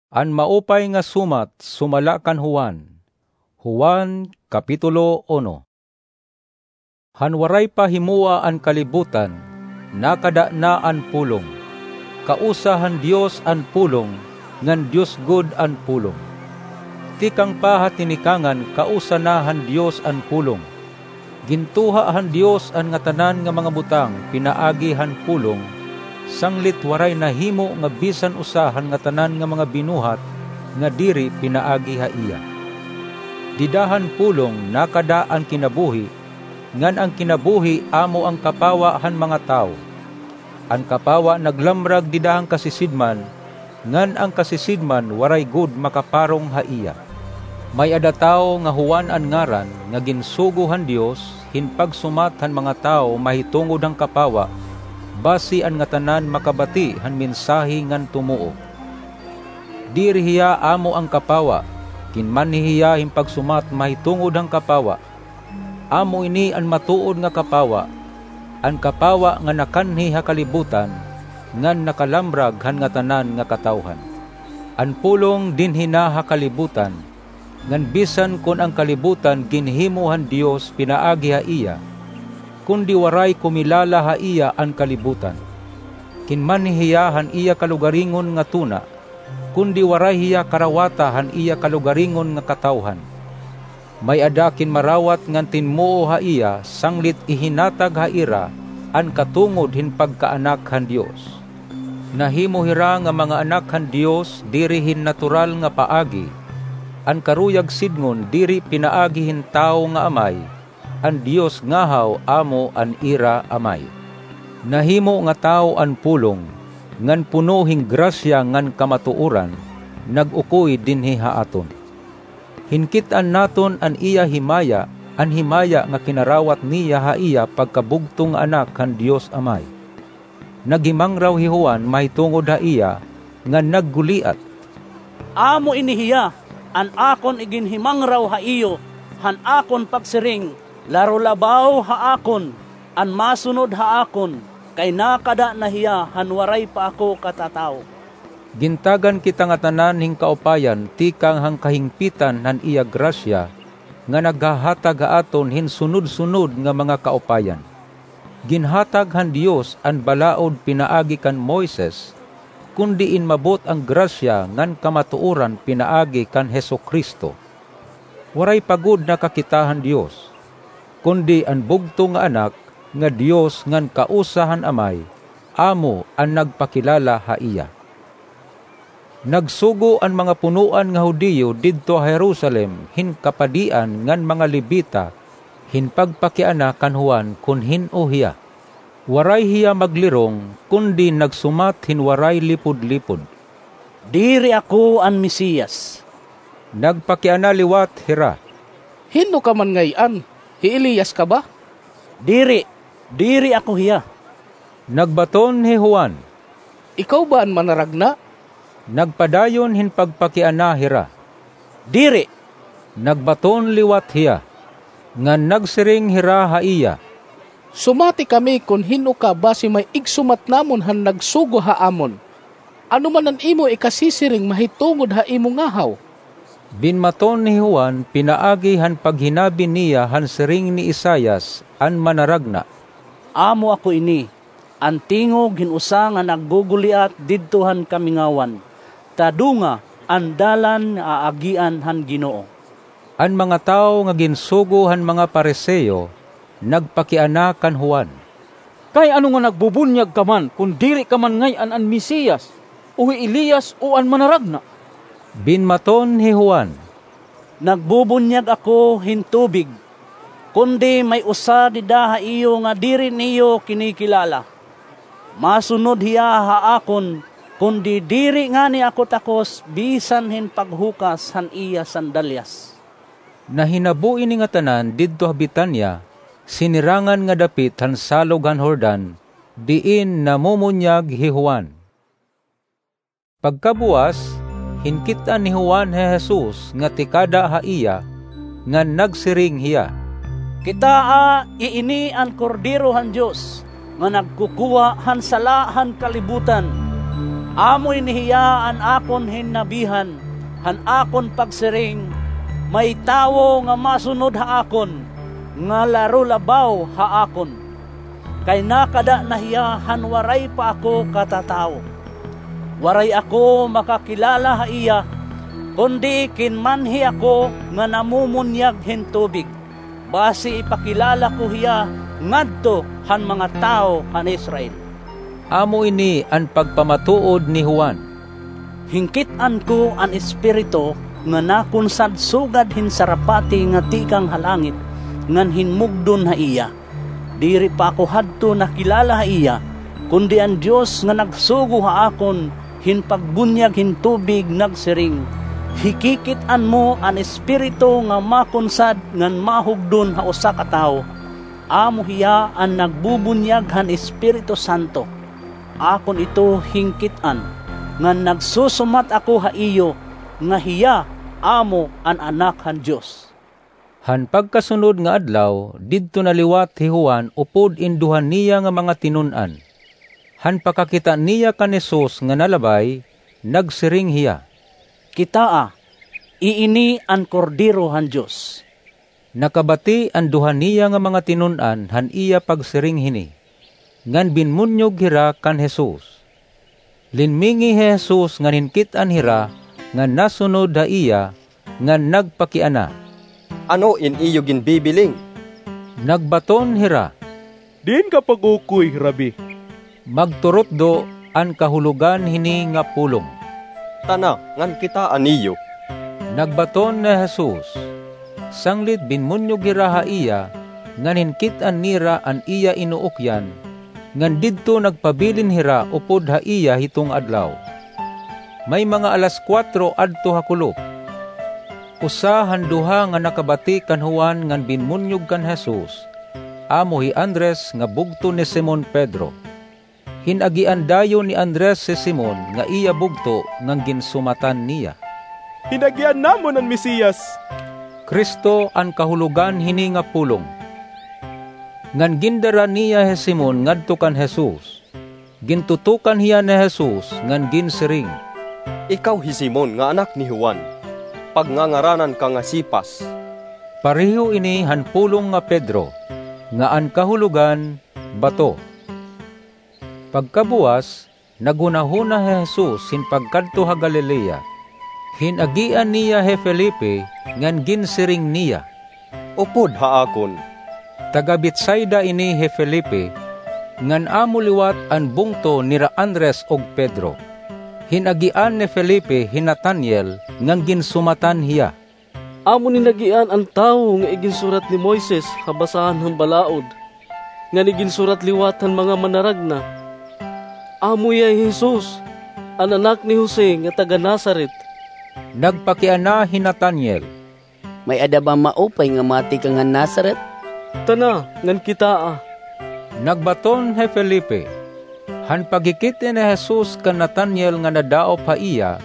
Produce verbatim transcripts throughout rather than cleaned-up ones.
An Maupay nga Sumat sumala kan Juan. Juan, Kapitulo uno. Han waray pa himoa an kalibutan, nakada na an Pulong. Kausa han Dios an Pulong, ngan Dios gud an Pulong. Tikang pa ha tinikangan, kausa na han Dios an Pulong. Gintuha han Dios an ngatanan nga mga butang pinaagi han Pulong, sanglit waray nahimo nga bisan usa han ngatanan nga mga binuhat nga diri pinaagi ha iya. Dida han Pulong nakada an kinabuhi, ngan an kinabuhi amo an kapawa han mga tawo. An kapawa naglamrag dida han kasisidman, ngan an kasisidman waray gud makaparong ha iya. May-ada tawo nga Juan an ngaran nga ginsugo han Dios hin pagsumat han mga tawo mahitungod han kapawa, basi an ngatanan makabati han mensahe ngan tumuo. Diri hiya amo an kapawa, kinmanhi hiya hin pagsumat mahitungod han kapawa. Amo ini an matuod nga kapawa, an kapawa nga nakanhi ha kalibutan, ngan nakalamrag han ngatanan nga katawhan. An Pulong dinhi na ha kalibutan, ngan bisan kon an kalibutan ginhimo han Dios pinaagi ha iya, kundi waray kumilala ha iya an kalibutan. Kinmanhi hiya han iya kalugaringon nga tuna, kundi waray hiya karawata han iya kalugaringon nga katawhan. May-ada kinmarawat ngan tinmuo ha iya, sanglit ihinatag ha ira an katungod hin pagkaanak han Dios. Nahimo hira nga mga anak han Dios diri hin natural nga paagi. An karuyag sidngon diri pinaagi hin tawo nga amay, an Dios ngahaw amo an ira amay. Nahimo nga tawo an Pulong, ngan puno hin grasya ngan kamatuoran, nag-ukoy dinhi ha aton. Hinkit-an naton an iya himaya, an himaya nga kinarawat niya ha iya pagkabugto nga Anak han Dios Amay. Naghimangraw hi Juan mahitungod ha iya, ngan nagguliat, "Amo ini hiya an akon iginhimangraw ha iyo han akon pagsiring, 'Laro labaw ha akon an masunod ha akon, kay nakada na hiya han waray pa ako katatawo.'" Gintagan kita ngatanan hin kaupayan tikang han kahingpitan han iya grasya, nga naghahatag ha aton hin sunod-sunod nga mga kaupayan. Ginhatag han Dios an balaod pinaagi kan Moises, kundi inmabot an grasya ngan kamatuoran pinaagi kan Jesu-Cristo. Waray pa gud nakakita han Dios, kundi an bugto nga Anak nga Dios ngan kausa han Amay, amo an nagpakilala ha iya. Nagsugo an mga punoan nga Judio didto ha Jerusalem hin kapadian ngan mga Levita hin pagpakiana kan Juan kon hin-o hiya. Waray hiya maglirong, kundi nagsumat hin waray lipod-lipod, "Diri ako an Mesiyas." Nagpakiana liwat hira, "Hin-o ka man ngay-an? Hi Elias ka ba?" "Diri, diri ako hiya." Nagbaton hi Juan, "Ikaw ba an Manaragna?" Nagpadayon hin pagpakiana hira, "Diri." Nagbaton liwat hiya, ngan nagsiring hira ha iya, "Sumati kami kon hin-o ka basi may igsumat namon han nagsugo ha amon. Ano man an imo ikasisiring mahitungod ha imo ngahaw?" Binmaton hi Juan pinaagi han paghinabi niya han siring ni Isaias an Manaragna, "Amo ako ini, an tingog hin usa nga nagguguliat didto han kamingawan, 'Tadunga an dalan nga aagian han Ginoo.'" An mga tawo nga ginsugo han mga Fariseo nagpakiana kan Juan, "Kay ano nga nagbubunyag ka man kon diri ka man ngay-an an Mesiyas, o hi Elias, o an Manaragna?" Binmaton hi Juan, "Nagbubunyag ako hin tubig, kundi may usa dida ha iyo nga diri niyo kinikilala. Masunod hiya ha akon, kundi diri ngani ako takos bisan hin paghukas han iya sandalyas." Nahinabo ini ngatanan didto ha Betania, sinirangan nga dapit han salog han Jordan, diin namumunyag hi Juan. Pagkabuas, hinkit-an ni Juan hi Jesus nga tikada ha iya, ngan nagsiring hiya, "Kitaa, iini an Kordero han Dios nga nagkukuha han sala han kalibutan! Amo ini hiya an akon hinnabihan han akon pagsiring, may tawo nga masunod ha akon, nga laro labaw ha akon, kay nakada na hiya han waray pa ako katatawo. Waray ako makakilala ha iya, kundi kinmanhi ako nga namumunyag hin tubig, basi ipakilala ko hiya ngadto han mga tawo han Israel. Amo ini an pagpamatuod ni Juan. Hinkit-an ko an Espiritu nga nakunsad sugad hin sarapati nga tikang ha langit ngan hinmugdon ha iya. Diri pa ako hadto nakilala ha iya, kundi an Dios nga nagsugo ha akon hin pagbunyag hin tubig nagsiring, "Hikikit-an mo an Espiritu nga makunsad ngan mahugdon ha usa ka tawo. Amo hiya an nagbubunyag han Espiritu Santo. Akon ito hinkit-an, ngan nagsusumat ako ha iyo nga hiya amo an Anak han Dios." Han pagkasunod nga adlaw, didto na liwat hi Juan upod in duha niya nga mga tinun-an. Han pakakita niya kan Jesus nga nalabay, nagsiring hiya, "Kitaa, iini an Kordero han Dios." Nakabati an duha niya nga mga tinun-an han iya pagsiring hini, ngan binmunyog hira kan Jesus. Linmingi hi Jesus ngan hinkit-an hira nga nasunod ha iya, ngan nagpakiana, "Ano in iyo ginbibiling?" Nagbaton hira, "Diin ka pag-ukoy, Rabbi?" Magturutdo an kahulogan hini nga pulong. "Tana, ngan kitaa niyo." Nagbaton ni Jesus. Sanglit binmunyog hira ha iya, ngan hinkit-an nira an iya inuukyan, ngan didto nagpabilin hira upod ha iya hiton adlaw. May mga alas kuwatro adto ha kulop. Usa han duha nga nakabati kan Juan ngan binmunyog kan Jesus, amo hi Andres nga bugto ni Simon Pedro. Hin-agian dayon ni Andres hi Simon nga iya bugto ngan ginsumatan niya, "Hin-agian namon an Mesias." Cristo an kahulogan hini nga pulong. Ngan gindara niya hi Simon ngadto kan Jesus. Gintutukan hiya ni Jesus ngan ginsiring, "Ikaw hi Simon nga anak ni Juan. Pagngangaranan ka nga Cefas." Pareho ini han pulong nga Pedro, nga an kahulogan, bato. Pagkabuas, naghunahuna hi Jesus hin pagkadto ha Galilea. Hin-agian niya hi Felipe ngan ginsiring niya, "Upod ha akon." Taga-Betsaida ini hi Felipe, ngan amo liwat an bungto nira Andres ug Pedro. Hin-agian ni Felipe hi Nataniel ngan ginsumatan hiya. "Amon hin-agian an tawo nga iginsurat ni Moises ha basahan han balaod, ngan iginsurat liwat han mga manaragna. Amo hiya hi Jesus, an anak ni Jose nga taga-Nazaret." Nagpakiana hi Nataniel, "May-ada ba maupay nga matikang han Nazaret? Tana, ngan kitaa." Nagbaton hi Felipe. Han paghikit-i ni Jesus kan Nataniel nga nadaop ha iya,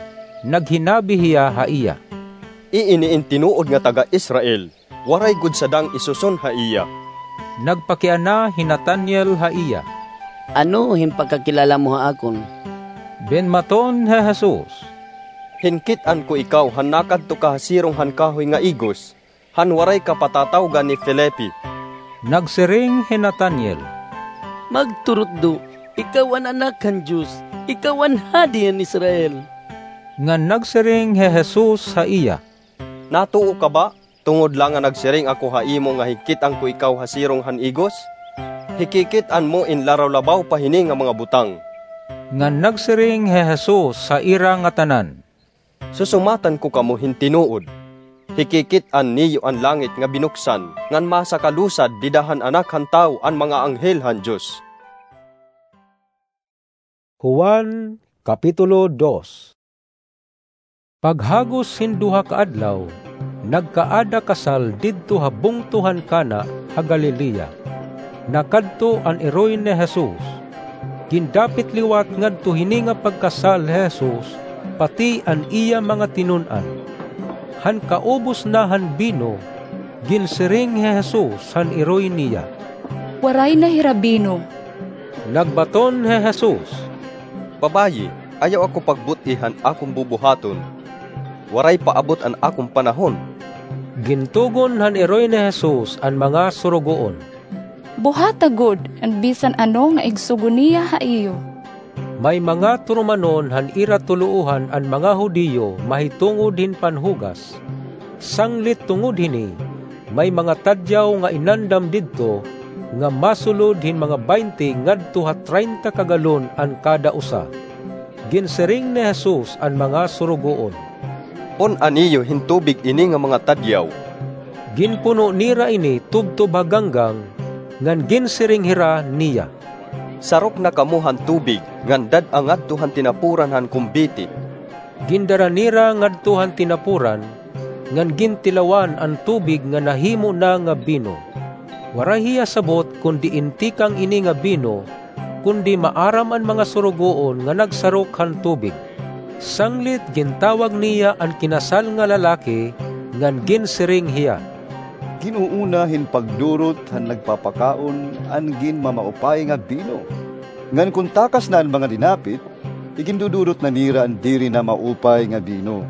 naghinabi hiya ha iya, "Iini in tinuod nga taga-Israel, waray gud sadang isuson ha iya." Nagpakiana hi Nataniel ha iya, "Ano hin pakakilala mo ha akon?" Binmaton hi Jesus, "Hinkit-an ko ikaw han nakadto ka ha sirong han kahoy nga igos, han waray ka patatawgan ni Felipe." Nagsiring hi Nataniel, "Magturutdo, ikaw an Anak han Dios, ikaw an Hadi han Israel." Ngan nagsiring hi Jesus ha iya, "Natuo ka ba, tungod la nga nagsiring ako ha imo nga hinkit-an ko ikaw ha sirong han igos? Hikikit-an mo in laraw-labaw pa hini nga mga butang." Ngan nagsiring hi Jesus ha ira ngatanan, "Susumatan ko kamo hin tinuod, hikikit-an niyo an langit nga binuksan, ngan masakalusad dida han Anak han Tawo an mga anghel han Dios." Juan, Kapitulo dos. Paghagos hin duha ka adlaw, nagkaada kasal didto ha bungto han Cana ha Galilea. Nakadto an iroy ni Jesus. Gindapit liwat ngadto hini nga pagkasal hi Jesus, pati an iya mga tinun-an. Han kaubos na han bino, ginsiring hi Jesus han iroy niya, "Waray na hira bino." Nagbaton hi Jesus, "Babayi, Ayaw ako pagbut-i han akon bubuhaton. Waray pa abot an akon panahon. Gintugon han iroy ni Jesus an mga surugoon, "Buhata gud an bisan ano nga igsugo niya ha iyo." May mga turumanon han ira tuloohan an mga Judio mahitungod hin panhugas. Sanglit tungod hini, may mga tadyaw nga inandam didto nga masulod hin mga baynte ngadto ha traynta ka galon an kada usa. Ginsiring ni Jesus an mga surugoon, "Pun-a niyo hin tubig ini nga mga tadyaw." Ginpuno nira ini tubtob ha ganggang, ngan ginsiring hira niya, "Sarok na kamo han tubig ngan dad-a ngadto han tinapuran han kumbiti." Gindara nira ngadto han tinapuran, ngan gintilawan an tubig nga nahimo na nga bino. Waray hiya sabot kon diin tikang ini nga bino, kundi maaram an mga surugoon nga nagsarok han tubig. Sanglit gintawag niya an kinasal nga lalaki, ngan ginsiring hiya, "Gin-uuna hin pagdurot han nagpapakaon an ginmamaupay nga bino. Ngan kon takas na an mga dinapit, igindudurot na nira an diri na maupay nga bino.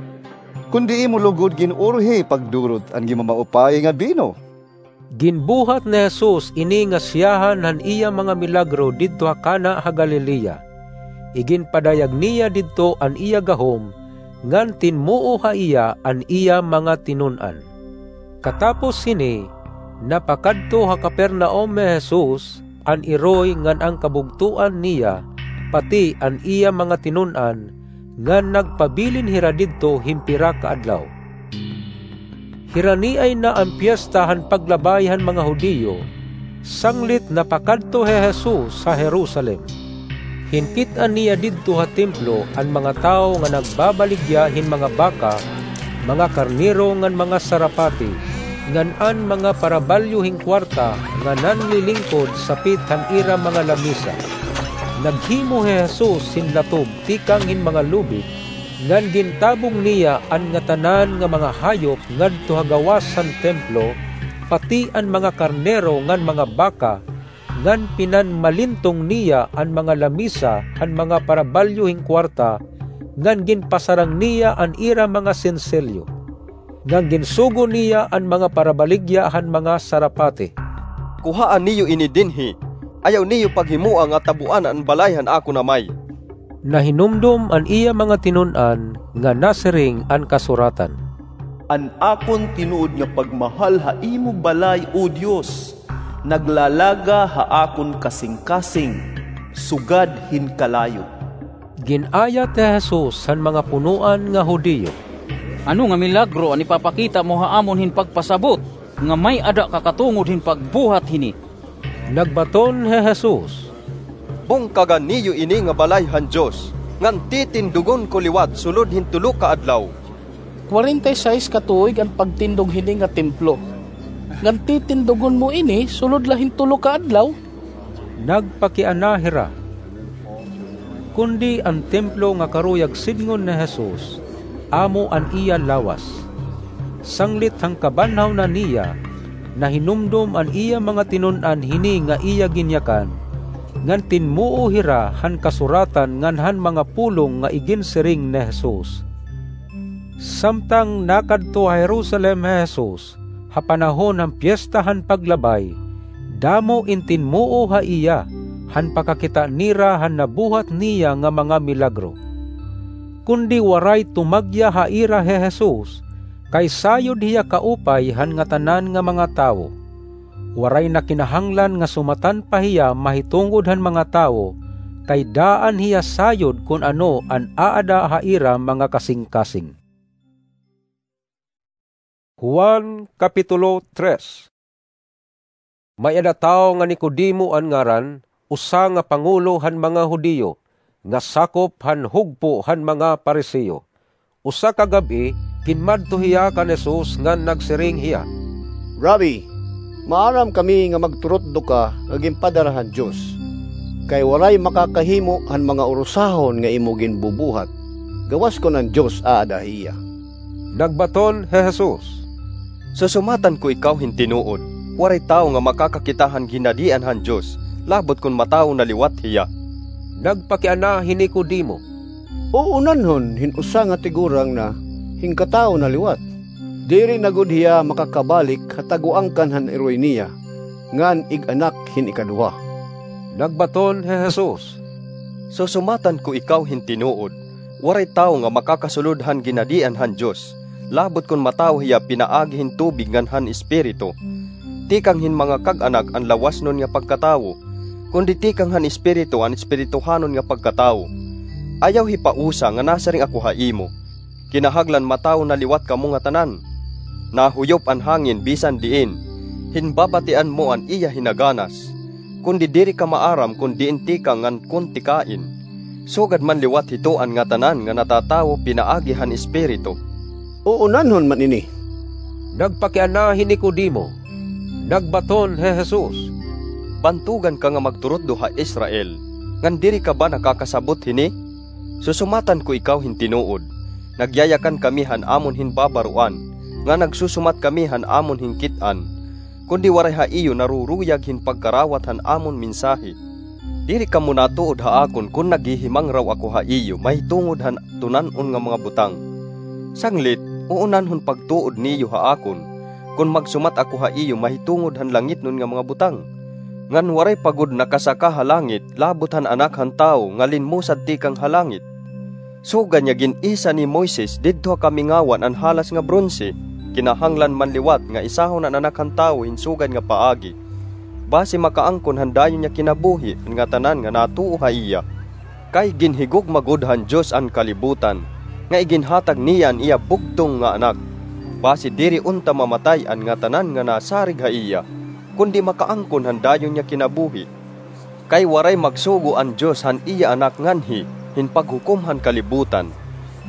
Kon diri mo lugod gin-urhi pagdurot an ginmamaupay nga bino." Ginbuhat ni Jesus ini nga siyahan han iya mga milagro didto ha Cana ha Galilea. Iginpadayag niya didto an iya gahom, ngan tinmuo ha iya an iya mga tinun-an. Katapos hini, napakadto ha Capernaum hi Jesus, an iroy ngan an kabugtoan niya, pati an iya mga tinun-an, ngan nagpabilin hira didto hin pira ka adlaw. Hiraniay na an Piesta han Paglabay han mga Judio, sanglit napakadto hi Jesus ha Jerusalem. Hinkit-an niya didto ha templo an mga tawo nga nagbabaligya hin mga baka, mga karnero ngan mga sarapati, ngan an mga parabalyo hin kuwarta nga nanlilingkod sapit han ira mga lamisa. Naghimo hi Jesus hin latob tikang hin mga lubid, ngan gintabong niya an ngatanan nga mga hayop ngadto ha gawas han templo, pati an mga karnero ngan mga baka, ngan pinanmalintong niya an mga lamisa han mga parabalyo hin kuwarta, ngan ginpasarang niya an ira mga senselyo. Ngan ginsugo niya an mga parabaligya han mga sarapati, "Kuhaa niyo ini dinhi. Ayaw niyo paghimoa nga tabuan an balay han akon Amay." Nahinumdom an iya mga tinun-an nga nasiring an kasuratan, "An akon tinuod nga pagmahal ha imo balay, O Dios, naglalaga ha akon kasingkasing sugad hin kalayo." Gin-ayat hi Jesus han mga punoan nga Judio, "Ano nga milagro an ipapakita mo ha amon hin pagpasabot nga may-ada ka katungod hin pagbuhat hini?" Nagbaton hi Jesus, "Bungkaga niyo ini nga balay han Dios, ngan titindugon ko liwat sulod hin tulo ka adlaw." Kwarenta y sais ka tuig an pagtindog hini nga templo, ngan titindugon mo ini sulod la hin tulo ka adlaw? Nagpakiana hira. Kundi an templo nga karuyag sidngon ni Jesus, amo an iya lawas. Sanglit han kabanhaw na niya, nahinumdom an iya mga tinun-an hini nga iya ginyakan, ngan tinmuo hira han kasuratan ngan han mga pulong nga iginsiring ni Jesus. Samtang nakadto ha Jerusalem hi Jesus, ha panahon han Piesta han Paglabay, damo in tinmuo ha iya, han pakakita nira han nabuhat niya nga mga milagro. Kundi waray tumagya ha ira hi Jesus, kay sayod hiya kaupay han ngatanan nga mga tawo. Waray na kinahanglan nga sumatan pa hiya mahitungod han mga tawo, kay daan hiya sayod kon ano an aada ha ira mga kasingkasing. Juan, Kapitulo tres. May-ada tawo nga Nicodemo an ngaran, usa nga pangulo han mga Judio, nga sakop han hugpo han mga Pariseo. Usa ka gab-i, kinmadto hiya kan Jesus ngan nagsiring hiya, "Rabbi, maaram kami nga magturutdo ka nga ginpadara han Dios, kay waray makakahimo han mga urusahon nga imo ginbubuhat, gawas kon an Dios aada ha iya." Nagbaton hi Jesus, "Susumatan ko ikaw hin tinuod, waray tawo nga makakakita han ginhadian han Dios, labot kon matawo na liwat hiya." Nagpakiana hi Nicodemo, Uunanhon hin usa nga tigurang na hinkatawo na liwat. Diri na gud hiya makakabalik ha taguangkan han iroy niya, ngan ig-anak hin ikaduha. Nagbaton hi Jesus, "Susumatan ko ikaw hin tinuod, waray tawo nga makakasulod han ginhadian han Dios, labot kon matawo hiya pinaagi hin tubig ngan han Espiritu. Tikang hin mga kag-anak an lawasnon nga pagkatawo, kundi tikang han Espiritu an espirituhanon nga pagkatawo. Ayaw hipausa nga nasiring ako ha imo, kinahanglan matawo na liwat kamo ngatanan. Nahuyop an hangin bisan diin, hin babatian mo an iya hinaganas, kundi diri ka maaram kon diin tikang ngan kon tikain. Sugad man liwat hito an ngatanan nga natatawo pinaagi han Espiritu." "Uunanhon man ini." Nagpakiana hi Nicodemo. Nagbaton hi Jesus, "Bantogan ka nga magturutdo ha Israel, ngan diri ka ba nakakasabot hini? Susumatan ko ikaw hin tinuod, nagyayakan kami han amon hin babaroan, ngan nagsusumat kami han amon hin kit-an, kundi waray ha iyo naruruyag hin pagkarawat han amon mensahe. Diri kamo natuod ha akon kon naghihimangraw ako ha iyo mahitungod han tunan-on nga mga butang. Sanglit, uunanhon pagtuod niyo ha akon kon magsumat ako ha iyo mahitungod han langitnon nga mga butang. Ngan waray pa gud nakasaka ha langit labot han Anak han Tawo nga linmusad tikang ha langit. Sugad nga gin-isa ni Moises didto ha kamingawan an halas nga bronse, kinahanglan man liwat nga isahon an Anak han Tawo hin sugad nga paagi, basi makaangkon han dayon nga kinabuhi an ngatanan nga natuo ha iya. Kay ginhigugma gud han Dios an kalibutan, nga iginhatag niya an iya bugtong nga Anak, basi diri unta mamatay an ngatanan nga nasarig ha iya, kundi makaangkon han dayon nga kinabuhi. Kay waray magsugo an Dios han iya Anak nganhi hin paghukom han kalibutan,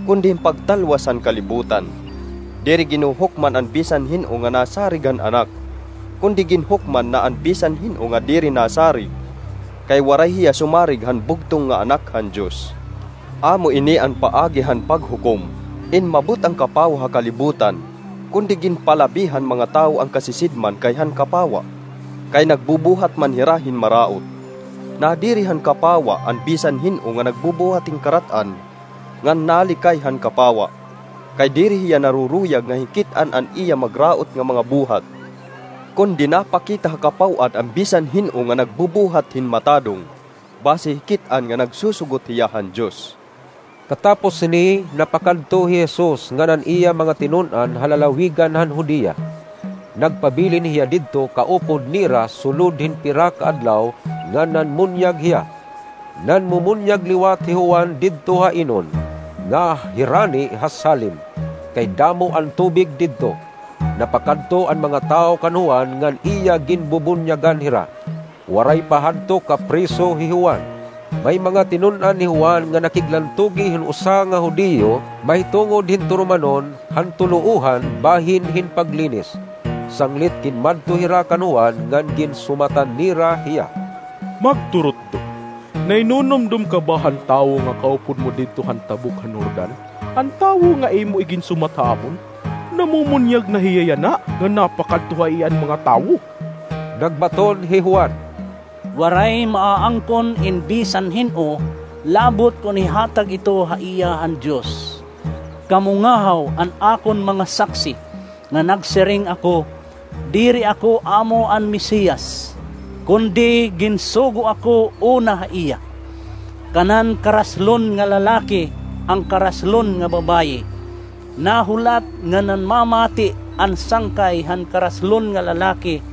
kundi hin pagtalwas han kalibutan. Diri ginhuhukman an bisan hin-o nga nasarig han Anak, kundi ginhukman na an bisan hin-o nga diri nasarig, kay waray hiya sumarig han bugtong nga Anak han Dios. Amo ini an paagi han paghukom, inmabot an kapawa ha kalibutan, kundi ginpalabi han mga tawo an kasisidman kay han kapawa, kay nagbubuhat man hira hin maraot. Nadiri han kapawa an bisan hin-o nga nagbubuhat hin karat-an, ngan nalikay han kapawa, kay diri hiya naruruyag nga hikit-an an iya magraot nga mga buhat. Kundi napakita ha kapaw-an an bisan hin-o nga nagbubuhat hin matadong, basi hikit-an nga nagsusugot hiya han Dios." Katapos sini, napakadto hi Jesus ngan an iya mga tinun-an ha lalawigan han Judea. Nagpabilin hiya didto kaupod nira sulod hin pira ka adlaw ngan nanmunyag hiya. Nanmumunyag liwat hi Juan didto ha Enon, nga hirani ha Salim, kay damo an tubig didto. Napakadto an mga tawo kan Juan ngan iya ginbubunyagan hira. Waray pa hadto kapriso hi Juan. May mga tinun-an hi Juan nga nakiglantugi hin usa nga Judio mahitungod hin turumanon han tuloohan bahin hin paglinis. Sanglit ginmadto hira kan Juan ngan ginsumatan nira hiya, "Magturutdo, nahinunumdom ka ba han tawo nga kaupod mo didto han tabok han Jordan? An tawo nga imo iginsumat ha amon, namumunyag na hiya yana nga napakadto ha iya an mga tawo." Nagbaton hi Juan, "Waray maaangkon in bisan hin-o, labot kon ihatag ito ha iya han Dios. Kamo ngahaw an akon mga saksi nga nagsiring ako, 'Diri ako amo an Mesiyas, kundi ginsugo ako una ha iya.' Kanan karaslon nga lalaki an karaslon nga babaye. Nahulat nga nanmamati an sangkay han karaslon nga lalaki,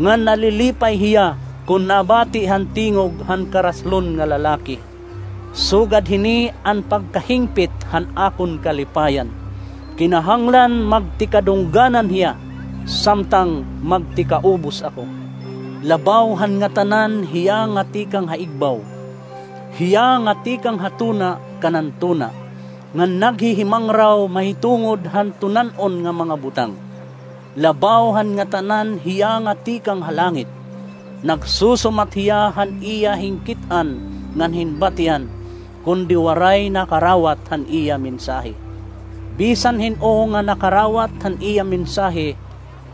ngan nalilipay hiya kon nabati han tingog han karaslon nga lalaki. Sugad hini an pagkahingpit han akon kalipayan. Kinahanglan magtikadungganan hiya, samtang magtikaubos ako. Labaw han ngatanan hiya nga tikang ha igbaw, hiya nga tikang ha tuna kanan tuna, ngan naghihimangraw mahitungod han tunan-on nga mga butang. Labaw han ngatanan hiya nga tikang ha langit. Nagsusumat hiya han iya hinkit-an ngan hinbatian, kundi waray nakarawat han iya mensahe. Bisan hin-o nga nakarawat han iya mensahe,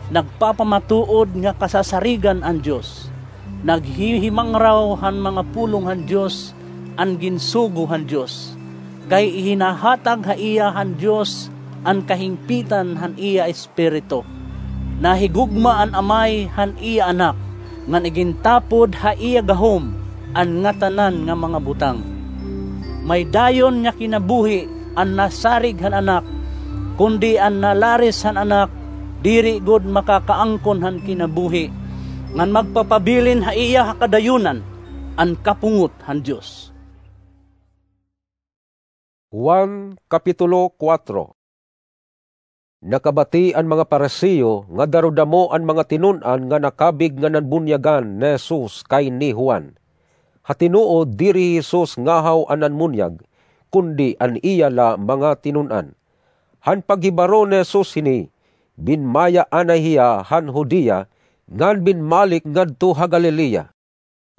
nagpapamatuod nga kasasarigan an Dios. Naghihimangraw han mga pulong han Dios an ginsugo han Dios. kay ihinahatag ha iya han Dios an kahingpitan han iya Espiritu. Nahigugma an Amay han iya Anak, ngan igintapod ha iya gahom an ngatanan nga mga butang. May dayon nga kinabuhi an nasarig han Anak, kundi an nalaris han Anak diri gud makakaangkon han kinabuhi, ngan magpapabilin ha iya ha kadayunan an kapungot han Dios. Juan, Kapitulo kuwatro. Nakabati an mga Pariseo nga darodamo an mga tinun-an nga nakabig nga nanbunyagan ni Jesus kay ni Juan. Ha tinuod, diri hi Jesus ngahaw an nanmunyag, kundi an iya la mga tinun-an. Han paghibaro ni Jesus hini, binmaya anay hiya han Judea, ngan binmalik ngadto ha Galilea.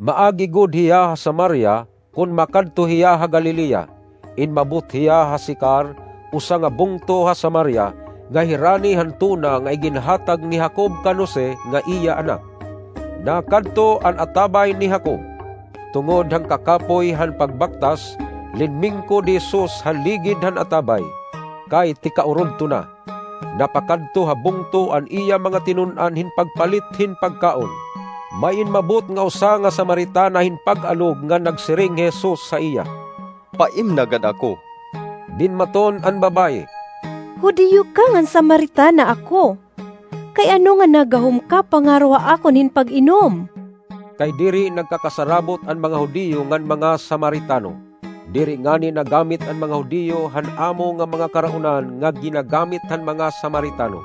Maagi gud hiya ha Samaria kon makadto hiya ha Galilea. Inmabot hiya ha Sicar, usa nga bungto ha Samaria, nga hirani han tuna nga iginhatag ni Jacob kan Jose nga iya anak. Nakadto an atabay ni Jacob. Tungod han kakapoy han pagbaktas, linmingkod hi Jesus ha ligid han atabay, kay tikaurodto na. Napakadto ha bungto an iya mga tinun-an hin pagpalit hin pagkaon. May inmabot nga usa nga Samaritana hin pag-alog ngan nagsiring hi Jesus ha iya, "Paimna gad ako." Dinmaton an babaye, "Judio ka ngan Samaritana ako. Kay ano nga nagahom ka pangaro ha akon hin pag-inom?" Kay diri nagkakasarabot an mga Judio ngan mga Samaritano. Diri ngani nagamit an mga Judio han amo nga mga karaonan nga ginagamit han mga Samaritano.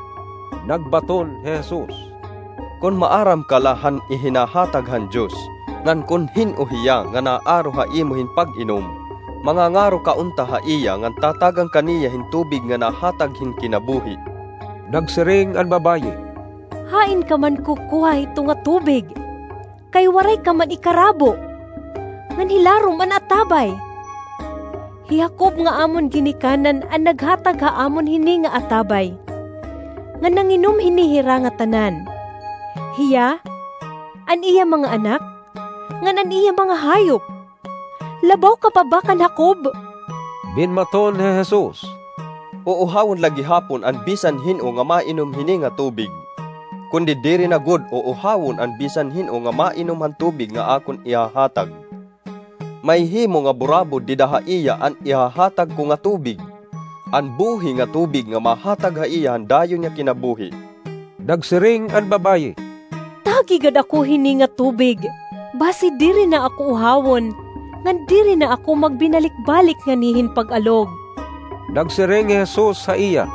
Nagbaton hi Jesus, "Kon maaram ka la han ihinahatag han Dios, ngan kon hin-o hiya nga naaro ha imo hin pag-inom, mangangaro ka unta ha iya ngan tatagan ka niya hin tubig nga nahatag hin kinabuhi." Nagsiring an babaye, "Hain ka man kukuha hito nga tubig? Kay waray ka man ikarabo, ngan hilarom an atabay. Hi Jacob nga amon ginikanan an naghatag ha amon hini nga atabay, ngan nanginom hini hira ngatanan, hiya, an iya mga anak, ngan an iya mga hayop. Labaw ka pa ba kan Jacob?" Dinmaton hi Jesus, "Uuhawon la gihapon an bisan hin-o nga mainom hini nga tubig, kundi diri na gud uuhawon an bisan hin-o nga mainom han tubig nga akon ihahatag. Mahihimo nga burabod dida ha iya an ihahatag ko nga tubig, an buhi nga tubig nga mahatag ha iya han dayon nga kinabuhi." Nagsiring an babaye, "Tagi gad ako hini nga tubig, basi diri na ako uhawon, ngan diri na ako magbinalik-balik ngani hin pag-alog." Nagsiring hi Jesus ha iya,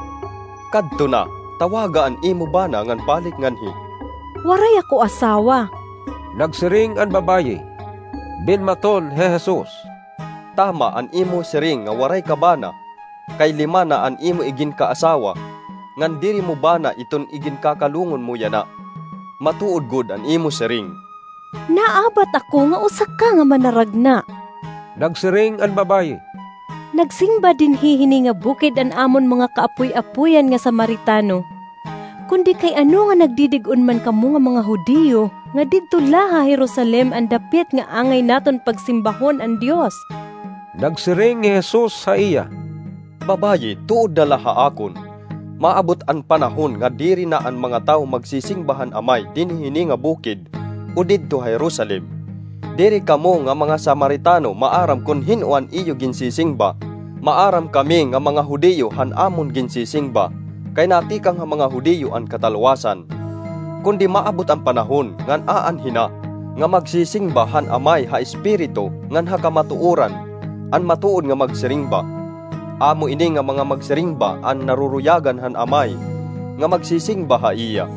"Kadto na, tawaga an imo bana ngan balik nganhi." "Waray ako asawa." Nagsiring an babaye. Dinmaton hi Jesus, "Tama an imo siring nga waray ka bana, kay lima na an imo iginkaasawa, ngan diri mo bana iton iginkakalungon mo yana. Matuod gud an imo siring." "Naabat ako nga usa ka nga manaragna." Nagsiring an babaye, "Nagsimba dinhi hini nga bukid an amon mga kaapoy-apoyan nga Samaritano. Kundi kay ano nga nagdidig-on man kamo nga mga Judio nga didto la ha Jerusalem an dapit nga angay naton pagsimbahon an Dios?" Nagsiring hi Jesus ha iya, "Babaye, tuod na la ha akon, maabot an panahon nga diri na an mga tawo magsisimba han Amay dinhi hini nga bukid o didto ha Jerusalem. Diri kamo nga mga Samaritano maaram kon hin-o an iyo ginsisingba. Maaram kami nga mga Judio han amon ginsisingba, kay natikang ha mga Judio an katalwasan. Kundi maabot an panahon ngan aanhi na nga magsisingba han Amay ha Espiritu ngan ha kamatuoran, an matuod nga magsiringba. Amo ini nga mga magsiringba an naruruyagan han Amay, nga magsisingba ha iya.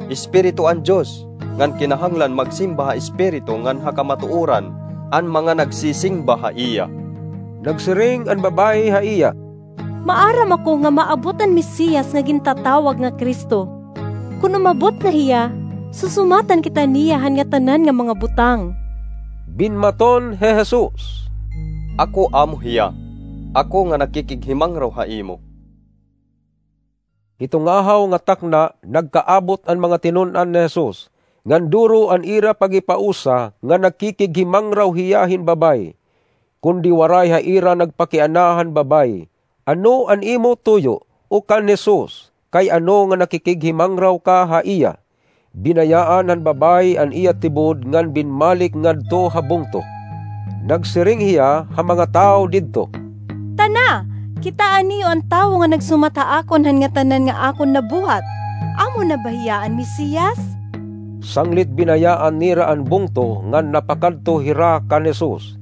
Espiritu an Dios, ngan kinahanglan magsimba ha Espiritu ngan ha kamatuoran an mga nagsisingba ha iya." Nagsiring an babaye ha iya, "Maaram ako nga maabot an Mesiyas nga gintatawag nga Cristo. Kon umabot na hiya, susumatan kita niya han ngatanan nga mga butang." Binmaton hi Jesus, "Ako amo hiya, ako nga nakikighimangraw ha imo." Hito nga ahaw nga takna, nagkaabot an mga tinun-an ni Jesus, ngan duro an ira paghipausa nga nakikighimangraw hiya hin babaye. Kundi waray ha ira nagpakiana han babaye, "Ano an imo tuyo, o kan Jesus, kay ano nga nakikighimangraw ka ha iya?" Binayaan han babaye an iya tibod ngan binmalik ngadto ha bungto. Nagsiring hiya ha mga tawo didto, "Tana, kitaa niyo an tawo nga nagsumat ha akon han ngatanan nga akon nabuhat. Amo na ba hiya an Mesiyas?" Sanglit binayaan nira an bungto ngan napakadto hira kan Jesus.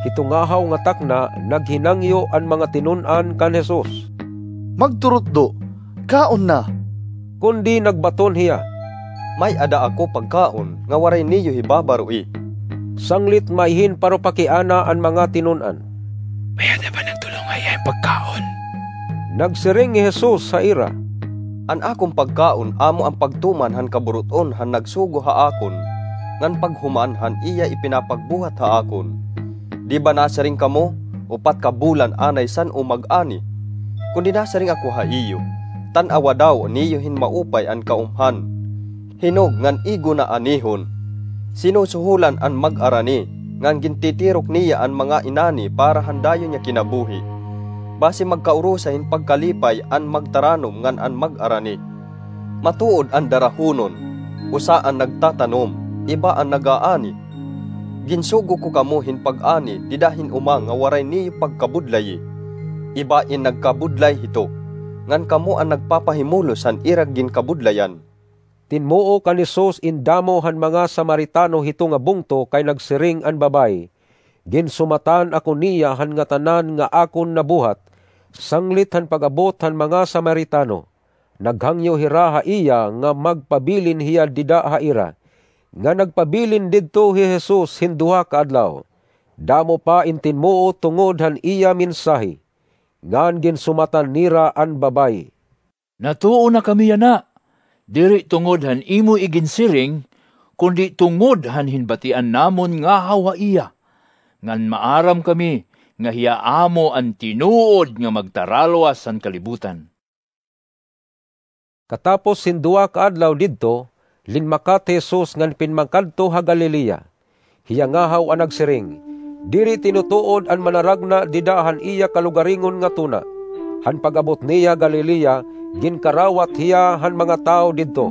Hito ngahaw nga takna, naghinangyo an mga tinun-an kan Jesus, "Magturutdo, kaon na." Kundi nagbaton hiya, "May-ada ako pagkaon nga waray niyo hibabaroi." Sanglit maihin parupakiana an mga tinun-an, "May-ada ba nagtulong ha iya hin pagkaon?" Nagsiring hi Jesus ha ira, "An akon pagkaon amo an pagtuman han kaburut-on han nagsugo ha akon, ngan paghuman han iya ipinapagbuhat ha akon. Di ba nasiring kamo, 'Upat ka bulan anay san-o mag-ani'? Kundi nasiring ako ha iyo, tan-awa daw niyo hin maupay an kaumhan. Hinog ngan igo na anihon. Sinusuholan an mag-arani, ngan gintitirok niya an mga inani para han dayon nga kinabuhi. Basi magkaurusa hin pagkalipay an magtaranom ngan an mag-arani. Matuod an darahonon, usa an nagtatanom, iba an nag-aani. Ginsugo ko kamo hin pag-ani dida hin uma nga waray niyo pagkabudlayi. Iba in nagkabudlay hito, ngan kamo an nagpapahimulos han ira ginkabudlayan." Tinmuo kan Jesus in damo han mga Samaritano hito nga bungto kay nagsiring an babaye, "Ginsumatan ako niya han ngatanan nga akon nabuhat." Sanglit han pag-abot han mga Samaritano, naghangyo hira ha iya nga magpabilin hiya dida ha ira, nga nagpabilin didto hi Jesus hin duha ka adlaw. Damo pa in tinmuo tungod han iya mensahe, ngan ginsumatan nira an babaye. "Natuo na kami yana, diri tungod han imo iginsiring, kundi tungod han hinbatian namon ngahaw ha iya, ngan maaram kami nga hiya amo an tinuod nga magtaralwas han kalibutan." Katapos hin duha ka adlaw didto, linmakat hi Jesus ngan pinmakadto ha Galilea. Hiya ngahaw an nagsiring, "Diri tinutuod an manaragna dida han iya kalugaringon nga tuna." Han pag-abot niya Galilea, ginkarawat hiya han mga tawo didto,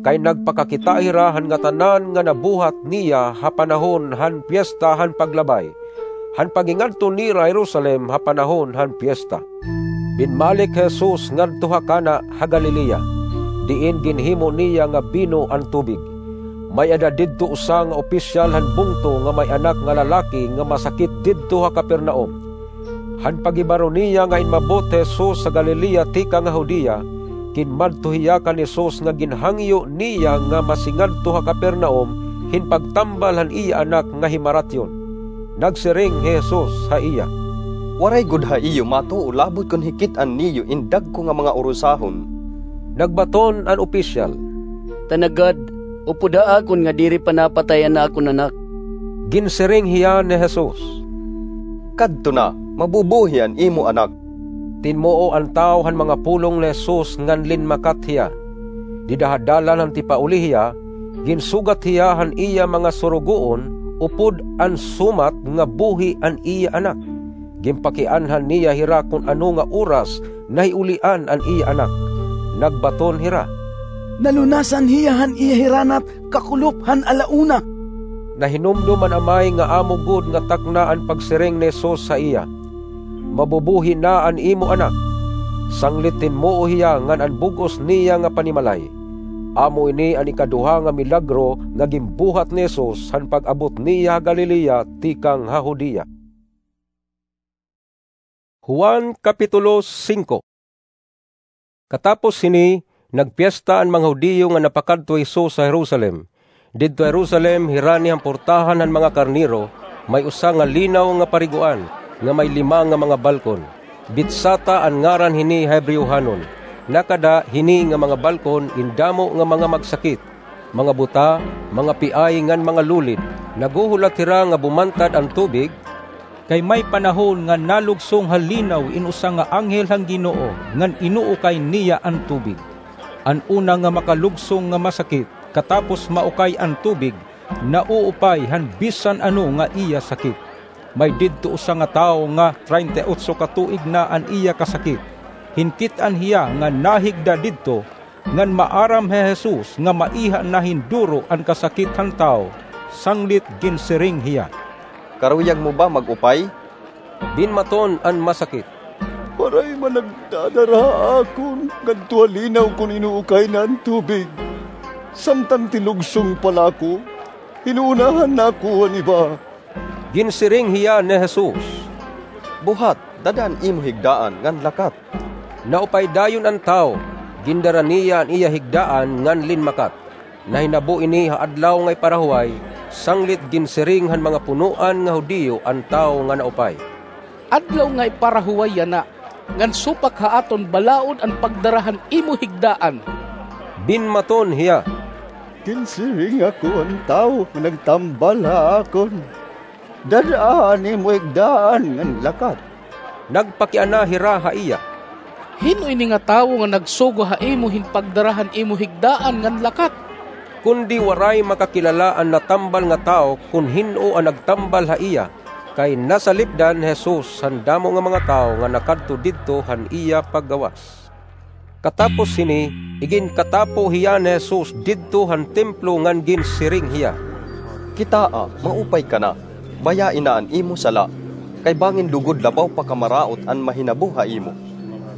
kay nagpakakita hira han ngatanan nga nabuhat niya ha panahon han Piesta han Paglabay, han pag-ingadto nira ha Jerusalem ha panahon han piesta. Binmalik hi Jesus ngadto ha Cana ha Galilea, diin ginhimo niya nga bino an tubig. May-ada didto usa nga opisyal han bungto nga may anak nga lalaki nga masakit didto ha Capernaum. Han paghibaro niya nga inmabot hi Jesus ha Galilea tikang ha Judea, kinmadto hiya kan Jesus nga ginhangyo niya nga masingadto ha Capernaum hin pagtambal han iya anak nga himaratyon. Nagsiring hi Jesus ha iya, "Waray gud ha iyo matuo labot kon hikit-an niyo in dagko nga mga urusahon." Nagbaton an opisyal, "Tanagad, upod ha akon nga diri pa napatay an akon anak." Ginsiring hiya ni Jesus, "Kadto na, mabubuhi an imo anak." Tinmuo an tawo han mga pulong ni Jesus ngan linmakat hiya. Dida ha dalan han tipauli hiya, ginsugat hiya han iya mga surugoon upod an sumat nga buhi an iya anak. Ginpakianhan niya hira kon ano nga oras nahiulian an iya anak. Nagbaton hira, "Nalunasan hiya han iya hiranat kakulop han ala una." Nahinumdom an amay nga amo gud nga takna an pagsiring ni Jesus ha iya, "Mabubuhi na an imo anak." Sanglit tinmuo hiya ngan an bug-os niya nga panimalay. Amo ini an ikaduha nga milagro nga ginbuhat ni Jesus han pag-abot niya ha Galilea tikang ha Judea. Juan, Kapitulo singko. Katapos hini, nagpiesta an mga Judio nga napakadto hi Jesus ha Jerusalem. Didto ha Jerusalem, hirani han portahan han mga karnero, may usa nga linaw nga pariguan nga may lima nga mga balkon. Betsata an ngaran hini ha Hebreohanon. Nakada hini nga mga balkon in damo nga mga magsakit, mga buta, mga piay ngan mga lulid. Naghuhulat hira nga bumantad an tubig, kay may panahon nga nalugsong ha linaw in usa nga anghel han Ginoo ngan inuukay niya an tubig. An una nga makalugsong nga masakit, katapos maukay an tubig, nauupay han bisan ano nga iya sakit. May didto usa nga tawo nga treinta y otso ka tuig na an iya kasakit. Hinkit-an hiya nga nahigda didto, ngan maaram hi Jesus nga maiha na hin duro an kasakit han tawo, sanglit ginsiring hiya, "Karuyag mo ba mag-upay?" Binmaton an masakit, "Waray man nagdadara ha akon ngadto ha linaw kon inuukay na an tubig. Samtang tilugsong pa la ako, inuunahan na ako han iba." Ginsiring hiya ni Jesus, "Buhat, dad-a an imo higdaan ngan lakat." Naupay dayon an tawo, gindara niya an iya higdaan ngan linmakat. Nahinabo ini ha Adlaw nga Iparahuway, sanglit ginsiring han mga punoan nga Judio an tawo nga naupay, "Adlaw nga Iparahuway yana, ngan supak ha aton balaod an pagdara han imo higdaan." Binmaton hiya, "Ginsiring ako han tawo nga nagtambal ha akon, 'Dad-a an imo higdaan ngan lakat.'" Nagpakiana hira ha iya, "Hin-o ini nga tawo nga nagsugo ha imo hin pagdara han imo higdaan ngan lakat?" Kundi waray makakilala an natambal nga tawo kon hin-o an nagtambal ha iya, kay nasalipdan hi Jesus han damo nga mga tawo nga nakadto didto han iya paggawas. Katapos hini, iginkatapo hiya ni Jesus didto han templo ngan ginsiring hiya, "Kitaa, maupay ka na. Bayai na an imo sala, kay bangin lugod labaw pa kamaraot an mahinabo ha imo."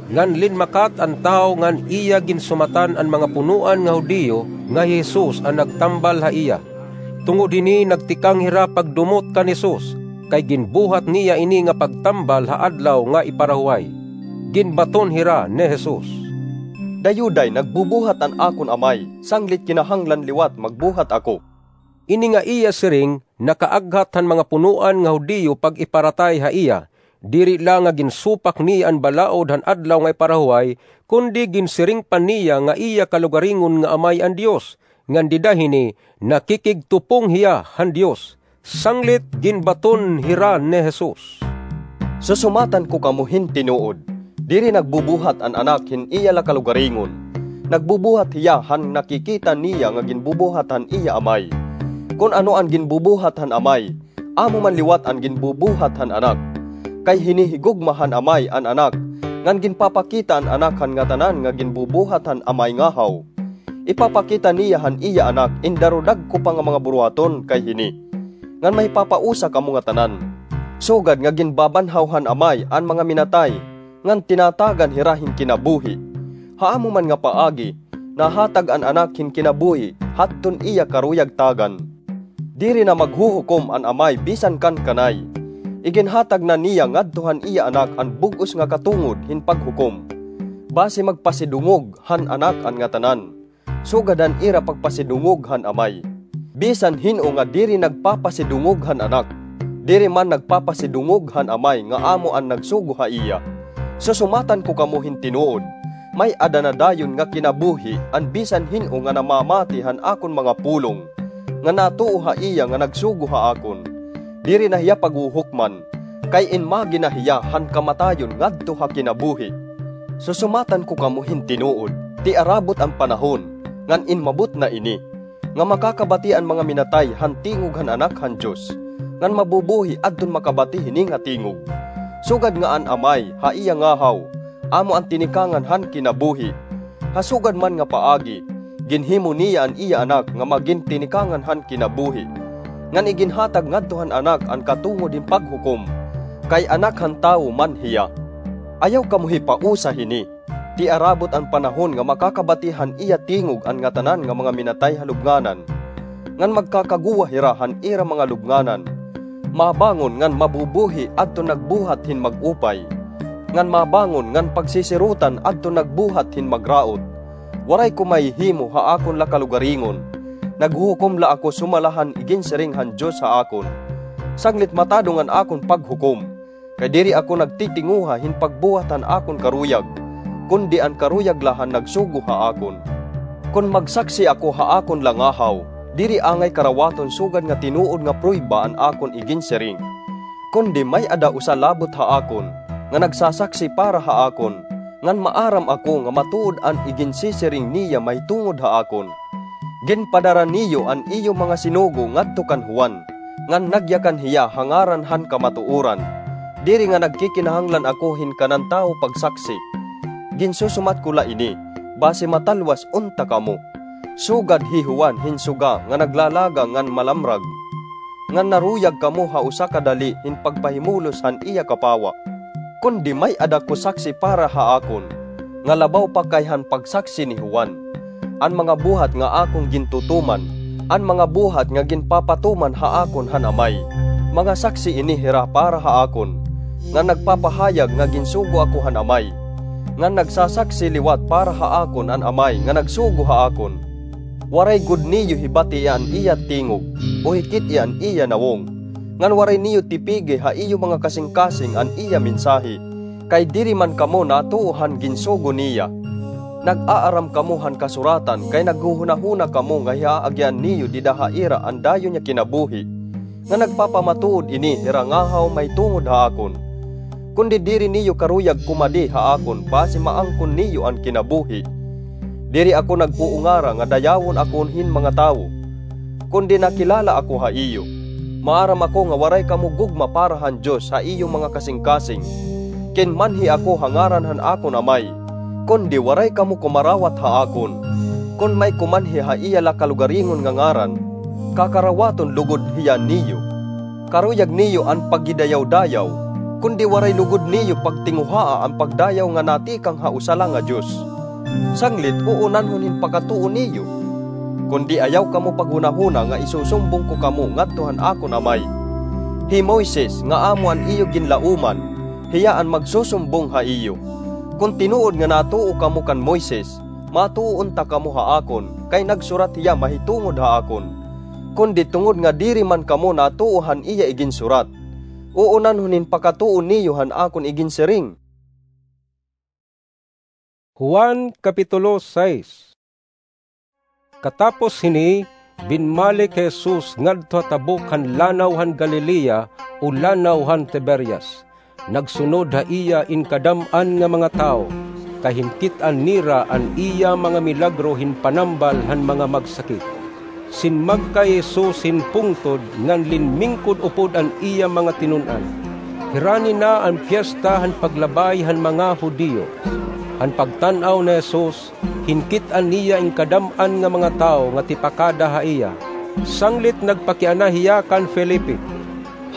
Ngan linmakat an tawo ngan iya ginsumatan an mga punoan nga Judio nga hi Jesus an nagtambal ha iya. Tungod hini nagtikang hira pagdumot kan Jesus, kay ginbuhat niya ini nga pagtambal ha Adlaw nga Iparahuway. Ginbaton hira ni Jesus, "Dayo day nagbubuhat an akon Amay, sanglit kinahanglan liwat magbuhat ako." Ini nga iya siring nakaaghat han mga punoan nga Judio pag-iparatay ha iya, diri la nga ginsupak niya an balaod han Adlaw nga Iparahuway, kundi ginsiring pa niya nga iya kalugaringon nga Amay an Dios, ngan dida hini nakikigtupong hiya han Dios. Sanglit ginbaton hira ni Jesus, "Susumatan ko kamo hin tinuod, diri nagbubuhat an Anak hin iya la kalugaringon. Nagbubuhat hiya han nakikita niya nga ginbubuhat han iya Amay. Kon ano an ginbubuhat han Amay, amo man liwat an ginbubuhat han Anak. Kay hinihigugma han Amay an Anak, ngan ginpapakita an Anak han ngatanan nga ginbubuhat han Amay ngahaw. Ipapakita niya han iya Anak in daru dagko pa nga mga buruhaton kay hini, ngan mahipapausa kamo ngatanan. Sugad nga ginbabanhaw han Amay an mga minatay, ngan tinatagan hira hin kinabuhi. Ha amo man nga paagi, nahatag an Anak hin kinabuhi hadton iya karuyag tagan. Diri na maghuhukom an Amay bisan kan kanay. Iginhatag na niya ngadto han iya Anak an bug-os nga katungod hin paghukom, basi magpasidungog han Anak an ngatanan, sugad han ira pagpasidungog han Amay. Bisan hin-o nga diri nagpapasidungog han Anak, diri man nagpapasidungog han Amay nga amo an nagsugo ha iya. Susumatan ko kamo hin tinuod, may-ada na dayon nga kinabuhi an bisan hin-o nga namamati han akon mga pulong, nga natuo ha iya nga nagsugo ha akon. Diri na hiya paghuhukman, kay inmagi na hiya han kamatayon ngadto ha kinabuhi. Susumatan ko kamo hin tinuod, tiarabot an panahon, ngan inmabot na ini, nga makakabati an mga minatay han tingog han Anak han Dios, ngan mabubuhi adton makabati hini nga tingog. Sugad nga an Amay ha iya ngahaw amo an tinikangan han kinabuhi, ha sugad man nga paagi, ginhimo niya an iya Anak nga magin tinikangan han kinabuhi, ngan iginhatag ngadto han Anak an katungod hin paghukom, kay Anak han Tawo man hiya. Ayaw kamo hipausa hini. Tiarabot an panahon nga makakabati han iya tingog an ngatanan nga mga minatay ha lubnganan, ngan magkakaguwa hira han ira mga lubnganan. Mabangon ngan mabubuhi adton nagbuhat hin mag-upay, ngan mabangon ngan pagsisirotan adton nagbuhat hin magraot. Waray ko mahihimo ha akon la kalugaringon. Naghuhukom la ako sumala han iginsiring han Dios ha akon. Sanglit matadong an akon paghukom, kay diri ako nagtitinguha hin pagbuhat han akon karuyag, kundi an karuyag la han nagsugo ha akon. Kon magsaksi ako ha akon la ngahaw, diri angay karawaton sugad nga tinuod nga prueba an akon iginsiring. Kundi may-ada usa labot ha akon, nga nagsasaksi para ha akon, ngan maaram ako nga matuod an iginsisiring niya mahitungod ha akon. Ginpadara niyo an iyo mga sinugo ngadto kan Juan, ngan nagyakan hiya ha ngaran han kamatuoran. Diri nga nagkikinahanglan ako hin kanan tawo pagsaksi. Ginsusumat ko la ini, basi matalwas unta kamo. Sugad hi Juan hin suga nga naglalaga ngan malamrag, ngan naruyag kamo ha usa ka dali hin pagpahimulos han iya kapawa. Kundi may-ada ko saksi para ha akon, nga labaw pa kay han pagsaksi ni Juan. An mga buhat nga akon gintutuman, an mga buhat nga ginpapatuman ha akon han Amay, mga saksi ini hira para ha akon, nga nagpapahayag nga ginsugo ako han Amay, ngan nagsasaksi liwat para ha akon an Amay nga nagsugo ha akon. Waray gud niyo hibati an iya tingog, o hikit-i an iya nawong, ngan waray niyo tipigi ha iyo mga kasingkasing an iya mensahe, kay diri man kamo natuo han ginsugo niya. Nag-aaram kamo han Kasuratan kay naghuhunahuna kamo nga hihaagian niyo dida ha ira an dayon nga kinabuhi, nga nagpapamatuod ini hira ngahaw mahitungod ha akon. Kundi diri niyo karuyag kumadi ha akon basi maangkon niyo an kinabuhi. Diri ako nag-uungara nga dayawon ako hin mga tawo, kundi nakilala ako ha iyo. Maaram ako nga waray kamo gugma para han Dios ha iyo mga kasingkasing. Kinmanhi ako ha ngaran han akon Amay, kundi waray kamo kumarawat ha akon. Kon may kumanhi ha iya la kalugaringon nga ngaran, kakarawaton lugod hiya niyo. Karuyag niyo an paghidayaw-dayaw, kundi waray lugod niyo pagtinguhaa an pagdayaw nga natikang ha usa la nga Dios. Sanglit uunanhon hin pakatuo niyo. Kundi ayaw kamo paghunahuna nga isusumbong ko kamo ngadto han akon Amay. Hi Moises nga amo an iyo ginlaoman, hiya an magsusumbong ha iyo. Kon tinuod nga natuo kamo kan Moises, matuo unta kamo ha akon, kay nagsurat hiya mahitungod ha akon. Kundi tungod nga diri man kamo natuo han iya iginsurat, uunanhon hin pakatuo niyo han akon iginsiring. Juan, Kapitulo sais. Katapos hini, binmalik hi Jesus ngadto ha tabok han Lanaw han Galilea, o Lanaw han Tiberias. Nagsunod ha iya in kadam-an nga mga tawo, kay hinkit-an nira an iya mga milagro hin panambal han mga magsakit. Sinmagkay hi Jesus hin pungtod ngan linmingkod upod an iya mga tinun-an. Hirani na an Piesta han Paglabay han mga Judio. Han pagtan-aw ni Jesus, hinkit-an niya in kadam-an nga mga tawo nga tipakada ha iya. Sanglit nagpakiana hiya kan Felipe,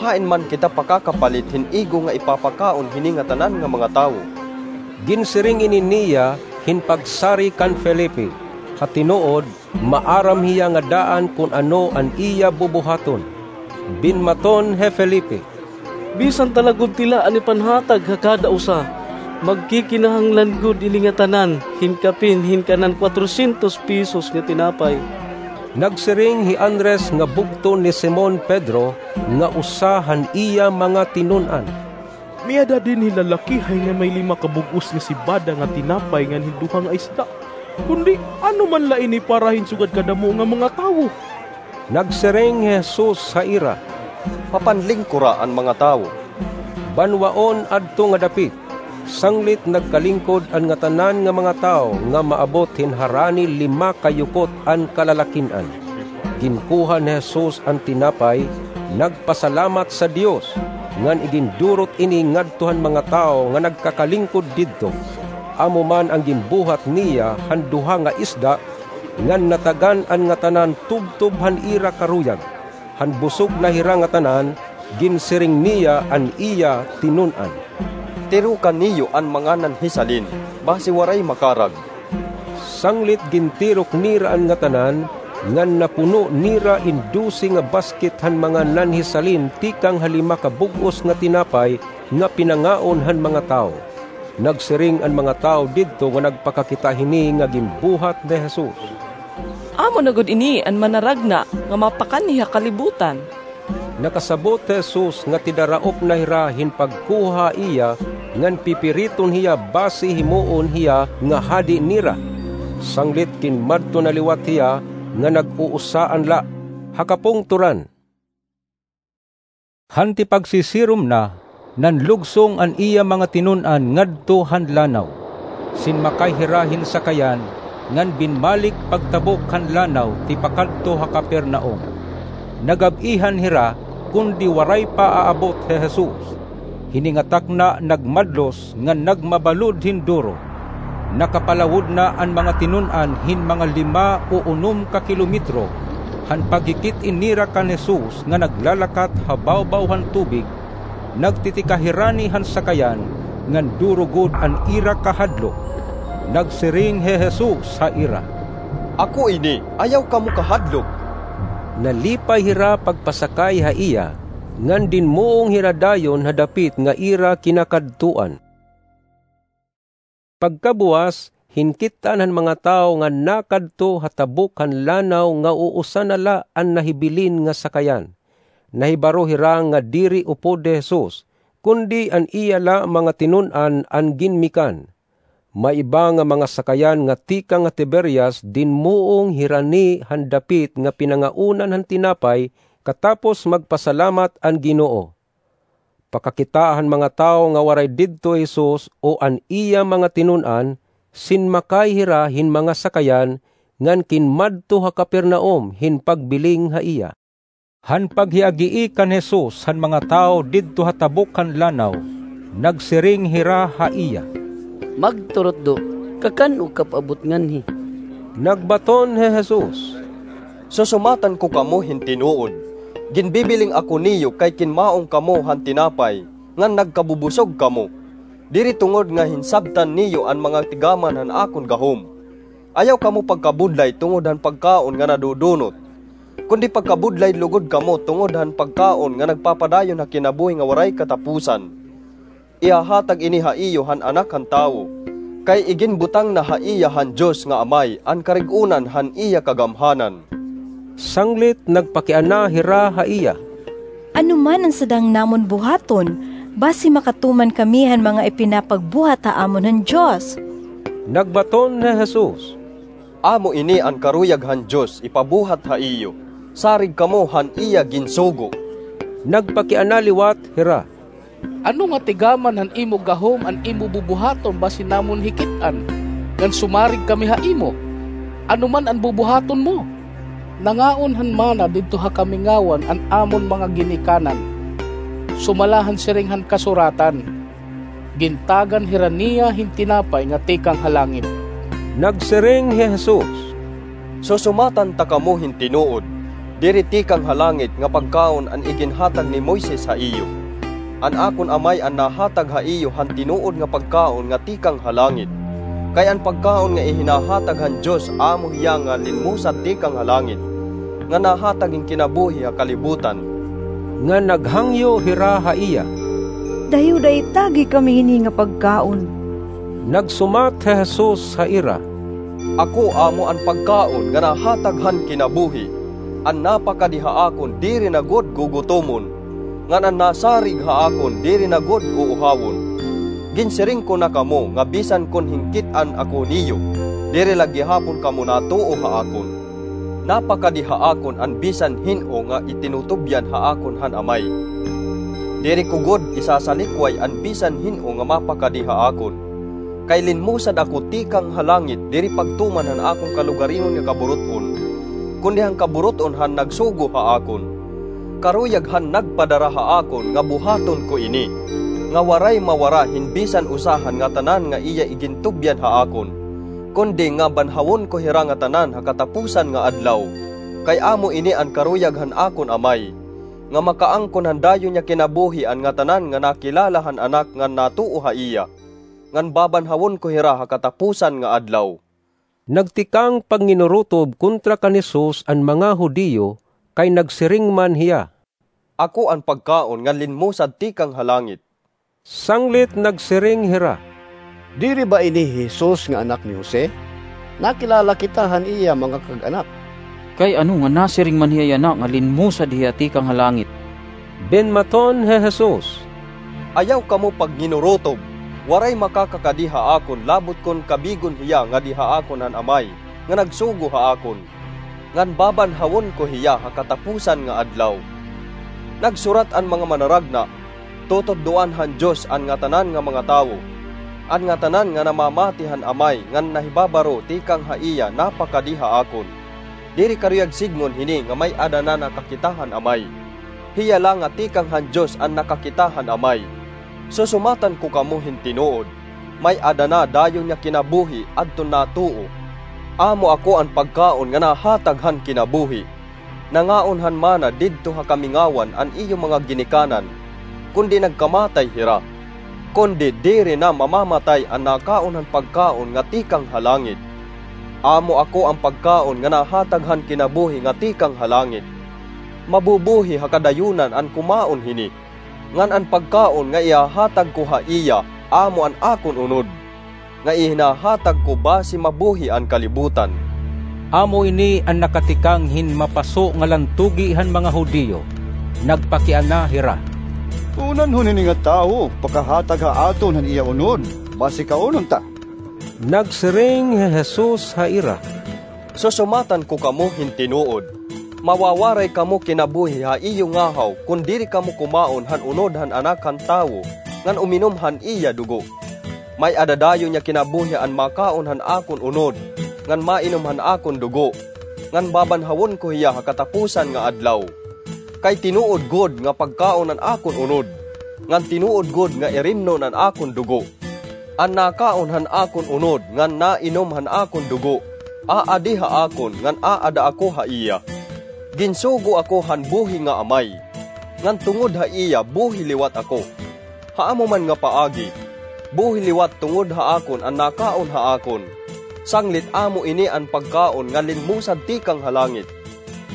"Hain man kita pakakapalit hin igo nga ipapakaon hini ngatanan nga mga tawo?" Ginsiring ini niya hin pagsari kan Felipe, ha tinuod, maaram hiya nga daan kon ano an iya bubuhaton. Binmaton hi Felipe, "Bisan ta la gud tila an ipanhatag ha kada usa, magkikinahanglan gud ini ngatanan hin kapin hin kanan kwatrosyentos pesos nga tinapay." Nagsiring hi Andres nga bugto ni Simon Pedro, nga usa han iya mga tinun-an, "May-ada dinhi lalakihay nga may lima ka bug-os nga sebada nga tinapay ngan hin duha nga isda. Kundi ano man la ini para hin sugad kadamo nga mga tawo?" Nagsiring hi Jesus ha ira, "Papanlingkora an mga tawo." Banwaon adto nga dapit, sanglit nagkalingkod an ngatanan nga mga tawo nga maabot hin harani lima ka yukot an kalalakin-an. Ginkuha ni Jesus an tinapay, nagpasalamat sa Dios, ngan igindurot ini ngadto han mga tawo nga nagkakalingkod didto. Amo man an ginbuhat niya han duha nga isda, ngan natagan an ngatanan tubtob han ira karuyag. Han busog na hira ngatanan, ginsiring niya an iya tinun-an, "Tiroka niyo an mga nanhisalin, basi waray makarag." Sanglit gintirok nira an ngatanan, ngan napuno nira in dose nga basket han mga nanhisalin tikang ha lima ka bug-os nga tinapay nga pinangaon han mga tawo. Nagsiring an mga tawo didto nga nagpakakita hini nga ginbuhat ni Jesus, "Amo na gud ini an manaragna nga mapakanhi ha kalibutan." Nakasabot hi Jesus nga tidaraop na hira hin pagkuha ha iya, ngan pipiriton hiya basi himoon hiya nga hadi nira. Sanglit ginmadto na liwat hiya nga nag-uusaan la, ha kapungtoran. Han tipagsisirom na, nanlugsong an iya mga tinun-an ngadto han lanaw. Sinmakay hira hin sakayan, ngan binmalik pagtabok han lanaw tipakadto ha Capernaum. Nagab-ihan hira, kundi waray pa aabot hi Jesus. Hini nga takna nagmadlos ngan nagmabalod hin duro. Nakapalawod na an mga tinun-an hin mga lima o unom ka kilometro han paghikit-in nira kan Jesus nga naglalakat ha bawbaw han tubig. Nagtitikahirani han sakayan ngan duro gud an ira kahadlok. Nagsiring hi Jesus ha ira, "Ako ini, ayaw kamo kahadlok." Nalipay hira pagpasakay ha iya, ngan dinmuong hira dayon ha dapit nga ira kinakadtuan. Pagkabuwas, hinkit-an han mga tawo nga nakadto ha tabok han lanaw nga uusa na la an nahibilin nga sakayan. Nahibaro hira nga diri upod hi Jesus, kundi an iya la mga tinun-an an ginmikan. May iba nga mga sakayan nga tikang ha Tiberias dinmuong hirani han dapit nga pinangaunan han tinapay katapos magpasalamat an Ginoo. Pakakita han mga tawo nga waray didto hi Jesus o an iya mga tinun-an, sinmakay hira hin mga sakayan ngan kinmadto ha Capernaum hin pagbiling ha iya. Han paghiagii kan Jesus han mga tawo didto ha tabok han lanaw, nagsiring hira ha iya, "Magturutdo, kakan-o ka paabot nganhi?" Nagbaton hi Jesus, "Susumatan ko kamo hin tinuod, ginbibiling ako niyo kay kinmaong kamo han tinapay, ngan nagkabubusog kamo. Diri tungod nga hinsabtan niyo an mga tigaman han akon gahom. Ayaw kamo pagkabudlay tungod han pagkaon nga nadudunot, kundi pagkabudlay lugod kamo tungod han pagkaon nga nagpapadayon ha kinabuhi nga waray katapusan. Ihahatag ini ha iyo han Anak han Tawo, kay iginbutang na ha iya han Dios nga Amay an karig-onan han iya kagamhanan." Sanglit nagpakiana hira ha iya, "Ano man an sadang namon buhaton, basi makatuman kami han mga ipinapagbuhat ha amon han Dios?" Nagbaton hi Jesus, "Amo ini an karuyag han Dios ipabuhat ha iyo, sarig kamo han iya ginsugo." Nagpakiana liwat hira, "Ano nga tigaman han imo gahom an imo bubuhaton basi namon hikit-an, ngan sumarig kami ha imo? Ano man an bubuhaton mo? Nangaon han mana didto ha kamingawan an amon mga ginikanan, sumala han siring han kasuratan, 'Gintagan hira niya hin tinapay nga tikang ha langit.'" Nagsiring hi Jesus, "Susumatan ta kamo hin tinuod, diri tikang ha langit nga pagkaon an iginhatag ni Moises ha iyo. An akon Amay an nahatag ha iyo han tinuod nga pagkaon nga tikang ha langit. Kay an pagkaon nga ihinahatag han Dios amo hiya nga linmusad tikang ha langit, nga nahatag hin kinabuhi ha kalibutan." Ngan naghangyo hira ha iya, "Dayo-dayo itagi kami hini nga pagkaon." Nagsumat hi Jesus ha ira, "Ako amo an pagkaon nga nahatag han kinabuhi. An napakadi ha akon diri na gud gugutomon, ngan an nasarig ha akon diri na gud uuhawon. Ginsiring ko na kamo nga bisan kon hinkit-an ako niyo, diri la gihapon kamo natuo ha akon. Napakadi ha akon an bisan hin-o nga itinutubyan ha akon han Amay. Diri ko gud isasalikway an bisan hin-o nga mapakadi ha akon. Kay linmusad ako tikang ha langit diri pagtuman han akon kalugaringon nga kaburut-on, kundi han kaburut-on han nagsugo ha akon. Karuyag han nagpadara ha akon nga buhaton ko ini, nga waray mawara hin bisan usa han ngatanan nga iya igintubyan ha akon, kundi nga banhawon ko hira ngatanan ha katapusan nga adlaw. Kay amo ini an karuyag han akon Amay, nga makaangkon han dayon nga kinabuhi an ngatanan nga nakilala han Anak ngan natuo ha iya, ngan babanhawon ko hira ha katapusan nga adlaw." Nagtikang pagninurutob kontra kan Jesus an mga Judio, kay nagsiring man hiya, "Ako an pagkaon nga linmusad tikang ha langit." Sanglit nagsiring hira, "Diri ba ini hi Jesus nga anak ni Jose? Nakilala kita han iya mga kag-anak. Kay ano nga nasiring man hiya yana nga linmusad hiya tikang ha langit?" Binmaton hi Jesus, "Ayaw kamo pagninurutob. Waray makakakadi ha akon labot kon kabigon hiya ngadi ha akon han Amay nga nagsugo ha akon, ngan babanhawon ko hiya ha katapusan nga adlaw. Nagsurat an mga manaragna, 'Tututdoan han Dios an ngatanan nga mga tawo.' An ngatanan nga namamati han Amay ngan nahibabaro tikang ha iya napakadi ha akon. Diri karuyag sidngon hini nga may-ada na nakakita han Amay." Hiya la nga tikang han Dios an nakakita han Amay. Susumatan ko kamo hin tinuod, may-ada na dayon nga kinabuhi adton natuo. Amo ako an pagkaon nga nahatag han kinabuhi. Nangaon han mana didto ha kamingawan an iyo mga ginikanan, kundi nagkamatay hira. Kundi diri na mamamatay an nakaon han pagkaon nga tikang ha langit. Amo ako an pagkaon nga nahatag han kinabuhi nga tikang ha langit. Mabubuhi ha kadayunan an kumaon hini, ngan an pagkaon nga ihahatag ko ha iya amo an akon unod, nga ihinahatag ko basi mabuhi an kalibutan. Amo ini an nakatikang hin mapaso nga lantugi han mga Judio. Nagpakiana hira, "Kunanhon hini nga tawo pakahatag ha aton han iya unod, basi kaunon ta." Nagsiring hi Jesus ha ira, "Susumatan ko kamo hin tinuod, mawawaray kamo kinabuhi ha iyo ngahaw kon diri kamo kumaon han unod han Anak han Tawo ngan uminom han iya dugo. May-ada dayon nga kinabuhi an makaon han akon unod ngan mainom han akon dugo, ngan babanhawon ko hiya ha kataposan nga adlaw. Kay tinuod gud nga pagkaon an akon unod, ngan tinuod gud nga irimnon an akon dugo. An nakaon han akon unod ngan nainom han akon dugo, aadi ha akon ngan aada ako ha iya. Ginsugo ako han buhi nga Amay, ngan tungod ha iya buhi liwat ako. Ha amo man nga paagi, buhi liwat tungod ha akon an nakaon ha akon, sanglit amo ini an pagkaon nga linmusad tikang ha langit.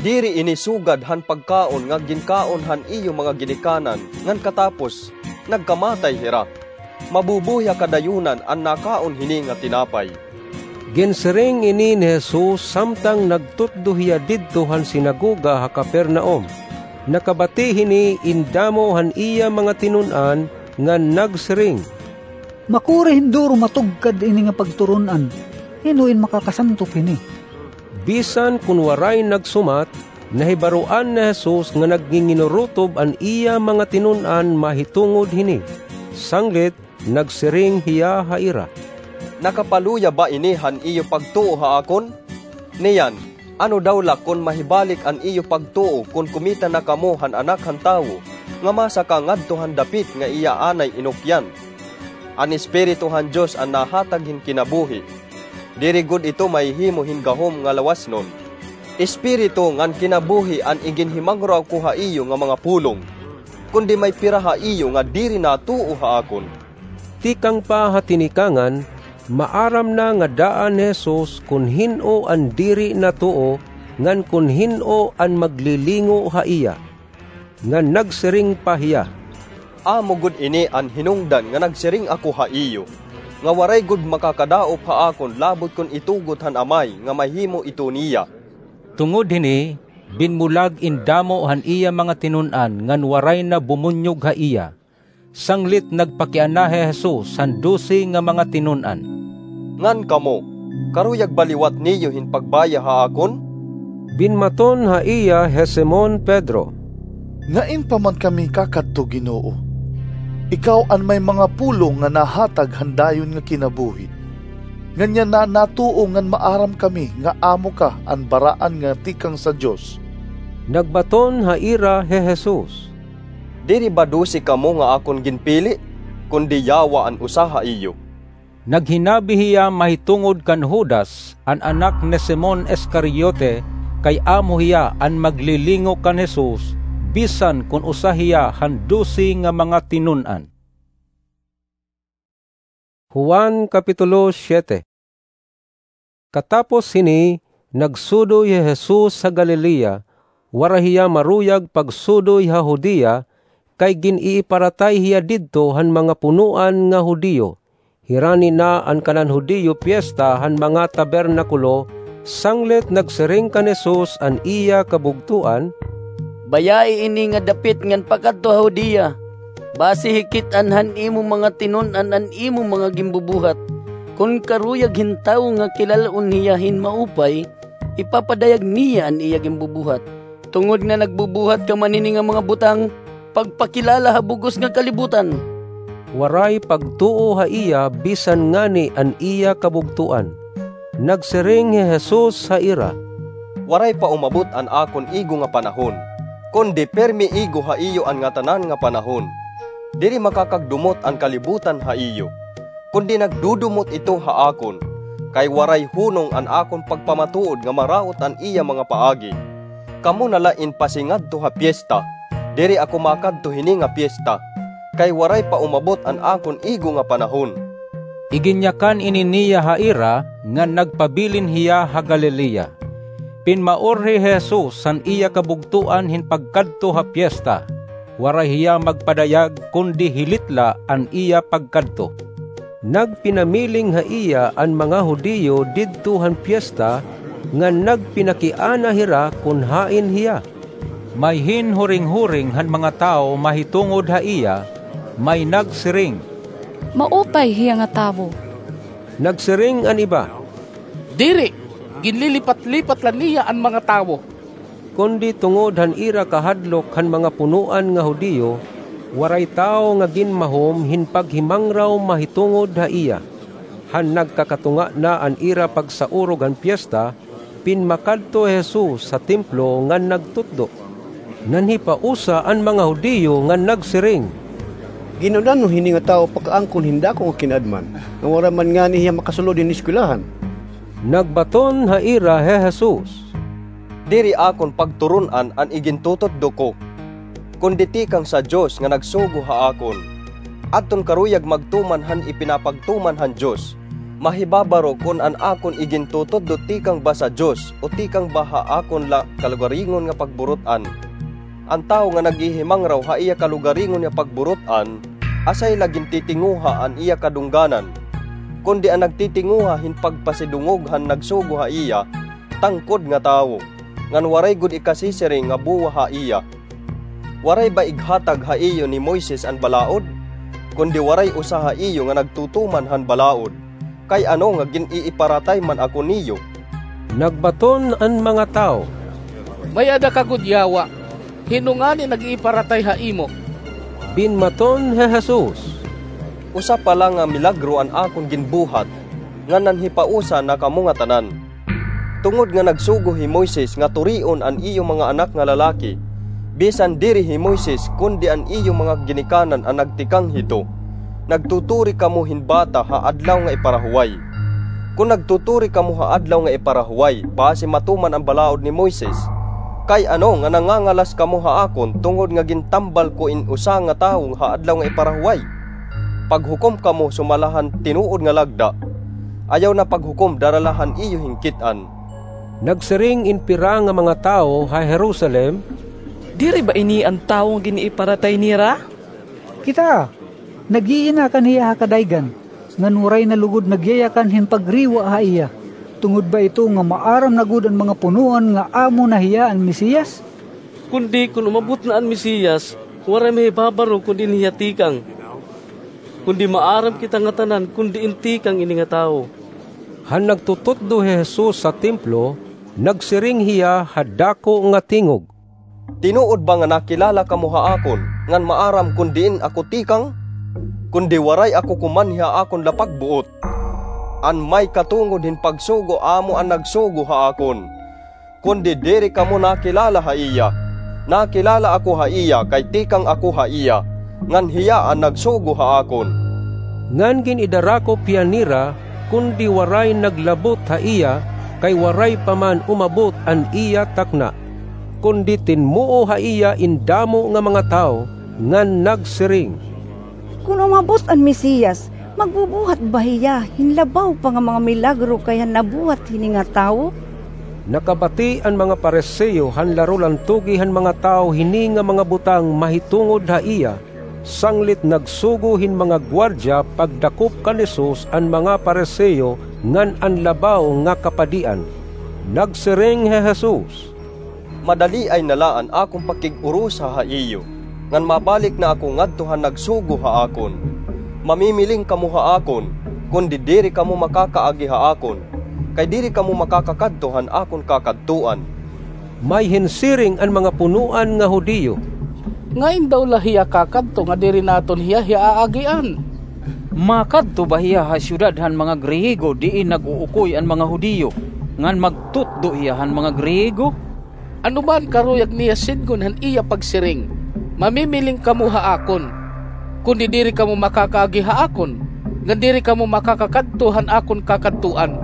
Diri ini sugad han pagkaon nga ginkaon han iyo mga ginikanan ngan katapos nagkamatay hira. Mabubuhi ha kadayunan an nakaon hini nga tinapay." Ginsiring ini ni Jesus samtang nagtutdo hiya didto han sinagoga ha Capernaum. Nakabati hini in damo han iya mga tinun-an ngan nagsiring, "Makuri hin duro matugkad ini nga pagturun-an. Hin-o in makakasantop hini?" Bisan kon waray nagsumat, nahibaroan ni Jesus nga nagnginginurutob an iya mga tinun-an mahitungod hini. Sanglit, nagsiring hiya ha ira, "Nakapaluya ba ini han iyo pagtuo ha akon? Niyan, ano daw la kon mahibalik an iyo pagtuo kon kumita na kamo han Anak han Tawo nga masaka ngadto han dapit nga iya anay inukyan? An Espiritu han Dios an nahatag hin kinabuhi. Diri gud ito mahihimo hin gahom nga lawasnon. Espiritu ngan kinabuhi an iginhimangraw ko ha iyo nga mga pulong, kundi may pira ha iyo nga diri natuo ha akon." Tikang pa ha tinikangan, maaram na nga daan ni Jesus kon hin-o an diri natuo ngan kon hin-o an maglilingo ha iya. Ngan nagsiring pa hiya, "Amo gud ini an hinungdan nga nagsiring ako ha iyo, nga waray gud makakadaop ha akon labot kon itugot han Amay nga mahimo ito niya." Tungod hini, binmulag in damo han iya mga tinun-an ngan waray na bumunyog ha iya. Sanglit nagpakiana hi Jesus han dose nga mga tinun-an, "Ngan kamo, karuyag ba liwat niyo hin pagbaya ha akon?" Binmaton ha iya hi Simon Pedro, "Ngain pa man kami kakadto, Ginoo? Ikaw an may mga pulong nga nahatag han dayon nga kinabuhi. Nganyan na natuo ngan maaram kami nga amo ka an Baraan nga tikang sa Dios." Nagbaton ha ira hi Jesus, "Diri ba dose kamo nga akon ginpili, kundi yawa an usa ha iyo?" Naghinabi hiya mahitungod kan Judas, an anak ni Simon Iscariote, kay amo hiya an maglilingo kan Jesus, bisan kon usa hiya han dose nga mga tinun-an. Juan Kapitulo siete. Katapos hini, nagsudoy hi Jesus ha Galilea, waray hiya maruyag pagsudoy ha Judea, kay gin-iiparatay hiya didto han mga punoan nga Judio. Hirani na an kanan Judio Piesta han mga Tabernakulo, sanglit nagsiring kan Jesus an iya kabugtoan, "Bayai ini nga dapit ngan pakadto ha Judea, basi hikit-an han imo mga tinun-an an imo mga ginbubuhat. Kon karuyag hin tawo nga kilal-on hiya hin maupay, ipapadayag niya an iya ginbubuhat. Tungod nga nagbubuhat ka man hini nga mga butang, pagpakilala ha bug-os nga kalibutan." Waray pagtuo ha iya bisan ngani an iya kabugtoan. Nagsiring hi Jesus ha ira, "Waray pa umabot an akon igo nga panahon. Kundi pirmi igo ha iyo an ngatanan nga panahon. Diri makakagdumot an kalibutan ha iyo, kundi nagdudumot ito ha akon, kay waray hunong an akon pagpamatuod nga maraot an iya mga paagi. Kamo na la in pasingadto ha piesta. Diri ako makadto hini nga piesta, kay waray pa umabot an akon igo nga panahon. Iginyakan ini niya ha ira ngan nagpabilin hiya ha Galilea. Pinmaurhi hi Jesus han iya kabugtoan hin pagkadto ha piesta. Waray hiya magpadayag, kundi hilit la an iya pagkadto. Nagpinamiling ha iya an mga Judio didto han piesta, ngan nagpinakiana hira kon hain hiya. May hinhuringhuring han mga tawo mahitungod ha iya, may nagsiring, "Maupay hiya nga tawo." Nagsiring an iba, "Diri, ginlilipat-lipat la niya an mga tawo." Kundi tungod han ira kahadlok han mga punoan nga Judio, waray tawo nga ginmahom hin paghimangraw mahitungod ha iya. Han nagkakatunga na an ira pagsaurog han piesta, pinmakadto hi Jesus ha templo ngan nagtutdo. Nanhipausa an mga Judio ngan nagsiring, "Gin-ano hini nga tawo pakaangkon hin dako nga kinaadman, nga waray man ngani hiya makasulod hin eskwelahan?" Nagbaton ha ira hi Jesus, "Diri akon pagturun-an an igintutudlo ko, kundi tikang sa Dios nga nagsugo ha akon. Adton karuyag magtuman han ipinapagtuman han Dios. Mahibabaro kon an akon igintutudlo tikang ba sa Dios o tikang ba ha akon la kalugaringon nga pagburut-an. An tawo nga naghihimangraw ha iya kalugaringon nga pagburut-an, asay la gintitinguha an iya kadungganan. Kundi an nagtitinguha hin pagpasidungog han nagsugo ha iya, tangkod nga tawo, ngan waray gud ikasisiring nga buwa ha iya. Waray ba ighatag ha iyo ni Moises an balaod? Kundi waray usa ha iyo nga nagtutuman han balaod. Kay ano nga gin-iiparatay man ako niyo?" Nagbaton an mga tawo, "May-ada ka gud yawa. Hin-o ngani nag-iiparatay ha imo?" Binmaton hi Jesus, "Usa pa la nga milagro an akon ginbuhat, ngan nanhipausa na kamo ngatanan. Tungod nga nagsugo hi Moises nga turion an iyo mga anak nga lalaki, bisan diri hi Moises, kundi an iyo mga ginikanan an nagtikang hito, nagtuturi kamo hin bata ha adlaw nga iparahuway. Kon nagtuturi kamo ha adlaw nga iparahuway, basi matuman an balaod ni Moises. Kay ano nga nangangalas kamo ha akon tungod nga gintambal ko in usa nga tawo ha adlaw nga iparahuway? Paghukom kamo sumala han tinuod nga lagda. Ayaw na paghukom dara la han iyo hinkit-an." Nagsiring in pira nga mga tawo ha Jerusalem, "Diri ba ini an tawo nga gin-iiparatay nira? Kitaa, nag-iinakan hiya ha kadaygan, ngan waray na lugod nagyayakan hin pagriwa ha iya. Tungod ba ito nga maaram na gud an mga punoan nga amo na hiya an Mesiyas? Kundi kon umabot na an Mesiyas, waray mahibabaro kon diin hiya tikang. Kundi maaram kita ngatanan kon diin tikang ini nga tawo." Han nagtututdo hi Jesus ha templo, nagsiring hiya ha dako nga tingog, "Tinuod ba nga nakilala kamo ha akon, ngan maaram kon diin ako tikang? Kundi waray ako kumanhi ha akon lapagbuot. An may katungod hin pagsugo amo an nagsugo ha akon. Kundi diri kamo nakilala ha iya. Nakilala ako ha iya kay tikang ako ha iya, ngan hiya an nagsugo ha akon." Ngan gin-idarakop hiya nira, kundi waray naglabot ha iya, kay waray pa man umabot an iya takna. Kundi tinmuo ha iya in damo nga mga tawo, ngan nagsiring, "Kon umabot an Mesiyas, magbubuhat ba hiya hin labaw pa nga mga milagro kay han nabuhat hini nga tawo?" Nakabati an mga Fariseo han larulan tugi han mga tawo hini nga mga butang mahitungod ha iya, sanglit nagsugo hin mga gwardiya pagdakop kan Jesus an mga Fariseo ngan an labaw nga kapadian. Nagsiring hi Jesus, "Madaliay na la an akon pakig-urusa ha iyo, ngan mabalik na ako ngadto han nagsugo ha akon. Mamimiling kamo ha akon, kundi diri kamo makakaagi ha akon, kay diri kamo makakakadto han akon kakadtuan." May hinsiring an mga punoan nga Judio, "Ngain daw la hiya kakadto nga diri naton hiya, hiya aagian? Makadto ba hiya ha syudad han mga Griego diin nag-uukoy an mga Judio, ngan magtutdo hiya han mga Griego? Ano ba an karuyag niya sidngon han iya pagsiring, "Mamimiling kamo ha akon," kundi diri kamo makakaagi ha akon, ngan diri kamo makakakadto han akon kakadtuan?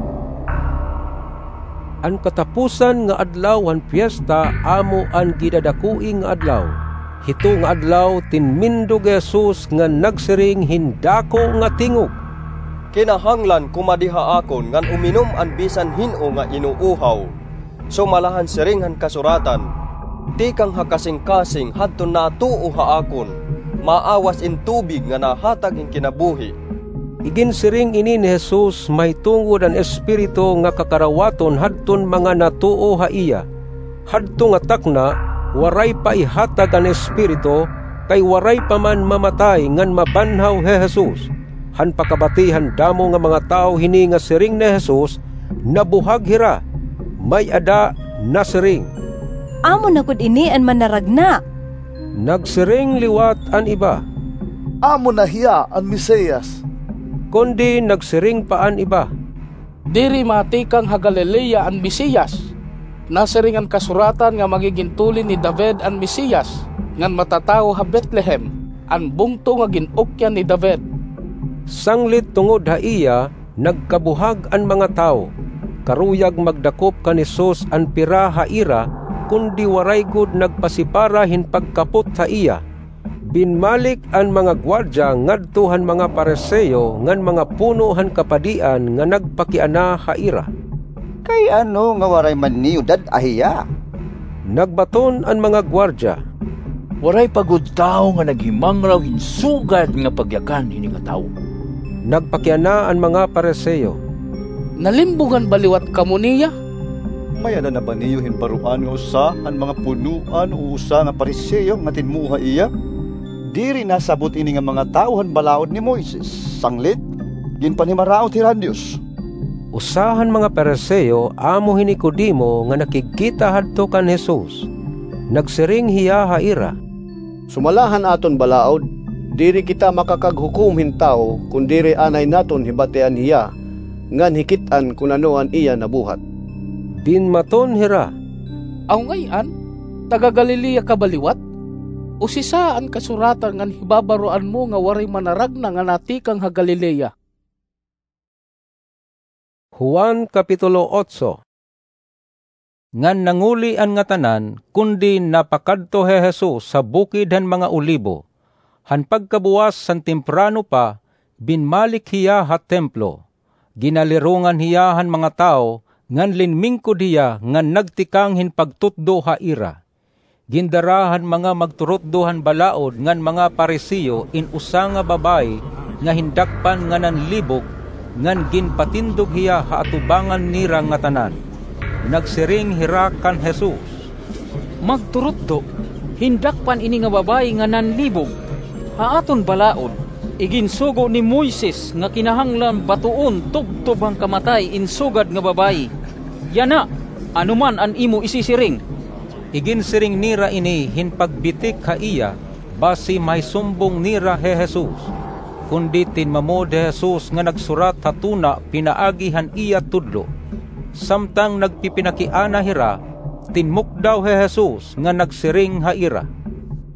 An katapusan nga adlaw han piesta amo an gidadakoi nga adlaw. Hito nga adlaw, tinmindog hi Jesus ngan nagsiring hin dako nga tingog, "Kinahanglan kumadi ha akon ngan uminom an bisan hin-o nga inuuhaw. Sumala han siring han Kasuratan, 'Tikang ha kasingkasing hadton natuo ha akon, maawas in tubig nga nahatag hin kinabuhi.'" Iginsiring ini ni Jesus mahitungod han Espiritu nga kakarawaton hadton mga natuo ha iya. Hadto nga takna, waray pa ihatag an Espiritu, kay waray pa man mamatay ngan mabanhaw hi Jesus. Han pakabati han damo nga mga tawo hini nga siring ni Jesus, nabuhag hira. May-ada nasiring, "Amo na gud ini an Manaragna." Nagsiring liwat an iba, "Amo na hiya an Mesiyas." Kundi nagsiring pa an iba, "Diri matikang ha Galilea an Mesiyas. Nasiring an Kasuratan nga magigin tuli ni David an Mesiyas, ngan matatawo ha Betlehem, an bungto nga gin-ukyan ni David." Sanglit tungod ha iya, nagkabuhag an mga tawo. Karuyag magdakop kan Jesus an pira ha ira, kundi waray gud nagpasipara hin pagkapot ha iya. Binmalik an mga gwardiya ngadto han mga Fariseo ngan mga puno han kapadian nga nagpakiana ha ira, "Kay ano nga waray man niyo dad-a hiya?" Nagbaton an mga gwardiya, "Waray pa gud tawo nga naghimangraw hin sugad nga pagyakan hini nga tawo." Nagpakiana an mga Fariseo, "Nalimbugan ba liwat kamo niya? May-ada na ba niyo hin baroan nga usa han mga punoan o usa nga Fariseo nga tinmuo ha iya? Diri nasabot ini nga mga tawo han balaod ni Moises, sanglit ginpanhimaraot hira han Dios." Usa han mga Fariseo amo hi Nicodemo nga nakigkita hadto kan Jesus. Nagsiring hiya ha ira, "Sumala han aton balaod, diri kita makakaghukom hin tawo kon diri anay naton hibatian hiya ngan hikit-an kon ano an iya nabuhat." Dinmaton hira, "Aw ngay-an, taga-Galilea ka ba liwat? Usisa an Kasuratan ngan hibabaroan mo nga waray manaragna nga natikang ha Galilea." Juan, Kapitulo otso. Ngan nanguli an ngatanan, kundi napakadto hi Jesus ha Bukid han mga Olibo. Han pagkabuwas han temprano pa, binmalik hiya ha templo. Ginalirongan hiya han mga tawo, ngan linmingkod hiya ngan nagtikang hin pagtutdo ha ira. Gindara han mga magturutdo han balaod ngan mga Fariseo in usa nga babaye nga hin dakpan nga nanlibog, ngan ginpatindog hiya ha atubangan nira ngatanan. Nagsiring hira kan Jesus, "Magturutdo, hin dakpan ini nga babaye nga nanlibog. Ha aton balaod, iginsugo ni Moises nga kinahanglan batoon tubtob han kamatay in sugad nga babaye. Yana, ano man an imo isisiring?" Iginsiring nira ini hin pagbitik ha iya, basi mahisumbong nira hi Jesus. Kundi tinmamod hi Jesus nga nagsurat ha tuna pinaagi han iya tudlo. Samtang nagpipinakiana hira, tinmukdaw hi Jesus nga nagsiring ha ira,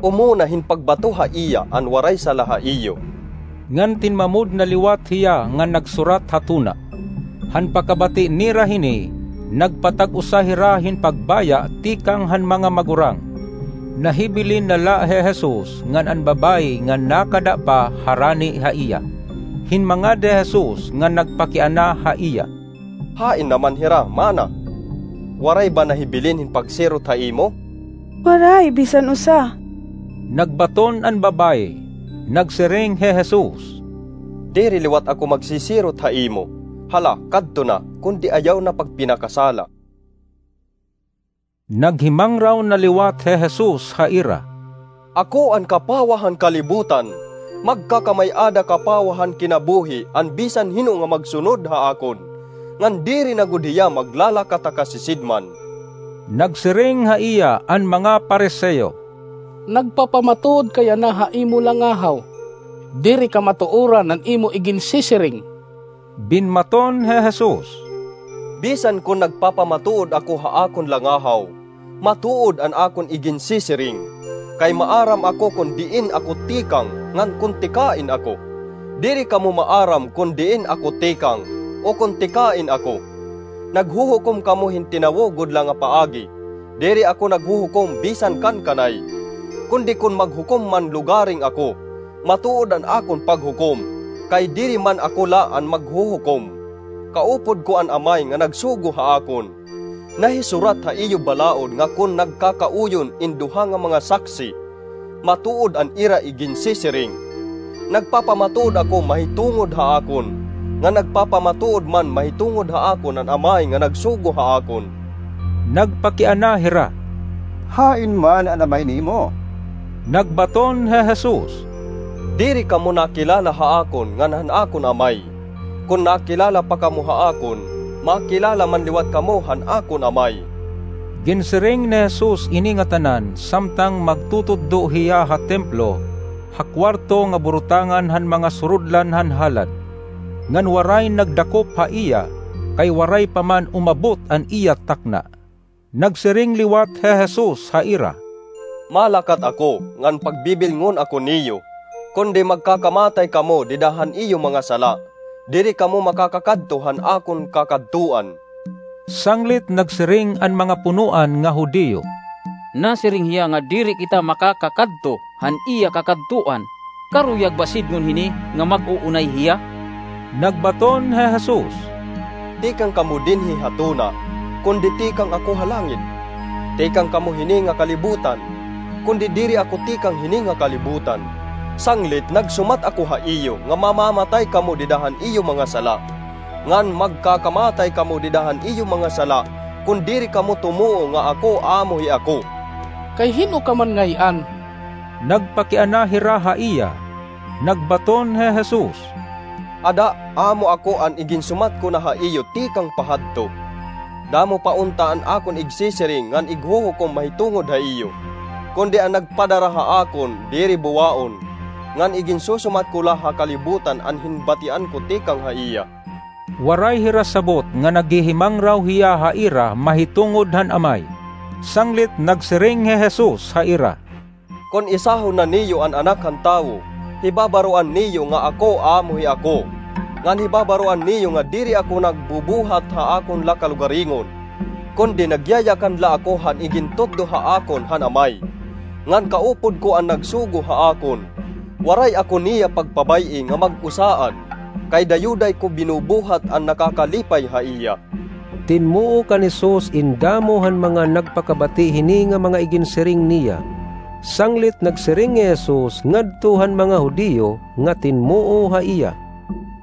"Umuna hin pagbato ha iya an waray sala ha iyo." Ngan tinmamod na liwat hiya nga nagsurat ha tuna. Han pakabati nira hini, nagpatag-usa hira hin pagbaya tikang han mga magurang. Nahibilin na la hi Jesus ngan an babaye nga nakada pa harani ha iya. Hinmangad hi Jesus ngan nagpakiana ha iya, "Hain naman hira, mana? Waray ba nahibilin hin pagsirot ha imo?" "Waray bisan usa," nagbaton an babaye. Nagsiring hi Jesus, "Diri liwat ako magsisirot ha imo. Hala, kadto na, kundi ayaw na pagpinakasala." Naghimangraw na liwat hi Jesus ha ira, "Ako an kapawa han kalibutan. Magkakamay-ada kapawa han kinabuhi an bisan hin-o nga magsunod ha akon, ngan diri na gud hiya maglalakat ha kasisidman." Nagsiring ha iya an mga Fariseo, "Nagpapamatuod ka yana ha imo langahaw. Diri ka matuoran an imo iginsisiring." Binmaton hi Jesus, "Bisan kon nagpapamatuod ako ha akon langahaw, Matuod an akon iginsisiring, kay maaram ako kon diin ako tikang ngan kon tikain ako. Diri kamo maaram kon diin ako tikang o kon tikain ako. Naghuhukom kamo hin tinawo gud la nga paagi. Diri ako naghuhukom bisan kan kanay, kundi kon maghukom man lugaring ako, matuod an akon paghukom, kay diri man ako la an maghuhukom. Kaupod ko an Amay nga nagsugo ha akon. Nahisurat ha iyo balaod nga kon nagkakauyon in duha nga mga saksi, matuod an ira iginsisiring. Nagpapamatuod ako mahitungod ha akon, nga nagpapamatuod man mahitungod ha akon an Amay nga nagsugo ha akon. Nagpakiana hira, Hain man an Amay nimo? Nagbaton hi Jesus, Diri kamo nakilala ha akon ngan han akon Amay. Kon nakilala pa kamo ha akon, makilala man liwat kamo han akon Amay. Ginsiring ni Jesus ini ngatanan samtang magtutudlo hiya ha templo, ha kuwarto nga burutangan han mga surudlan han halad. Ngan waray nagdakop ha iya, kay waray pa man umabot an iya takna. Nagsiring liwat hi Jesus ha ira, Malakat ako ngan pagbibilngon ako niyo, kundi magkakamatay kamo dida han iyo mga sala, diri kamo makakakadto han akon kakadtuan. Sanglit nagsiring an mga punoan nga Judio, Nasiring hiya nga diri kita makakakadto han iya kakadtuan. Karuyag ba sidngon hini nga mag-uunay hiya? Nagbaton hi Jesus, Tikang kamo dinhi ha tuna, kundi tikang ako ha langit. Tikang kamo hini nga kalibutan, kundi diri ako tikang hini nga kalibutan. Sanglit nagsumat ako ha iyo nga mamamatay kamo dida han iyo mga sala. Ngan magkakamatay kamo dida han iyo mga sala, kon diri kamo tumuo nga ako amo hi ako. Kay hin-o ka man ngay-an? Nagpakiana hira ha iya. Nagbaton hi Jesus, Ada, amo ako an iginsumat ko na ha iyo tikang pahadto. Damo pa unta an akon igsisiring ngan ighuhukom mahitungod ha iyo. Kundi an nagpadara ha akon diri buwaon, ngan iginsusumat ko la ha kalibutan an hinbatian ko tikang ha iya. Waray hira sabot nga naghihimangraw hiya ha ira mahitungod han Amay. Sanglit nagsiring hi Jesus ha ira, Kon isahon na niyo an Anak han Tawo, hibabaroan niyo nga ako amo hi ako, ngan hibabaroan niyo nga diri ako nagbubuhat ha akon la kalugaringon, kundi nagyayakan la ako han igintutdo ha akon han Amay. Ngan kaupod ko an nagsugo ha akon. Waray ako niya pagpabay-i nga mag-usaan, kay dayuday ko binubuhat an nakakalipay ha iya. Tinmuo kan Jesus in damo han mga nagpakabati hini nga mga iginsiring niya. Sanglit nagsiring hi Jesus ngadto han mga Judio nga tinmuo ha iya,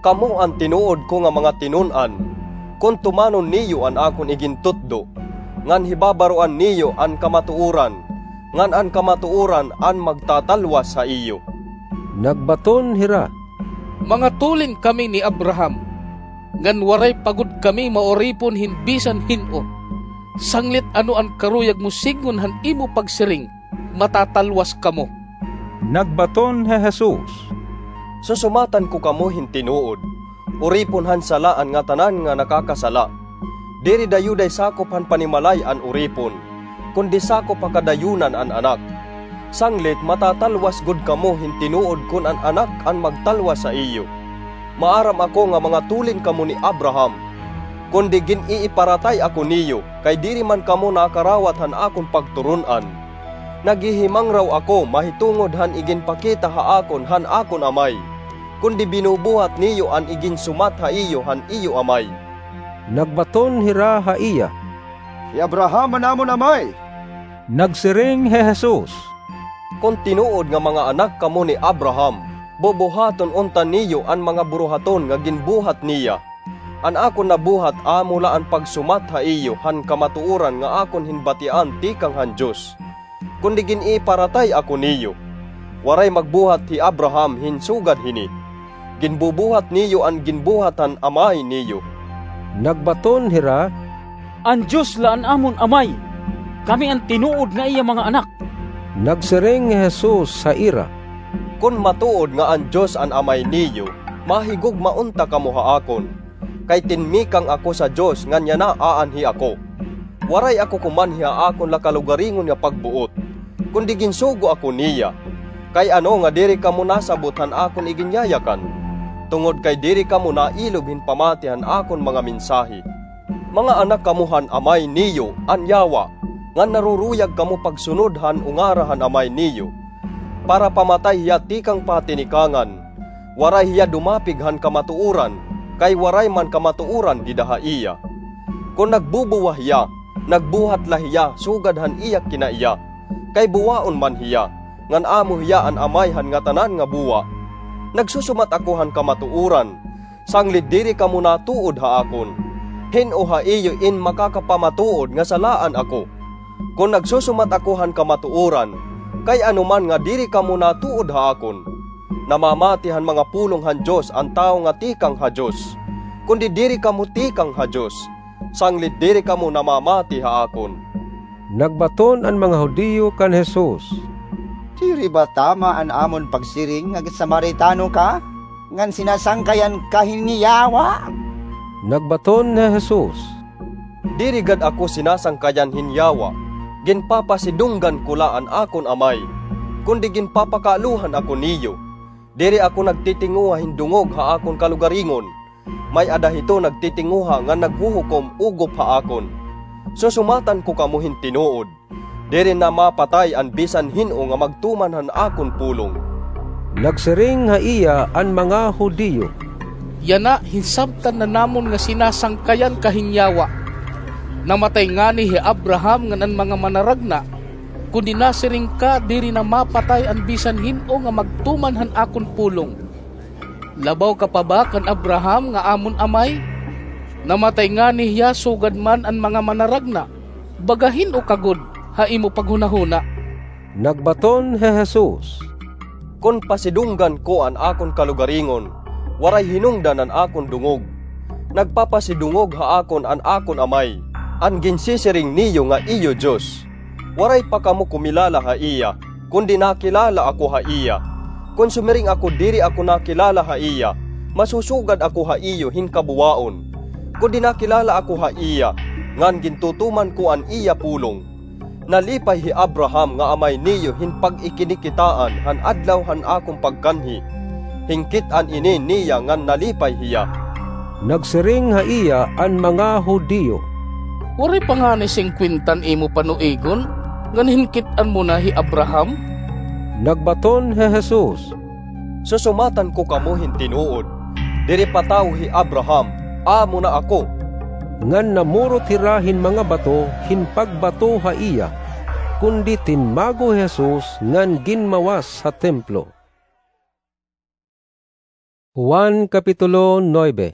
Kamo an tinuod ko nga mga tinun-an, kon tumanon niyo an akon igintutdo, ngan hibabaroan niyo an kamatuoran, ngan an kamatuoran an magtatalwas ha iyo. Nagbaton hira, Mga tulin kami ni Abraham, ngan waray pa gud kami mauripon hin bisan hin-o. Sanglit ano an karuyag mo sidngon han imo pagsiring, matatalwas kamo? Nagbaton hi Jesus, Susumatan ko kamo hin tinuod, uripon han sala an ngatanan nga nakakasala, diri dayuday sakop han panimalay an uripon, kundi sakop ha kadayonan an Anak. Sanglit matatalwas gud kamo hin tinuod kon an Anak an magtalwas ha iyo. Maaram ako nga mga tulin kamo ni Abraham, kundi gin-iiparatay ako niyo, kay diri man kamo nakarawat han akon pagturon-an. Naghihimangraw ako mahitungod han iginpakita ha akon han akon Amay, kundi binubuhat niyo an iginsumat ha iyo han iyo amay. Nagbaton hira ha iya, Hi Abraham an amon amay. Nagsiring hi Jesus, Kon tinuod nga mga anak kamo ni Abraham, bubuhaton unta niyo an mga buruhaton nga ginbuhat niya. An akon nabuhat amo la an pagsumat ha iyo han kamatuoran nga akon hinbatian tikang han Dios. Kundi gin-iparatay ako niyo, waray magbuhat hi Abraham hin sugad hini. Ginbubuhat niyo an ginbuhat han amay niyo. Nagbaton hira, An Dios la an amon Amay. Kami an tinuod nga iya mga anak. Nagsiring hi Jesus ha ira, Kon matuod nga an Dios an Amay niyo, mahigugma unta kamo ha akon, kay tinmikang ako sa Dios ngan yana aanhi ako. Waray ako kumanhi ha akon la kalugaringon nga pagbuot, kundi ginsugo ako niya. Kay ano nga diri kamo nasabot han akon iginyayakan? Tungod kay diri kamo nailob hin pamati han akon mga mensahe. Mga anak kamo han Amay niyo, an Yawa, ngan naruruyag kamo pagsunod han ungara han Amay niyo, para pamatay hiya tikang pa ha tinikangan. Waray hiya dumapig han kamatuoran, kay waray man kamatuoran dida ha iya. Kon nagbubuwa hiya, nagbuhat la hiya sugad han iya kinaiya, kay buwaon man hiya, ngan amo hiya an amay han ngatanan nga buwa. Nagsusumat ako han kamatuoran, sanglit diri kamo natuod ha akon. Hin-o ha iyo in makakapamatuod nga salaan ako? Kon nagsusumat ako han kamatuoran, kay ano man nga diri kamo natuod ha akon? Namamati han mga pulong han Dios an tawo nga tikang ha Dios, kundi diri kamo tikang ha Dios, sanglit diri kamo namamati ha akon. Nagbaton an mga Judio kan Jesus, "Diri ba tama an amon pagsiring nga Samaritano ka, ngan sinasangkayan ka hin Yawa?" Nagbaton hi Jesus, "Diri gad ako sinasangkayan hin Yawa. Ginpapasidunggan ko la an akon Amay, kundi ginpapakaalohan ako niyo. Diri ako nagtitinguha hin dungog ha akon kalugaringon. May-ada hito nagtitinguha ngan naghuhukom ugop ha akon. Susumatan ko kamo hin tinuod, diri namapatay an bisan hin-o nga magtuman han akon pulong." Nagsiring ha iya an mga Judio, "Yana, hinsabtan na namon nga sinasangkayan ka hin Yawa. Namatay ngani hi Abraham ngan an mga manaragna, kundi nasiring ka diri namapatay an bisan hin-o nga magtuman han akon pulong. Labaw ka pa ba kan Abraham nga amon amay? Namatay ngani hiya sugad man an mga manaragna. Baga hin-o ka gud ha imo paghunahuna?" Nagbaton hi Jesus, "Kon pasidunggan ko an akon kalugaringon, waray hinungdan an akon dungog. Nagpapasidungog ha akon an akon Amay, an ginsisiring niyo nga iyo Dios. Waray pa kamo kumilala ha iya, kundi nakilala ako ha iya. Kon sumiring ako diri ako nakilala ha iya, masusugad ako ha iyo hin kabuwaon. Kundi nakilala ako ha iya, ngan gintutuman ko an iya pulong. Nalipay hi Abraham nga amay niyo hin pag-ikinikitaan han adlaw han akon pagkanhi. Hinkit-an ini niya ngan nalipay hiya." Nagsiring ha iya an mga Judio, "Waray pa ngani singkwenta an imo panuigon, ngan hinkit-an mo na hi Abraham?" Nagbaton hi Jesus, "Susumatan ko kamo hin tinuod, diri pa tawo hi Abraham, amo na ako." Ngan namurot hira hin mga bato hin pagbato ha iya, kundi tinmago hi Jesus ngan ginmawas ha templo. Juan kapitulo nuebe.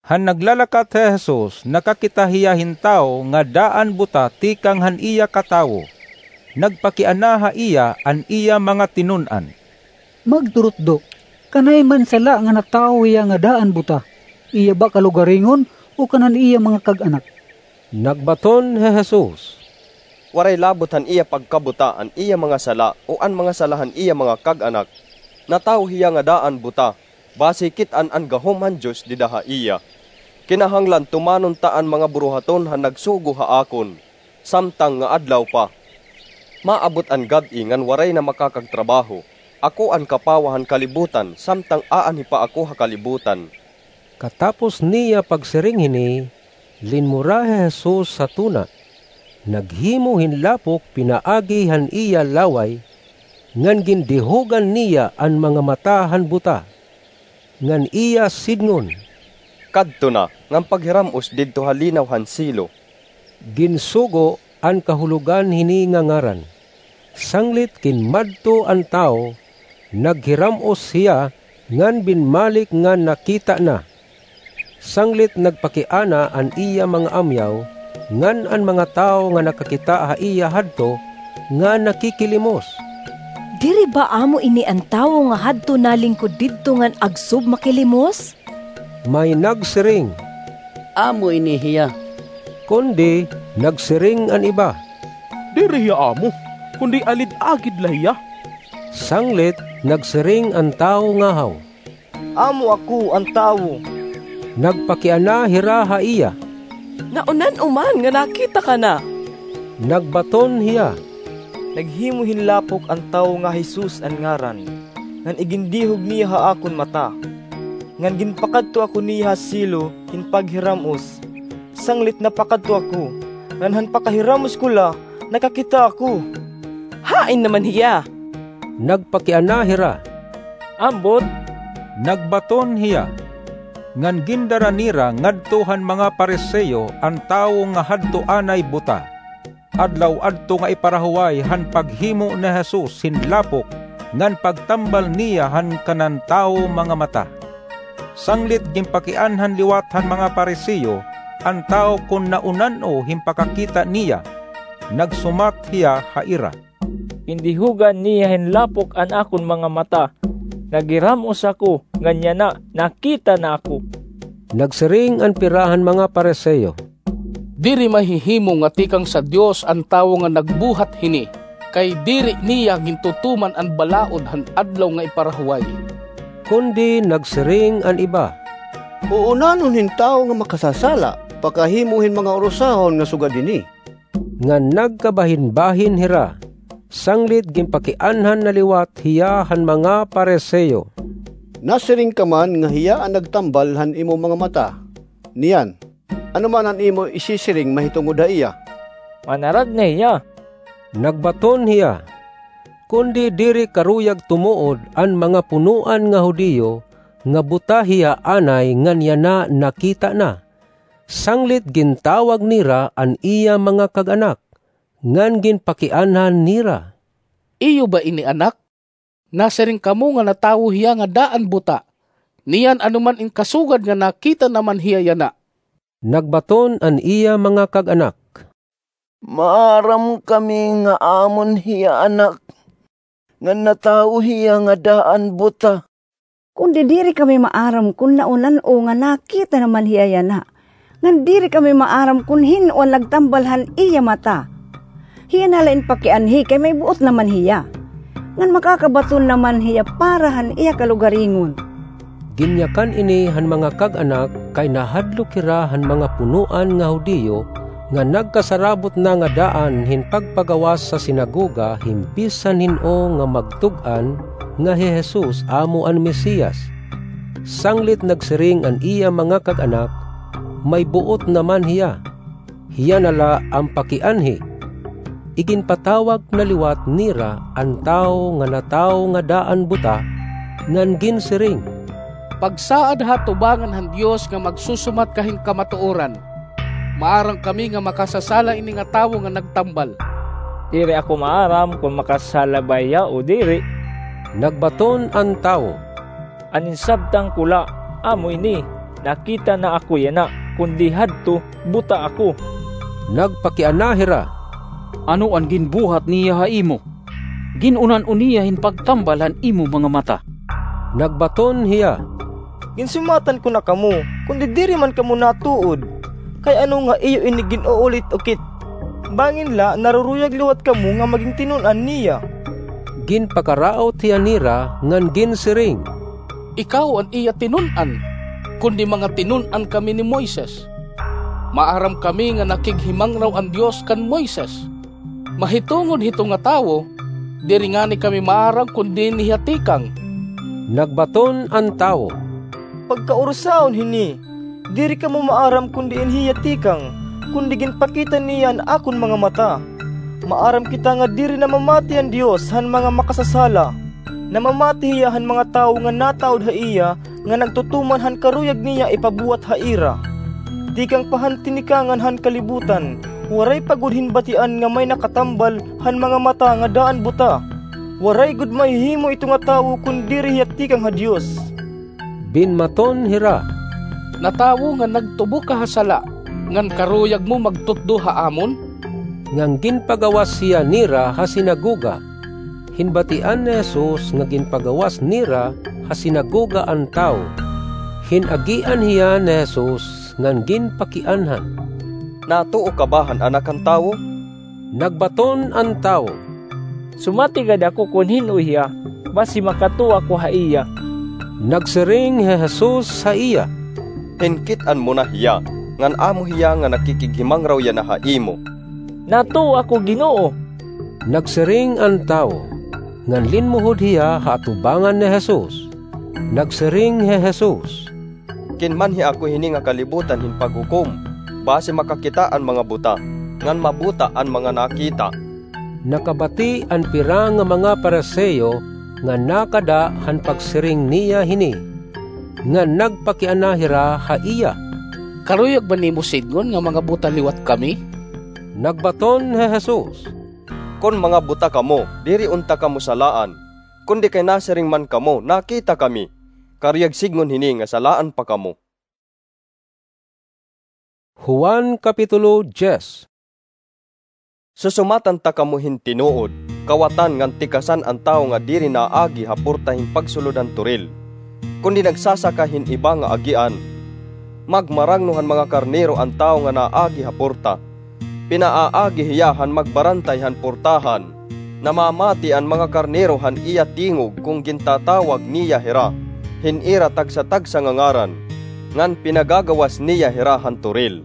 Han naglalakat hi Jesus, nakakita hiya hin tawo nga daan buta tikang han iya katawo. Nagpakiana ha iya an iya mga tinun-an, "Magturutdo, kanay man sala nga natawo hiya nga daan buta, iya ba kalugaringon o kan an iya mga kag-anak?" Nagbaton hi Jesus, "Waray labot han iya pagkabuta an iya mga sala o an mga sala han iya mga kag-anak. Natawo hiya nga daan buta, basi kit-an an gahom han Dios dida ha iya. Kinahanglan tumanon ta an mga buruhaton han nagsugo ha akon, samtang nga adlaw pa. Maabot an gab-i ngan waray na makakagtrabaho. Ako an kapawa han kalibutan, samtang aanhi pa ako ha kalibutan." Katapos niya pagsiring hini, linmura hi Jesus ha tuna, naghimo hin lapok pinaagi han iya laway, ngan gindihogan niya an mga mata han buta, ngan iya sidngon, "Kadto na, ngan paghiram-os didto ha linaw han Silo." Ginsugo an kahulogan hini nga ngaran. Sanglit kinmadto an tawo, naghiram-os hiya ngan binmalik nga nakita na. Sanglit nagpakiana an iya mga amyaw ngan an mga tawo nga nakakita ha iya hadto nga nakikilimos, "Diri ba amo ini an tawo nga hadto nalingkod didto ngan agsob makilimos?" May nagsiring, "Amo ini hiya." Kundi nagsiring an iba, "Diri hiya amo, kundi alid-agid la hiya." Sanglit nagsiring an tawo ngahaw, "Amo ako an tawo." Nagpakiana hira ha iya, Naunan-o man nga nakita ka na. Nagbaton hiya, Naghimo hin lapok an tawo nga Jesus an ngaran, ngan igindihog niya ha akon mata. Ngan ginpakadto ako niya ha syelo hin paghiram-os, sanglit napakadto ako, ngan han pakahiram-os ko la, nakakita ako. Hain naman hiya? Nagpakiana hira, Ambot. Nagbaton hiya, ngan gindara nira ngadto han mga Pariseo an tawo nga hadto anay buta, adlaw-adto nga iparahuway han paghimo ni Jesus hin lapok ngan pagtambal niya han kanan tawo mga mata. Sanglit ginpakianhan liwat han mga Pariseo an tawo kon naunan-o hin pakakita niya. Nagsumat hiya ha ira, Gindihogan niya hin lapok an akon mga mata. Naghiram-os ako, ngan yana, nakita na ako. Nagsiring an pira han mga Pariseo, Diri mahihimo nga tikang sa Dios an tawo nga nagbuhat hini, kay diri niya gintutuman an balaod han adlaw nga iparahuway. Kundi nagsiring an iba, Uunanon hin tawo nga makasasala pakahimo hin mga urusahon nga sugad hini. Ngan nagkabahinbahin hira, sanglit ginpakianhan na liwat hiya han mga Pariseo. Nasiring ka man nga hiya an nagtambal han imo mga mata. Niyan, ano man an imo isisiring mahitungod ha iya? Manaragna hiya. Nagbaton hiya, kundi diri karuyag tumuod an mga punoan nga Judio nga buta hiya anay ngan yana nakita na. Sanglit gintawag nira an iya mga kag-anak, ngan ginpakianhan nira, Iyo ba ini anak? Nasiring kamo nga natawo hiya nga daan buta. Niyan ano man in kasugad nga nakita na man hiya yana? Nagbaton an iya mga kag-anak, Maaram kami nga amon hiya anak, ngan natawo hiya nga daan buta. Kundi diri kami maaram kon naunan-o nga nakita na man hiya yana. Ngan diri kami maaram kon hin-o an nagtambal han iya mata. Hiya na la in pakianhi kay may buot na man hiya. Ngan makakabaton na man hiya para han iya kalugaringon. Ginyakan ini han mga kag-anak kay nahadlok hira han mga punoan nga Judio nga nagkasarabot na nga daan hin pagpagawas sa sinagoga hin bisan hin-o nga magtug-an nga hi Jesus amo an Mesias. Sanglit nagsiring an iya mga kag-anak, May buot na man hiya. Hiya na la an pakianhi. Iginpatawag na liwat nira an tawo nga natawo nga daan buta, ngan ginsiring, Pagsaad ha atubangan han Dios nga magsusumat ka hin kamatuoran. Maaram kami nga makasasala ini nga tawo nga nagtambal. Diri ako maaram kon makasasala ba hiya o diri. Nagbaton an tawo, An insabtan ko la, amo ini, nakita na ako yana, kundi hadto, buta ako. Nagpakiana hira, Ano an ginbuhat niya ha imo? Gin-unan-o niya hin pagtambal han imo mga mata. Nagbaton hiya, Ginsumatan ko na kamo, kundi diri man kamo natuod. Kay ano nga iyo ini gin-uulit-ukit? Bangin la naruruyag liwat kamo nga magin tinun-an niya. Ginpakaraot hiya nira ngan ginsiring, Ikaw an iya tinun-an, kundi mga tinun-an kami ni Moises. Maaram kami nga nakighimangraw an Dios kan Moises. Mahitungod hito nga tawo, diri ngani kami maaram kon diin hiya tikang. Nagbaton an tawo, Pagkaurusahon hini, diri kamo maaram kon diin hiya tikang, kundi ginpakita niya an akon mga mata. Maaram kita nga diri namamati an Dios han mga makasasala. Namamati hiya han mga tawo nga nataod ha iya nga nagtutuman han karuyag niya ipabuhat ha ira. Tikang pa han tinikangan han kalibutan, waray pa gud hin batian nga may nakatambal han mga mata nga daan buta. Waray gud mahihimo ito nga tawo kon diri hiya tikang ha Dios. Binmaton hira, Natawo nga nagtubo ka ha sala, ngan karuyag mo magtutdo ha amon? Ngan ginpagawas hiya nira ha sinagoga. Hinbatian ni Jesus nga ginpagawas nira ha sinagoga an tawo. Hin-agian hiya ni Jesus ngan ginpakianhan, Natuo ka ba han Anak han Tawo? Nagbaton an tawo, Sumati gad ako kon hin-o hiya, basi makatuo ako ha iya. Nagsiring hi Jesus ha iya, Hinkit-an mo na hiya. ngan amo hiya nga nakikighimangraw yana ha imo." "Natuo ako, Ginoo." Nagsiring an tawo, ngan linmuhod hiya ha atubangan ni Jesus. Nagsiring hi Jesus, "Kinmanhi ako hini nga kalibutan hin paghukom, basi makakita an mga buta, ngan mabuta an mga nakita." Nakabati an pira nga mga Fariseo nga nakada han pagsiring niya hini, ngan nagpakiana hira ha iya, "Karuyag ba nimo sidngon nga mga buta liwat kami?" Nagbaton hi Jesus, "Kon mga buta kamo, diri unta kamo salaan, kundi kay nasiring man kamo, nakita kami. Karuyag sidngon hini nga salaan pa kamo." Juan Kapitulo diyes. Susumatan ta kamo hin tinuod, kawatan ngan tikasan an tawo nga diri naagi ha porta hin pagsulod han toril, kundi nagsasaka hin iba nga agian. Magmarangno han mga karnero an tawo nga naagi ha porta. Pinaaagi hiya han magbarantay han portahan. Namamati an mga karnero han iya tingog kon gintatawag niya hira hin ira tagsa-tagsa nga ngaran, ngan pinagagawas niya hira han toril.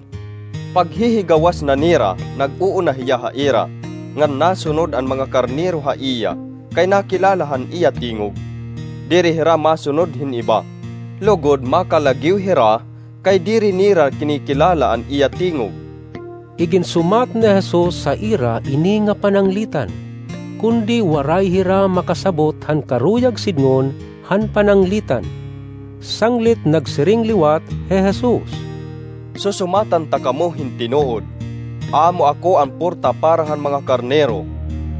Paghihigawas na nira, nag-uuna hiya ha ira, ngan nasunod an mga karnero ha iya, kay nakilala han iya tingog. Diri hira masunod hin iba, lugod makalagiw hira, kay diri nira kinikilala an iya tingog. Iginsumat ni Jesus ha ira ini nga pananglitan, kundi waray hira makasabot han karuyag sidngon han pananglitan. Sanglit nagsiring liwat hi Jesus, "Susumatan ta kamo hin tinuod. Amo ako an porta para han mga karnero.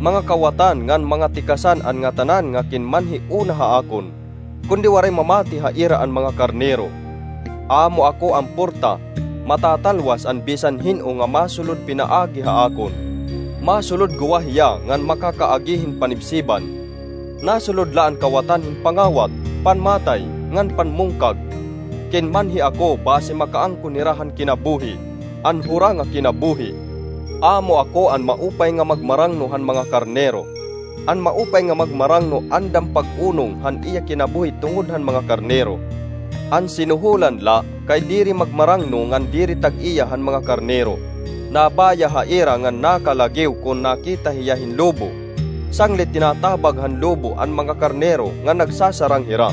Mga kawatan ngan mga tikasan an ngatanan nga kinmanhi una ha akon, kundi waray mamati ha ira an mga karnero. Amo ako an porta, matatalwas an bisan hin-o nga masulod pinaagi ha akon. Masulod guwa hiya ngan makakaagi hin panibsiban. Nasulod la an kawatan hin pangawat, panmatay, ngan panmungkag. Kinmanhi ako basi makaangkon hira han kinabuhi, an hura nga kinabuhi. Amo ako an maupay nga magmarangno han mga karnero. An maupay nga magmarangno andam pag-unong han iya kinabuhi tungod han mga karnero. An sinuholan la kay diri magmarangno ngan diri tag-iya han mga karnero. Nabaya ha ira ngan nakalagiw kon nakita hiya hin lobo. Sanglit tinatabag han lobo an mga karnero ngan nagsasarang hira.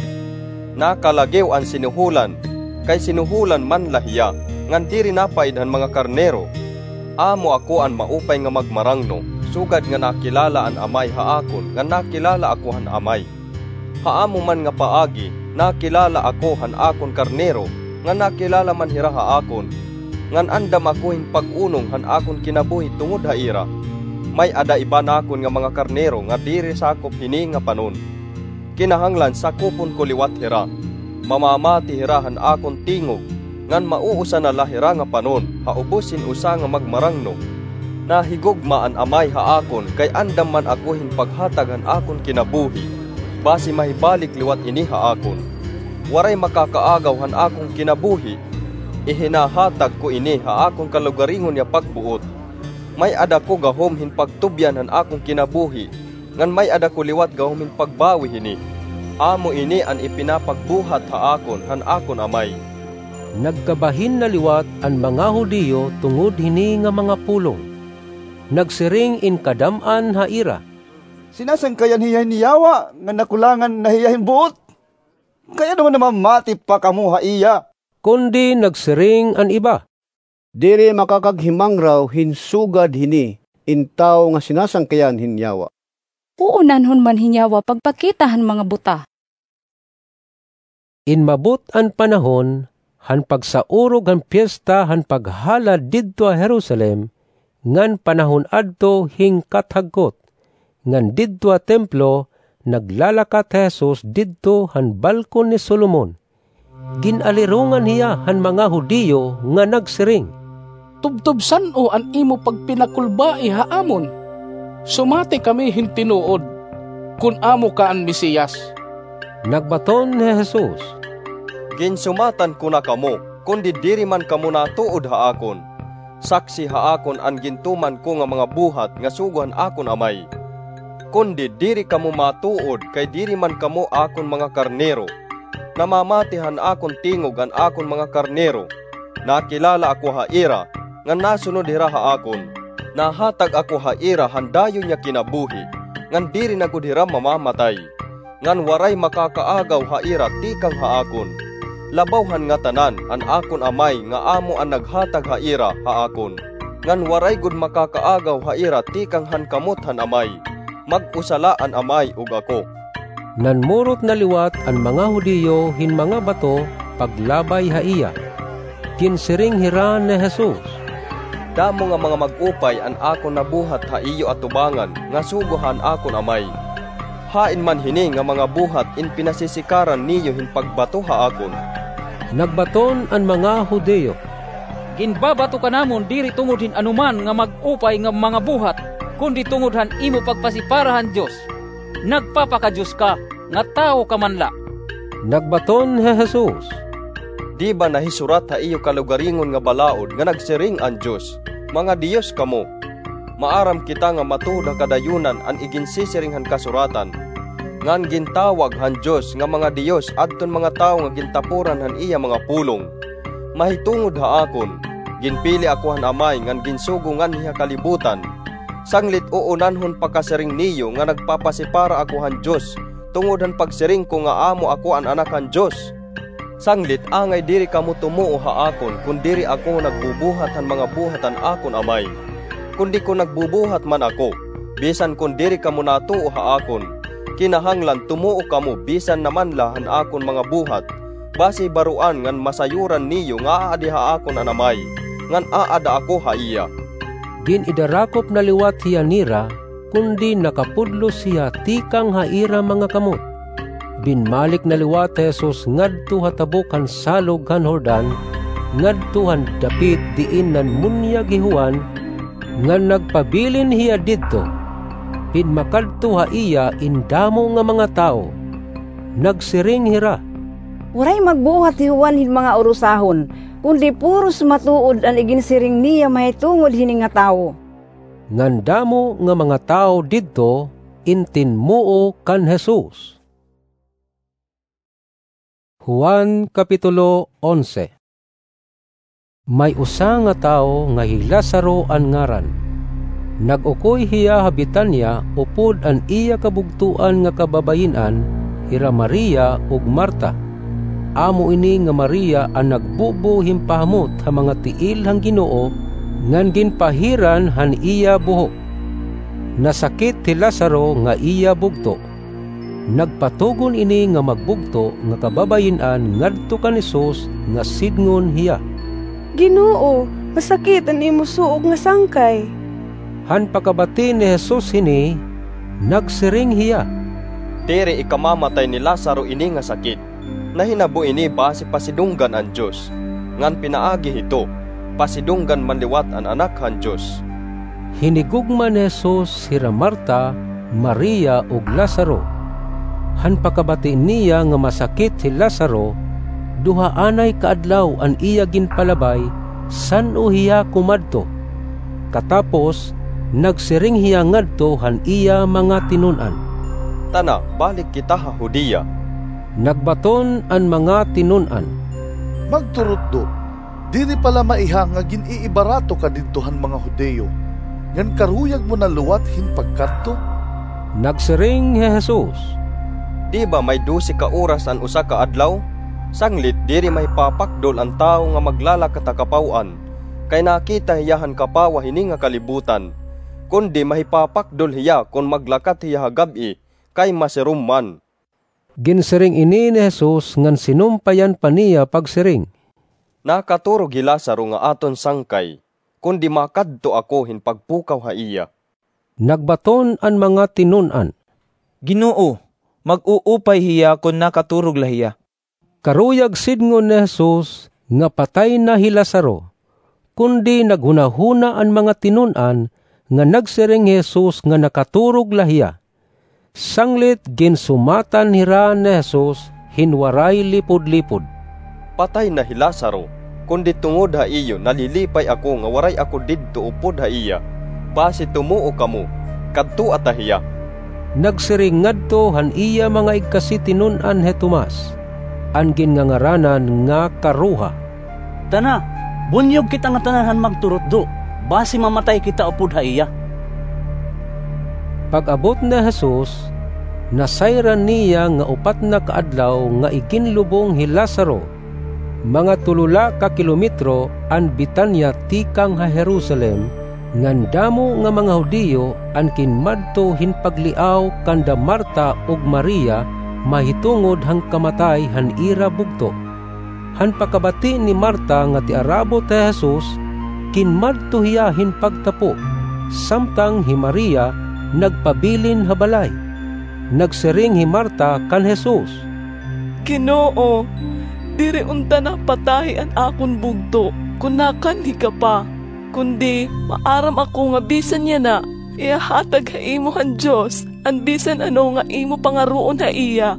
Nakalagiw an sinuholan, kay sinuholan man la hiya, ngan diri napaid han mga karnero. Amo ako an maupay nga magmarangno, sugad nga nakilala an Amay ha akon ngan nakilala ako han Amay. Ha amo man nga paagi, nakilala ako han akon karnero, ngan nakilala man hira ha akon, ngan andam ako hin pag-unong han akon kinabuhi tungod ha ira. May-ada iba nakon nga mga karnero nga diri sakop hini nga panon. Kinahanglan sakupon ko liwat hira. Mamamati hira han akon tingog, ngan mauusa na la hira nga panon ha ubos hin usa nga magmarangno. Nahigugma an Amay ha akon kay andam man ako hin paghatag han akon kinabuhi, basi mahibalik liwat ini ha akon. Waray makakaagaw han akon kinabuhi. Ihinahatag ko ini ha akon kalugaringon nga pagbuot. May-ada ko gahom hin pagtubyan han akon kinabuhi, ngan may-ada ko liwat gahom hin pagbawi hini. Amo ini an ipinapagbuhat ha akon han akon Amay." Nagkabahin na liwat an mga Judio tungod hini nga mga pulong. Nagsiring in kadam-an ha ira, "Sinasangkayan hiya hin yawa ngan nakulangan na hiya hin buot. Kay ano man namamati pa kamo ha iya?" Kundi nagsiring an iba, "Diri makakaghimangraw hin sugad hini in tawo nga sinasangkayan hin yawa. Uunanhon man hin yawa pagpakita han mga buta." Inmabot an panahon han pagsaurog han Piesta han Paghalad didto ha Jerusalem, ngan panahon adto hin kathagkot, ngan didto ha templo naglalakat hi Jesus didto han balkon ni Solomon. Gin-alirongan hiya han mga Judio nga nagsiring, "Tubtob san-o an imo pagpinakulbai ha amon? Sumati kami hin tinuod kon amo ka an Mesias." Nagbaton hi Jesus, "Ginsumatan ko na kamo, kundi diri man kamo natuod ha akon. Saksi ha akon an gintuman ko nga mga buhat nga sugo han akon Amay. Kundi diri kamo matuod kay diri man kamo akon mga karnero. Namamati han akon tingog an akon mga karnero. Nakilala ako ha ira, ngan nasunod hira ha akon. Nahatag ako ha ira han dayon nga kinabuhi, ngan diri na gud hira mamamatay, ngan waray makakaagaw ha ira tikang ha akon. Labaw han ngatanan, an akon Amay nga amo an naghatag ha ira ha akon, ngan waray gud makakaagaw ha ira tikang han kamot han Amay. Mag-usa la an Amay ug ako. Nanmurot na liwat an mga Judio hin mga bato paglabay ha iya. Ginsiring hira ni Jesus, "Damo nga mga mag-upay an akon nabuhat ha iyo atubangan nga sugo han akon Amay. Hain man hini nga mga buhat in pinasisikaran niyo hin pagbato ha akon?" Nagbaton an mga Judio, "Ginbabato ka namon diri tungod hin anoman nga mag-upay nga mga buhat, kundi tungod han imo pagpasipara han Dios. Nagpapakadios ka, nga tawo ka man la." Nagbaton hi Jesus, "Di ba nahisurat ha iyo kalugaringon nga balaod nga nagsiring an Dios, 'Mga diyos kamo'? Maaram kita nga matuod ha kadayunan an iginsisiring han Kasuratan, ngan gintawag han Dios nga mga diyos adton mga tawo nga gintapuran han iya mga pulong. Mahitungod ha akon, ginpili ako han Amay ngan ginsugo nganhi ha kalibutan, sanglit uunanhon pakasiring niyo nga nagpapasipara ako han Dios tungod han pagsiring ko nga amo ako an Anak han Dios. Sanglit angay diri kamo tumuo ha akon kon diri ako nagbubuhat han mga buhat han akon Amay. Kundi kon nagbubuhat man ako, bisan kon diri kamo natuo ha akon, kinahanglan tumuo kamo bisan na man la han akon mga buhat, basi baroan ngan masayuran niyo nga aadi ha akon an Amay, ngan aada ako ha iya." Gin-idarakop na liwat hiya nira, kundi nakapudlos hiya tikang ha ira mga kamot. Binmalik na liwat hi Jesus ngadto ha tabok han salog han Jordan, ngadto han dapit diin nanmunyag hi Juan, ngan nagpabilin hiya didto. Pinmakadto ha iya in damo nga mga tawo. Nagsiring hira, "Waray magbuhat hi Juan hin mga urusahon, kundi puros matuod an iginsiring niya mahitungod hini nga tawo." Ngan damo nga mga tawo didto in tinmuo kan Jesus. Juan, Kapitulo onse. May usa nga tawo nga hi Lazaro an ngaran. Nag-ukoy hiya ha Betania upod an iya kabugtoan nga kababayin-an, hira Maria ug Marta. Amo ini nga Maria an nagbubo hin pahamot ha mga tiil han Ginoo, ngan ginpahiran han iya buhok. Nasakit hi Lazaro nga iya bugto. Nagpatugon ini nga magbugto nga kababayin-an ngadto kan Jesus nga sidngon hiya, "Ginoo, masakit an imo suok nga sangkay." Han pakabati ni Jesus hini, nagsiring hiya, "Diri ikamamatay ni Lazaro ini nga sakit. Nahinabo ini basi pasidunggan an Dios, ngan pinaagi hito, pasidunggan man liwat an Anak han Dios." Hinigugma ni Jesus hira Marta, Maria, ug Lazaro. Han pakabati niya nga masakit hi Lazaro, duha anay ka adlaw an iya ginpalabay san-o hiya kumadto. Katapos, nagsiring hiya ngadto han iya mga tinun-an, "Tana, balik kita ha Judea." Nagbaton an mga tinun-an, "Magturutdo, diri pa la maiha nga gin-iibarato ka didto han mga Judio, ngan karuyag mo na liwat hin pagkadto?" Nagsiring hi Jesus, "Di ba may dose ka oras an usa ka adlaw? Sanglit diri mahipapakdol an tawo nga maglalakat ha kapaw-an, kay nakita hiya han kapawa hini nga kalibutan, kundi mahipapakdol hiya kon maglakat hiya ha gab-i, kay masirom man." Ginsiring ini ni Jesus ngan sinumpayan pa niya pagsiring, "Nakaturog hi Lazaro nga aton sangkay, kundi makadto ako hin pagpukaw ha iya." Nagbaton an mga tinun-an, "Ginoo, mag-uupay hiya kon nakaturog la hiya." Karuyag sidngon ni Jesus nga patay na hi Lazaro, kundi naghunahuna an mga tinun-an nga nagsiring hi Jesus nga nakaturog la hiya. Sanglit ginsumatan hira ni Jesus hin waray lipudlipod, "Patay na hi Lazaro, kundi tungod ha iyo nalilipay ako nga waray ako didto upod ha iya, basi tumuo kamo, kadtoa ta hiya." Nagsiring ngadto han iya mga igkasitinun-an hi Tomas, an ginngangaranan nga Karuha, "Tana, Bunyog kita ngatanan han magturutdo, basi mamatay kita upod ha iya." Pag-abot ni Jesus, nasayran niya nga upat na ka adlaw nga iginlubong hi Lazaro. Mga tulo la ka kilometro an Betania tikang ha Jerusalem, ngan damo nga mga Judio an kinmadto hin pagliaw kanda Marta ug Maria mahitungod han kamatay han ira bugto. Han pakabati ni Marta nga tiarabot hi Jesus, kinmadto hiya hin pagtapo, samtang hi Maria nagpabilin ha balay. Nagsiring hi Marta kan Jesus, "Ginoo, diri unta napatay an akon bugto kon nakanhi ka pa, kundi maaram ako nga bisan yana, ihahatag ha imo han Dios an bisan ano nga imo pangaroon ha iya."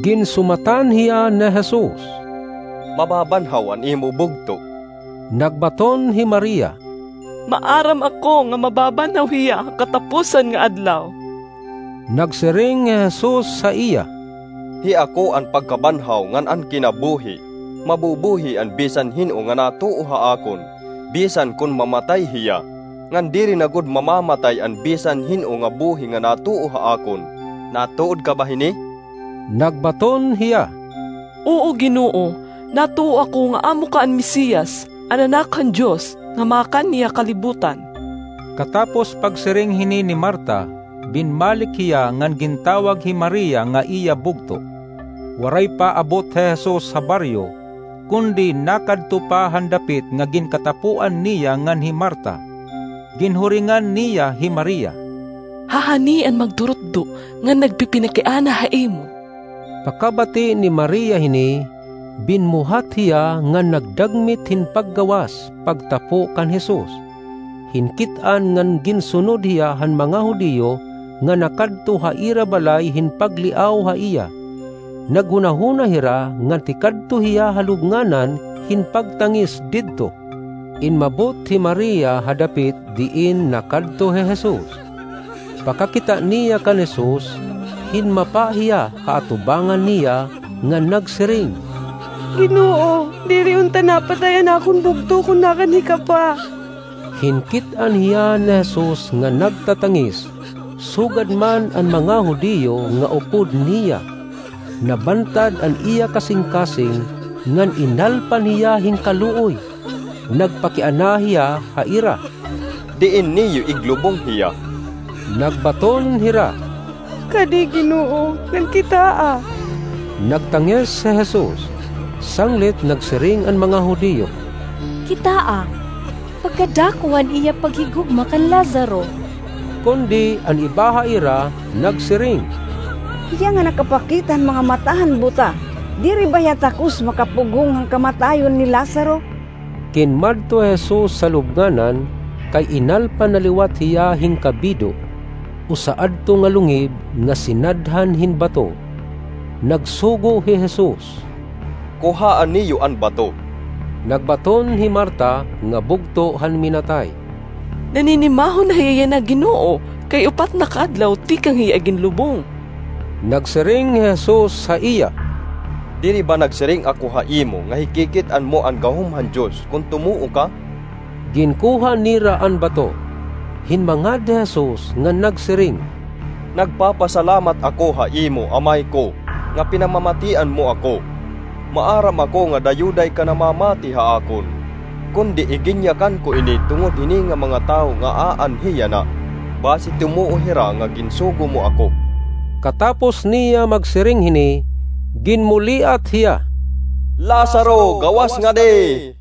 Ginsumatan hiya ni Jesus, "Mababanhaw an imo bugto." Nagbaton hi Maria, "Maaram ako nga mababanhaw hiya ha katapusan nga adlaw." Nagsiring hi Jesus ha iya, "Hi ako an pagkabanhaw ngan an kinabuhi. Mabubuhi an bisan hin-o nga natuo ha akon, bisan kon mamatay hiya, ngan diri na gud mamamatay an bisan hin-o nga buhi nga natuo ha akon. Natuod ka ba hini?" Nagbaton hiya, "Oo, Ginoo, natuo ako nga amo ka an Mesiyas, an Anak han Dios, nga makanhi ha kalibutan." Katapos pagsiring hini ni Marta, binmalik hiya ngan gintawag hi Maria nga iya bugto. Waray pa abot hi Jesus ha baryo, kundi nakadto pa han dapit nga ginkatapoan niya ngan hi Marta. Ginhuringan niya hi Maria, "Hahani an magturutdo ngan nagpipinakiana ha imo." Pakabati ni Maria hini, binmuhat hiya ngan nagdagmit hin paggawas pagtapo kan Jesus. Hinkit-an ngan ginsunod hiya han mga Judio nga nakadto ha ira balay hin pagliaw ha iya. Naghunahuna hira nga tikadto hiya ha lubnganan hin pagtangis didto. Inmabot hi Maria ha dapit diin nakadto hi Jesus. Pakakita niya kan Jesus, hinmapa hiya ha atubangan niya ngan nagsiring, "Ginoo, diri unta napatay an akon bugto kon nakanhi ka pa." Hinkit-an hiya ni Jesus nga nagtatangis, sugad man an mga Judio nga upod niya. Nabantad an iya kasingkasing ngan inalpan hiya hin kaluoy. Nagpakiana hiya ha ira, "Diin niyo iglubong hiya?" Nagbaton hira, "Kadi, Ginoo, ngan kitaa." Nagtangis hi Jesus. Sanglit nagsiring an mga Judio, "Kitaa, pagkadako han iya paghigugma kan Lazaro." Kundi an iba ha ira nagsiring, "Hiya nga nakapakita han mga mata han buta, diri ba hiya takos makapugong han kamatayon ni Lazaro?" Kinmadto hi Jesus ha lubnganan, kay inalpan na liwat hiya hin kabido, usa adto nga lungib nga sinadhan hin bato. Nagsugo hi Jesus, "Kuhaa niyo an bato." Nagbaton hi Marta nga bugto han minatay, "Naninimahon na hiya yana, Ginoo, kay upat na ka adlaw tikang hiya iginlubong." Nagsiring hi Jesus ha iya, "Diri ba nagsiring ako ha imo nga hikikit-an mo an gahom han Dios kon tumuo ka?" Ginkuha nira an bato. Hinmangad hi Jesus ngan nagsiring, "Nagpapasalamat ako ha imo, Amay ko, nga pinamamatian mo ako. Maaram ako nga dayuday ka namamati ha akon, kundi iginyakan ko ini tungod hini nga mga tawo nga aanhi yana, basi tumuo hira nga ginsugo mo ako." Katapos niya magsiring hini, ginmuliat hiya, "Lazaro, gawas ngadi!"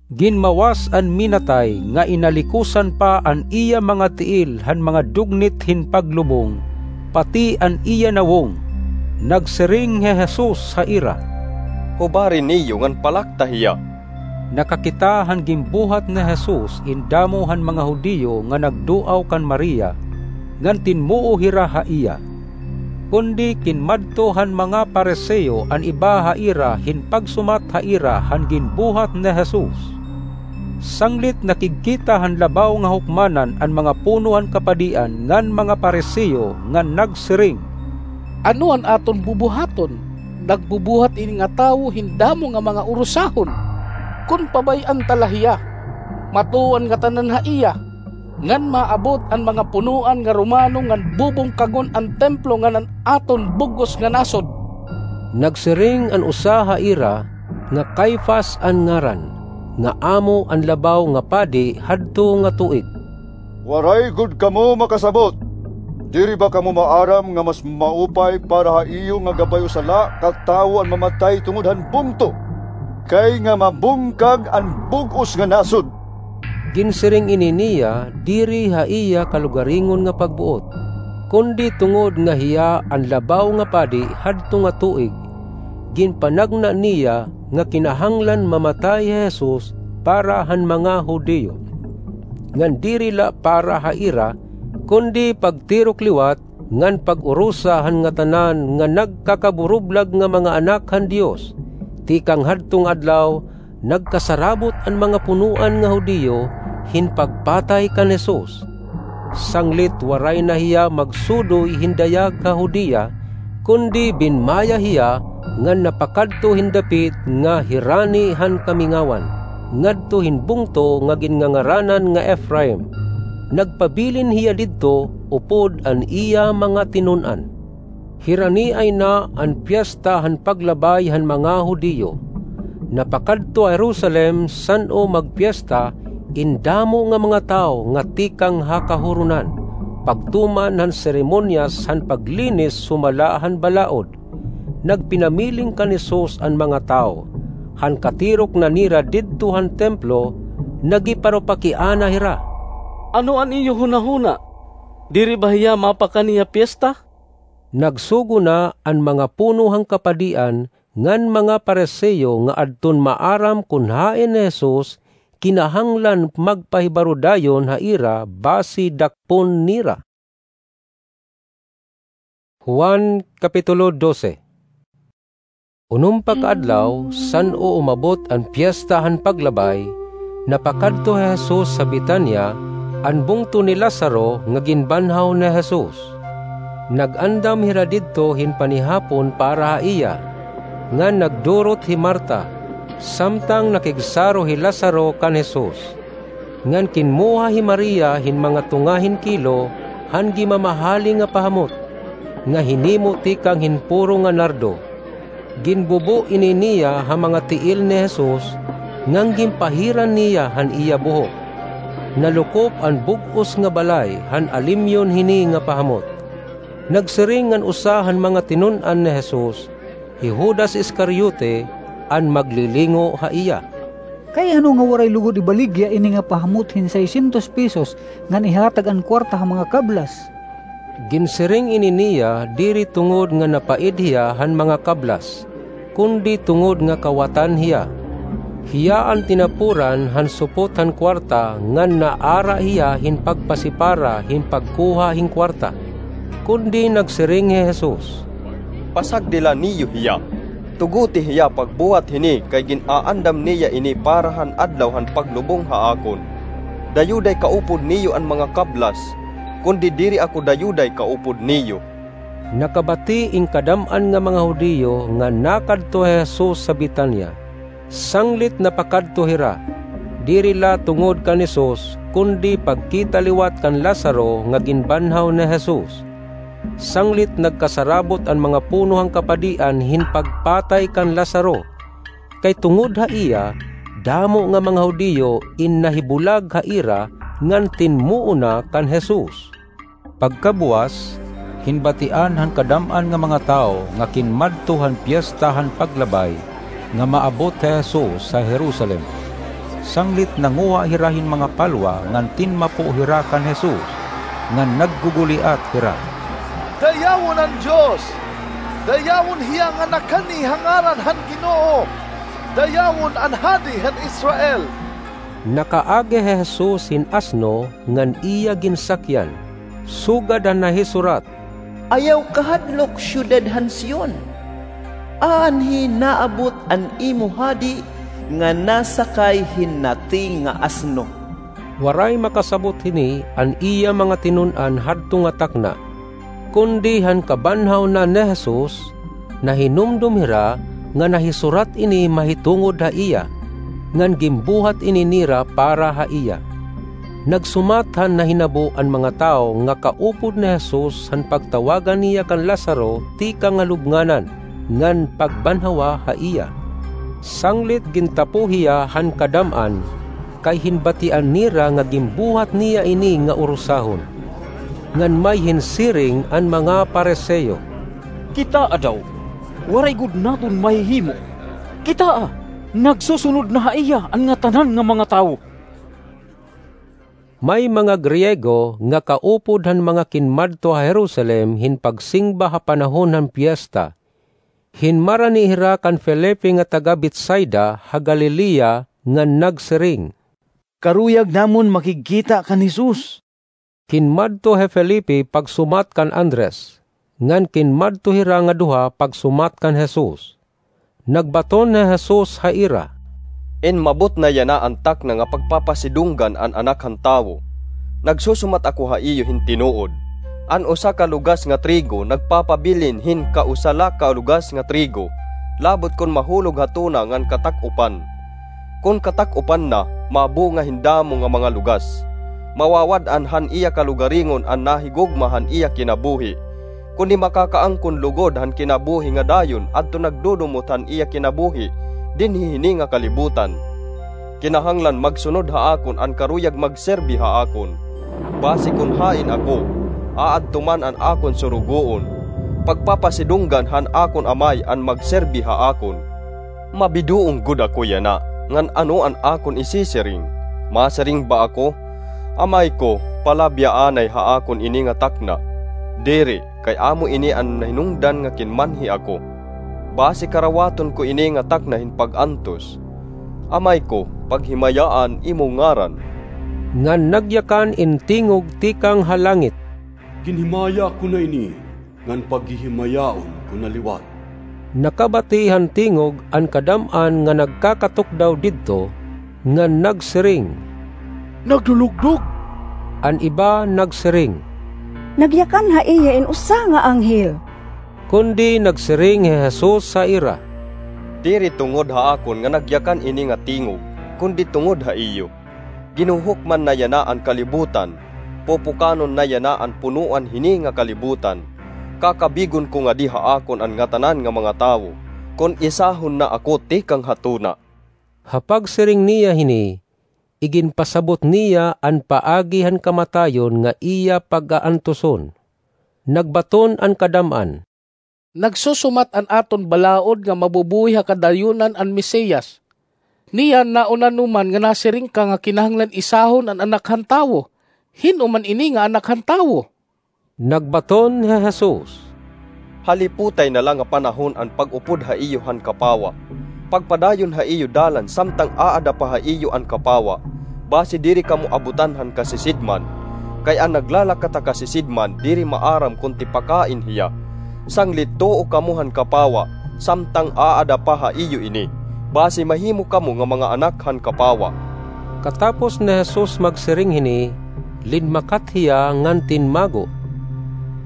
Ginmawas an minatay nga inalikusan pa an iya mga tiil han mga dugnit hin paglubong, pati an iya nawong. Nagsiring hi Jesus ha ira, "Hubari niyo ngan palakta hiya." Nakakita han ginbuhat ni Jesus in damo han mga Judio nga nagduaw kan Maria, ngan tinmuo hira ha iya. Kundi kinmadto han mga Pariseo an iba ha ira hin pagsumat ha ira han ginbuhat ni Jesus. Sanglit nakigkita han labaw nga hukmanan an mga puno han kapadian ngan mga Pariseo ngan nagsiring, "Ano an aton bubuhaton? Nagbubuhat ini nga tawo hin damo nga mga urusahon." kon pabay-an ta la hiya, matuo an ngatanan ha iya, ngan maabot an mga punoan nga Romano ngan bubungkagon an templo ngan an aton bug-os nga nasod." Nagsiring an usa ha ira, nga Caifas an ngaran, nga amo an labaw nga padi hadto nga tuig, "Waray gud kamo makasabot! Diri ba kamo maaram nga mas maupay para ha iyo nga gabay-o sala ka tawo an mamatay tungod han bungto, kay nga mabungkag an bug-os nga nasod?" Ginsiring ini niya diri ha iya kalugaringon nga pagbuot, kundi tungod nga hiya an labaw nga padi hadto nga tuig, ginpanagna niya nga kinahanglan mamatay hi Jesus para han mga Judio, ngan diri la para ha ira, kundi pagtirok liwat ngan pag-urosa han ngatanan nga nagkakaburublag nga mga anak han Dios. Tikang hadto nga adlaw, nagkasarabot an mga punoan nga Judio hin pagpatay kan Jesus. Sanglit waray na hiya magsudoy hin dayag ha Judea, kundi binmaya hiya ngan napakadto hin dapit nga hirani han kamingawan, ngadto hin bungto nga ginngangaranan nga Efraim. Nagpabilin hiya didto upod an iya mga tinun-an. Hiraniay na an Piesta han Paglabay han mga Judio. Napakadto ha Jerusalem san-o magpiesta in damo nga mga tawo nga tikang ha kahuronan, pagtuman han seremonyas han paglinis sumala han balaod. Nagpinamiling kan Jesus an mga tawo. Han katirok na nira didto han templo, nagiparupakiana hira, "Ano an iyo hunahuna? Diri ba hiya mapakani ha piesta?" Nagsugo na an mga puno han kapadian ngan mga Fariseo nga adton maaram kon hain hi Jesus, kinahanglan magpahibaro dayon ha ira basi dakpon nira. Juan, Kapitulo dose. Unom pa ka adlaw, san-o umabot an Piesta han Paglabay, napakadto hi Jesus ha Betania, an bungto ni Lazaro nga ginbanhaw ni Jesus. Nag-andam hira didto hin panihapon para ha iya, ngan nagdurot hi Marta, samtang nakigsaro hi Lazaro kan Jesus. Ngan kinmuha hi Maria hin mga tunga hin kilo han gimamahali nga pahamot, nga hinimo tikang hin puro nga nardo. Ginbubo ini niya ha mga tiil ni Jesus, ngan ginpahiran niya han iya buhok. Nalukop an bug-os nga balay han alimyon hini nga pahamot. Nagsiring an usa han mga tinun-an ni Jesus, hi Judas Iscariote, an maglilingo ha iya, "Kay ano nga waray lugod ibaligya ini nga pahamot hin seiscientos pesos ngan ihatag an kuwarta ha mga kablas?" Ginsiring ini niya diri tungod nga napaid hiya han mga kablas, kundi tungod nga kawatan hiya. Hiya an tinapuran han supot han kuwarta ngan naara hiya hin pagpasipara hin pagkuha hin kuwarta. Kundi nagsiring hi Jesus, "Pasagdi la niyo hiya. Tugoti hiya pagbuhat hini kay gin-aandam niya ini para han adlaw han paglubong ha akon. Dayuday kaupod niyo an mga kablas, kundi diri ako dayuday kaupod niyo." Nakabati in kadam-an nga mga Judio nga nakadto hi Jesus ha Betania. Sanglit napakadto hira, diri la tungod kan Jesus, kundi pagkita liwat kan Lazaro nga ginbanhaw ni Jesus. Sanglit nagkasarabot an mga puno han kapadian hin pagpatay kan Lazaro, kay tungod ha iya, damo nga mga Judio in nahibulag ha ira ngan tinmuon na kan Jesus. Pagkabuwas, ginbatian han kadam-an nga mga tawo nga kinmadto han Piesta han Paglabay nga maabot hi Jesus ha Jerusalem. Sanglit nanguha hira hin mga palwa ngan tinmapo hira kan Jesus, ngan nagguguliat hira, "Dayawon an Dios! Dayawon hiya nga nakani ha ngaran han Ginoo! Dayawon an Hadi han Israel!" Nakaagi hi Jesus hin asno ngan iya ginsakyan, sugad han nahisurat, "Ayaw kahadlok, syudad han Sion! Aanhi naabot an imo Hadi nga nasakay hin nati nga asno." Waray makasabot hini an iya mga tinun-an hadto nga takna. Kundi han kabanhaw na ni Jesus, nahinumdom hira nga nahisurat ini mahitungod ha iya. ngan ginbuhat ini nira para ha iya. Nagsumat han nahinabo an mga tawo nga kaupod ni Jesus han pagtawagan niya kan Lazaro tikang ha lubnganan, ngan pagbanhawa ha iya. Sanglit gintapo hiya han kadam-an, kay hinbatian nira nga ginbuhat niya ini nga urusahon. Ngan may hinsiring an mga Pariseo, "Kitaa daw, waray gud naton mahihimo. Kitaa, nagsusunod na ha iya an ngatanan nga mga tawo." May mga Griego nga kaupod han mga kinmadto ha Jerusalem hin pagsingba ha panahon han piesta. Hinmarani hira kan Felipe nga taga Betsaida ha Galilea ngan nagsiring, "Karuyag namon makigkita kan Jesus." Kinmadto hi Felipe pagsumat kan Andres, ngan kinmadto hira nga duha pagsumat kan Jesus. Nagbaton hi Jesus ha ira, "Inmabot na yana an takna nga pagpapasidunggan an Anak han Tawo. Nagsusumat ako ha iyo hin tinuod, an usa ka lugas nga trigo nagpapabilin hin kausa la ka lugas nga trigo, labot kon mahulog ha tuna ngan katak-upan. Kon katak-upan na, mabunga hin damo nga mga lugas. Mawawad-an han iya kalugaringon an nahigugma han iya kinabuhi, kundi makakaangkon lugod han kinabuhi nga dayon adto nagdudumot han iya kinabuhi dinhi hini nga kalibutan. Kinahanglan magsunod ha akon an karuyag magserbi ha akon. Basi kon hain ako, aadto man an akon surugoon, pagpapasidunggan han akon Amay an magserbi ha akon." Mabidoong gud ako yana, ngan ano an akon isisiring? Masiring ba ako, 'Amay ko, palabyaanay ha akon ini nga takna'? Diri, kay amo ini an hinungdan nga kinmanhi ako. Basi karawaton ko ini nga takna hin pag-antos. 'Amay ko, paghimayaan imo ngaran.' Ngan nagyakan in tingog tikang ha langit, "Ginhimaya ko na ini, ngan paghihimayaon ko na liwat." Nakabati han tingog an kadam-an nga nagkakatukdaw didto, ngan nagsiring, "Naglulugdog!" An iba nagsiring, "Nagyakan ha iya in usa nga anghel." Kundi nagsiring hi Jesus ha ira, "Diri tungod ha akon nga nagyakan ini nga tingog, kundi tungod ha iyo. Ginuhukman na yana an kalibutan, pupukanon na yana an punoan hini nga kalibutan. Kakabigon ko ngadi ha akon an ngatanan nga mga tawo, kon isahon na ako tikang ha tuna." Ha pagsiring niya hini, iginpasabot niya an paagi han kamatayon nga iya pag-aantuson. Nagbaton an kadam-an, "Nagsusumat an aton balaod nga mabubuhi ha kadayonan an Mesiyas. Niyan nauna no man nga nasiring ka nga kinahanglan isahon an Anak han Tawo. Hin-o man ini nga Anak han Tawo?" Nagbaton hi Jesus, "Haliputay na la nga panahon an pag-upod ha iyo han kapawa. Pagpadayon ha iyo dalan samtang aada pa ha iyo an kapawa, basi diri kamo abutan han kasisidman. Kay an naglalakat ha kasisidman diri maaram kon tipakain hiya. Sanglit tuo kamo han kapawa samtang aada pa ha iyo ini, basi mahimo kamo nga mga anak han kapawa." Katapos ni Jesus magsiring hini, linmakat hiya ngan tinmago.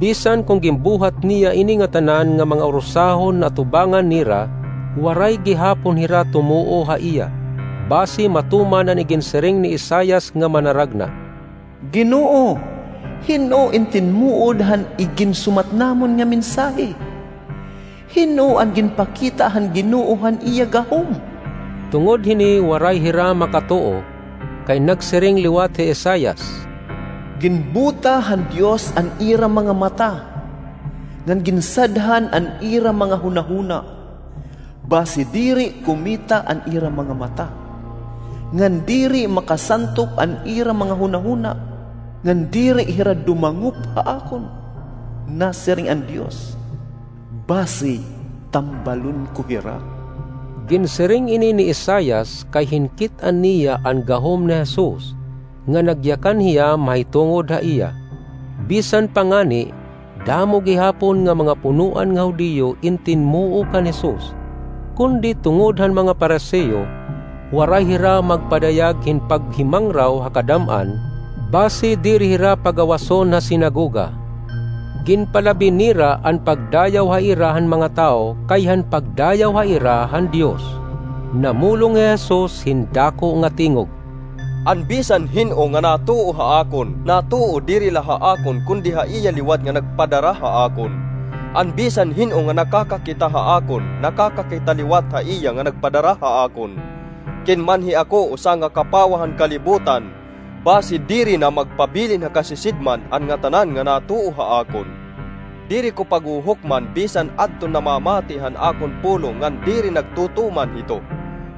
Bisan kon ginbuhat niya ini ngatanan nga mga urusahon na atubangan nira, waray gihapon hira tumuo ha iya. Basi matuman an iginsiring ni Isaias nga manaragna, "Ginoo, hin-o in tinmuod han iginsumat namon nga mensahe? Hin-o an ginpakita han Ginoo han iya gahom?" Tungod hini waray hira makatuo, kay nagsiring liwat hi Isaias, "Ginbuta han Dios an ira mga mata, ngan ginsadhan an ira mga hunahuna. Basi diri kumita an ira mga mata, ngan diri makasantop an ira mga hunahuna, ngan diri hira dumangop ha akon, nasiring an Dios. Basi tambalon ko hira." Ginsiring ini ni Isaias kay hinkit-an niya an gahom ni Jesus, nga nagyakan hiya mahitungod ha iya. Bisan pa ngani, damo gihapon nga mga punoan nga Judio in tinmuo kan Jesus, kundi tungod han mga Pariseo, waray hira magpadayag hin paghimangraw ha kadam-an, basi diri hira pagawason ha sinagoga. Ginpalabi nira an pagdayaw ha ira han mga tawo kay han pagdayaw ha ira han Dios. Namulong hi Jesus hin dako nga tingog, "An bisan hin-o nga natuo ha akon, natuo diri la ha akon, kundi ha iya liwat nga nagpadara ha akon. An bisan hin-o nga nakakakita ha akon, nakakakita liwat ha iya nga nagpadara ha akon. Kinmanhi ako usa nga kapawa han kalibutan, basi diri na magpabilin ha kasisidman an ngatanan nga natuo ha akon. Diri ko paghuhukman bisan adton namamati han akon pulong ngan diri nagtutuman hito.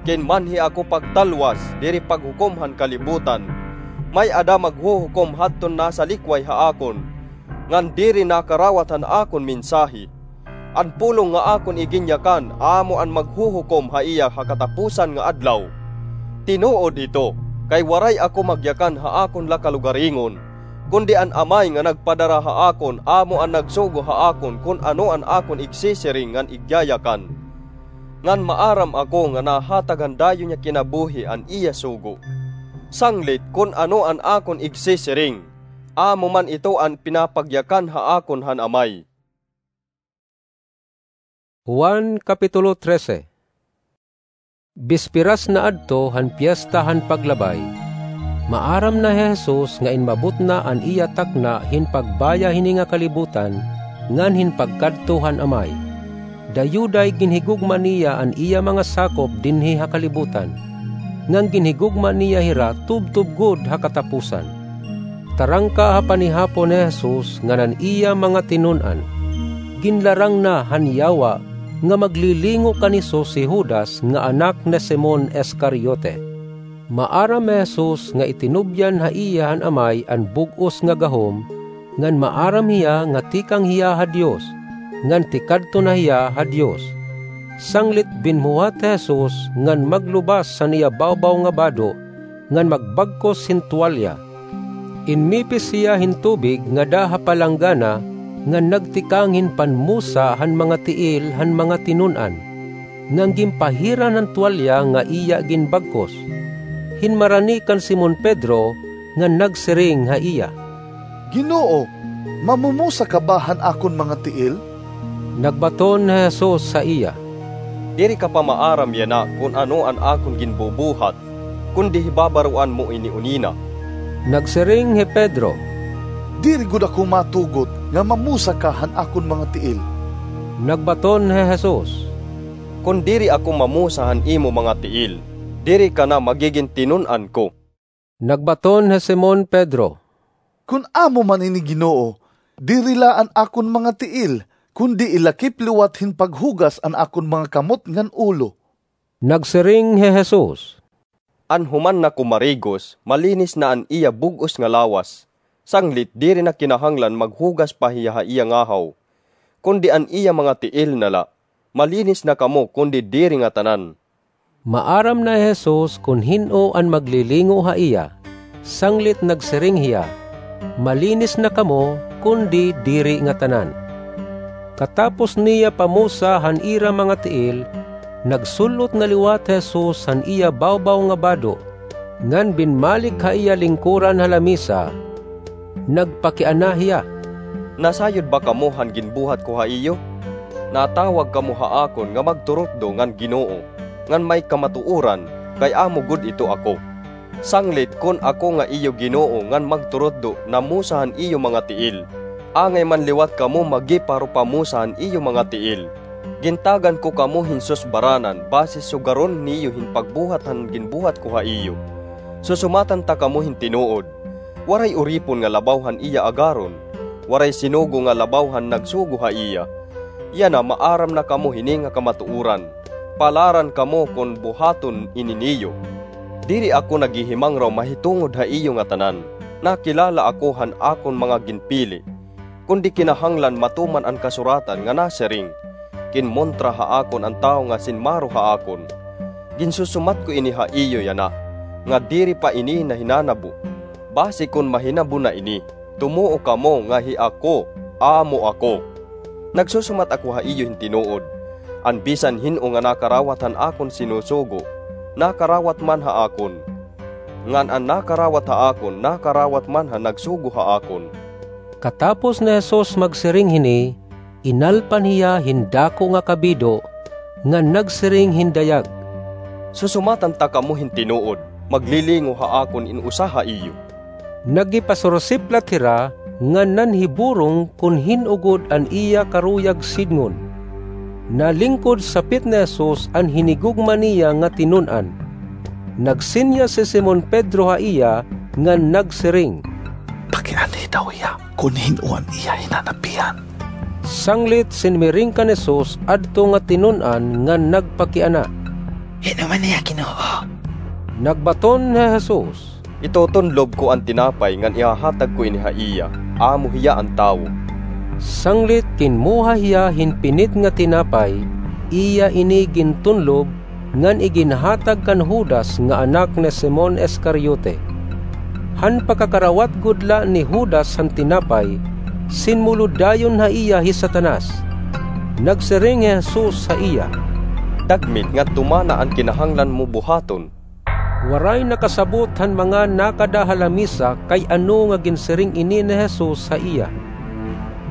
Kinmanhi ako pagtalwas, diri paghukom han kalibutan. May-ada maghuhukom hadton nasalikway ha akon, ngan diri nakarawat han akon mensahe. An pulong nga akon iginyakan amo an maghuhukom ha iya ha katapusan nga adlaw. Tinuod ito, kay waray ako magyakan ha akon la kalugaringon, kundi an Amay nga nagpadara ha akon amo an nagsugo ha akon kon ano an akon igsisiring ngan igyayakan. Ngan maaram ako nga nahatag han dayon niya kinabuhi an iya sugo. Sanglit kon ano an akon igsisiring, amo man ito an pinapagyakan ha akon han Amay." Juan, Kapitulo trese. Bisperas na adto han Piesta han Paglabay. Maaram na hi Jesus nga inmabot na an iya takna hin pagbaya hini nga kalibutan ngan hin pagkadto han Amay. Dayuday ginhigugma niya an iya mga sakop dinhi ha kalibutan, ngan ginhigugma niya hira tubtob gud ha katapusan. Tarangka ha panihapon ni Jesus ngan an iya mga tinun-an. Ginlarang na han yawa nga maglilingo kan Jesus hi Judas nga anak ni Simon Iscariote. Maaram hi Jesus nga itinubyan ha iya han Amay an bug-os nga gahom, ngan maaram hiya nga tikang hiya ha Dios, ngan tikadto na hiya ha Dios. Sanglit binhuhat hi Jesus ngan maglubas han iya bawbaw nga bado, ngan magbagkos hin tuwalya. Inmipis hiya hin tubig ngada ha palanggana, ngan nagtikang hin panmusa han mga tiil han mga tinun-an, ngan ginpahiran han tuwalya nga iya ginbagkos. Hinmarani kan Simon Pedro, ngan nagsiring ha iya, "Ginoo, mamumusa ka ba han akon mga tiil?" Nagbaton hi Jesus ha iya, "Diri ka pa maaram yana kon ano an akon ginbubuhat, kundi hibabaroan mo ini unina." Nagsiring hi Pedro, "Diri gud ako matugot nga mamusa ka han akon mga tiil." Nagbaton hi Jesus, "Kon diri ako mamusa han imo mga tiil, diri ka na magigin tinun-an ko." Nagbaton hi Simon Pedro, "Kon amo man ini, Ginoo, diri la an akon mga tiil, kundi ilakip liwat hin paghugas an akon mga kamot ngan ulo." Nagsiring hi Jesus, "An human nako marigos, malinis na an iya bug-os nga lawas, sanglit diri na kinahanglan maghugas pa hiya ha iya ngahaw, kundi an iya mga tiil na la. Malinis na kamo, kundi diri ngatanan." Maaram na hi Jesus kon hin-o an maglilingo ha iya, sanglit nagsiring hiya, "Malinis na kamo, kundi diri ngatanan." Katapos niya pamusa han ira mga tiil, nagsul-ot na liwat hi Jesus han iya bawbaw nga bado, ngan binmalik ha iya lingkoran ha lamisa. Nagpakiana hiya, "Nasayod ba kamo han ginbuhat ko ha iyo? Natawag kamo ha akon nga magturutdo ngan Ginoo, ngan may kamatuoran, kay amo gud ito ako. Sanglit kon ako nga iyo Ginoo ngan magturutdo namusa han iyo mga tiil, angay man liwat kamo magiparupamusa han iyo mga tiil. Gintagan ko kamo hin susbaranan basi sugaron niyo hin pagbuhat han ginbuhat ko ha iyo. Susumatan ta kamo hin tinuod. Waray uripon nga labaw han iya agaron, waray sinugo nga labaw han nagsugo ha iya. Yana maaram na kamo hini nga kamatuoran. Palaran kamo kon buhaton ini niyo. Diri ako naghihimangraw mahitungod ha iyo ngatanan. Nakilala ako han akon mga ginpili. Kundi kinahanglan matuman an kasuratan nga nasiring, 'Kinmontra ha akon an tawo nga sinmaro ha akon.' Ginsusumat ko ini ha iyo yana, nga diri pa ini nahinanabo. Basi kon mahinabo na ini, tumuo kamo nga hi ako, amo ako. Nagsusumat ako ha iyo hin tinuod, an bisan hin-o nga nakarawat han akon sinusugo, nakarawat man ha akon. Ngan an nakarawat ha akon, nakarawat man han nagsugo ha akon." Katapos ni Jesus magsiring hini, inalpan hiya hin dako nga kabido, ngan nagsiring hin dayag, Susumatan ta kamo hin tinuod, maglilingo ha akon in usa ha iyo. Nagipasursiplat hira ngan nanhiburong kon hin-o gud an iya karuyag sidngon. Nalingkod sapit ni Jesus an hinigugma niya nga tinun-an. Nagsenyas hi Simon Pedro ha iya ngan nagsiring, "Pakianhi daw hiya kon hin-o an iya hinanapihan." Sanglit sinmiring kan Jesus adto nga tinun-an ngan nagpakiana, "Hin-o man hiya, Ginoo?" Nagbaton hi Jesus, "Itutunlob ko an tinapay ngan ihahatag ko ini ha iya, amo hiya an tawo." Sanglit kinmuha hiya hin pinit nga tinapay, iya ini gintunlob, ngan iginhatag kan Judas nga anak ni Simon Iscariote. Han pagkakarawat gud la ni Judas han tinapay, sinmulod dayon ha iya hi Satanas. Nagsiring hi Jesus ha iya, "Dagmit ngadto mana an kinahanglan mo buhaton." Waray nakasabot han mga nakada ha lamisa kay ano nga ginsiring ini ni Jesus ha iya.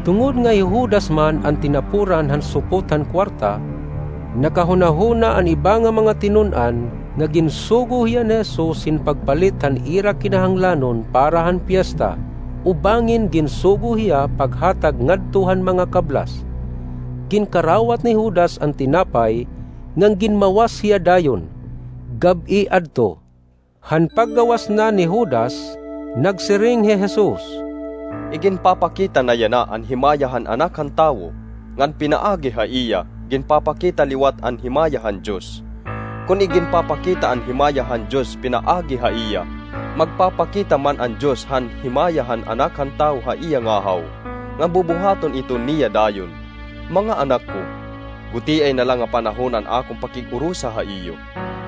Tungod nga hi Judas man an tinapuran han supot han kuwarta, nakahunahuna an iba nga mga tinun-an nga ginsugo hiya ni Jesus hin pagpalit han ira kinahanglanon para han piesta, o bangin ginsugo hiya paghatag ngadto han mga kablas. Ginkarawat ni Judas an tinapay, ngan ginmawas hiya dayon. Gab-i adto. Han paggawas na ni Judas, nagsiring hi Jesus, "Iginpapakita na yana an himaya han Anak han Tawo, ngan pinaagi ha iya, ginpapakita liwat an himaya han Dios. Kon iginpapakita an himaya han Dios pinaagi ha iya, magpapakita man an Dios han himaya han Anak han Tawo ha iya ngahaw, ngan bubuhaton iton niya dayon. Mga anak ko, gutiay na la nga panahon an akon pakig-urusa ha iyo.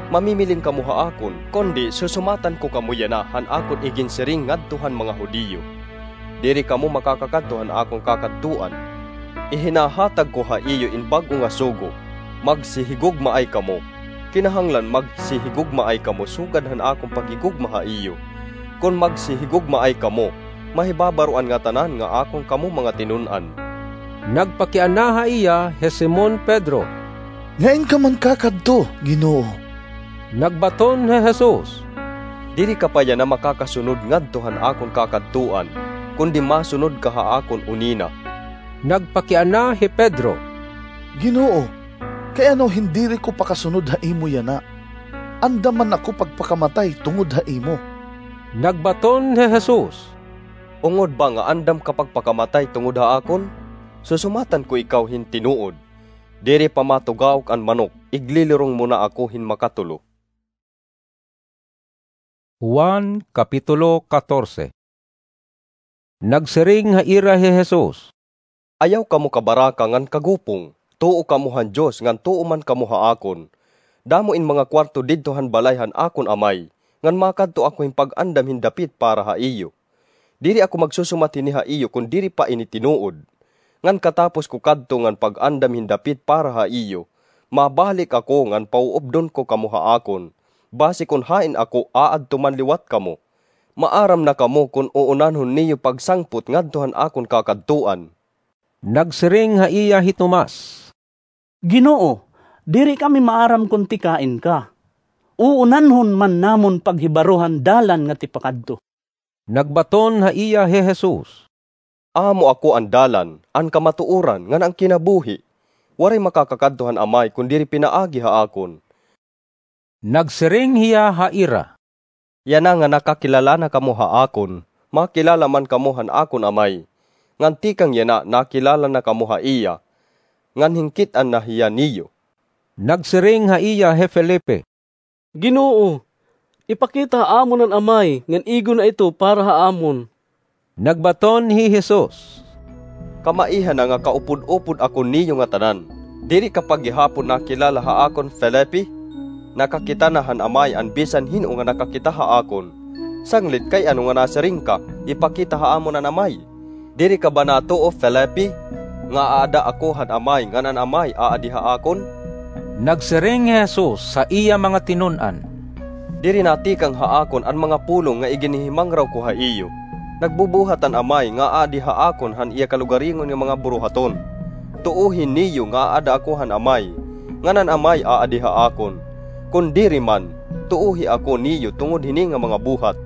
Mamimiling kamo ha akon, kundi susumatan ko kamo yana han akon iginsiring ngadto han mga Judio. Diri kamo makakakadto han akon kakadtuan. Ihinahatag ko ha iyo in bag-o nga sugo. Magsihigugmaay kamo. Kinahanglan magsihigugmaay kamo sugad han akon paghigugma ha iyo. Kon magsihigugmaay kamo, mahibabaro an ngatanan nga akon kamo mga tinun-an." Nagpakiana ha iya hi Simon Pedro, "Ngain ka man kakadto, Ginoo?" Nagbaton hi Jesus, "Diri ka pa yana makakasunod ngadto han akon kakadtuan, kundi masunod ka ha akon unina." Nagpakiana hi Pedro, "Ginoo, kay ano hin diri ko pakasunod ha imo yana? Andam man ako pagpakamatay tungod ha imo." Nagbaton hi Jesus, "Ungod ba nga andam ka pagpakamatay tungod ha akon? Susumatan ko ikaw hin tinuod, diri pa matugaok an manok, iglilirong mo na ako hin makatulo." Juan, Kapitulo katorse. Nagsiring ha ira hi Jesus, "Ayaw kamo kabaraka ngan kagupong. Tuo kamo han Dios ngan tuo man kamo ha akon. Damo in mga kuwarto didto han balay han akon Amay, ngan makadto ako hin pag-andam hin dapit para ha iyo. Diri ako magsusumat hini ha iyo kon diri pa ini tinuod. Ngan katapos ko kadto ngan pag-andam hin dapit para ha iyo, mabalik ako ngan pauupdon ko kamo ha akon, basi kon hain ako aadto man liwat kamo. Maaram na kamo kon uunanhon niyo pagsangpot ngadto han akon kakadtuan." Nagsiring ha iya hi Tomas, "Ginoo, diri kami maaram kon tikain ka. Uunanhon man namon paghibaro han dalan nga tipakadto." Nagbaton ha iya hi Jesus, "Amo ako an dalan, an kamatuoran, ngan an kinabuhi. Waray makakakadto han Amay kon diri pinaagi ha akon." Nagsiring hiya ha ira, "Yana nga nakakilala na kamo ha akon, makilala man kamo han akon Amay. Ngan tikang yana nakilala na kamo ha iya, ngan hinkit-an na hiya niyo." Nagsiring ha iya hi Felipe, "Ginoo, ipakita ha amon an Amay, ngan igo na ito para ha amon." Nagbaton hi Jesus, "Kamaiha na nga kaupod-upod ako niyo ngatanan. Diri ka pa gihapon nakilala ha akon, Felipe? Nakakita na han Amay an bisan hin-o nga nakakita ha akon. Sanglit kay ano nga nasiring ka, 'Ipakita ha amon an Amay'? Diri ka ba natuo, Felipe, nga aada ako han Amay ngan an Amay aadi ha akon?" Nagsiring hi Jesus ha iya mga tinun-an, "Diri natikang ha akon an mga pulong nga iginhihimangraw ko ha iyo. Nagbubuhat an Amay nga aadi ha akon han iya kalugaringon nga mga buruhaton. Tuohi niyo nga aada ako han Amay, ngan an Amay aadi ha akon. Kon diri man, tuohi ako niyo tungod hini nga mga buhat.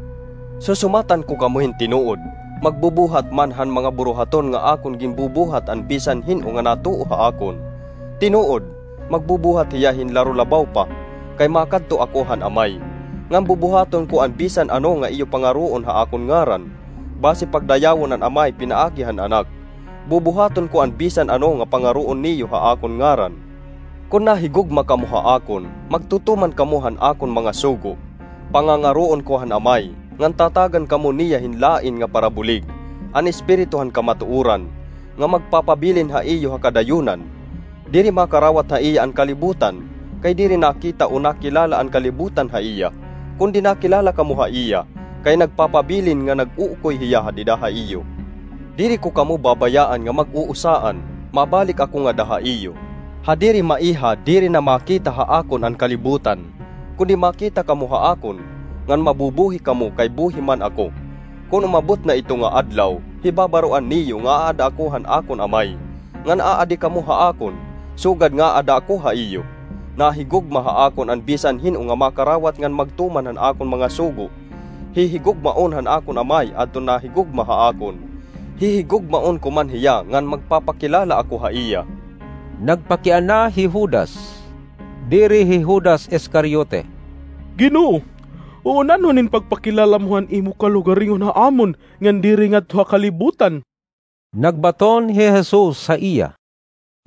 Susumatan ko kamo hin tinuod, magbubuhat man han mga buruhaton nga akon ginbubuhat an bisan hin-o nga natuo ha akon. Tinuod, magbubuhat hiya hin laro labaw pa, kay makadto ako han Amay, ngan bubuhaton ko an bisan ano nga iyo pangaroon ha akon ngaran. Basi pagdayawon an Amay pinaagi han Anak. Bubuhaton ko an bisan ano nga pangaroon niyo ha akon ngaran. Kon nahigugma kamo ha akon, magtutuman kamo han akon mga sugo. Pangangaroon ko han Amay, ngan tatagan kamo niya hin lain nga parabulig, an Espiritu han kamatuoran, nga magpapabilin ha iyo ha kadayonan. Diri makarawat ha iya an kalibutan, kay diri nakita o nakilala an kalibutan ha iya. Kundi nakilala kamo ha iya, kay nagpapabilin nga nag-uukoy hiya ha dida ha iyo. Diri ko kamo babayaan nga mag-uusaan, mabalik ako ngada ha iyo. Ha diri maiha, diri na makita ha akon an kalibutan. Kundi makita kamo ha akon, ngan mabubuhi kamo kay buhi man ako. Kon umabot na ito nga adlaw, hibabaroan niyo nga aada ako han akon Amay, ngan aadi kamo ha akon, sugad nga aada ako ha iyo. Nahigugma ha akon an bisan hin-o nga makarawat ngan magtuman han akon mga sugo. Hihigugmaon han akon Amay adton nahigugma ha akon. Hihigugmaon ko man hiya ngan magpapakilala ako ha iya. Nagpakiana hi Judas, diri hi Judas Iscariote, "Ginoo, uunanhon in pagpakilala mo han imo kalugaringon ha amon ngan diri ngadto ha kalibutan." Nagbaton hi Jesus ha iya,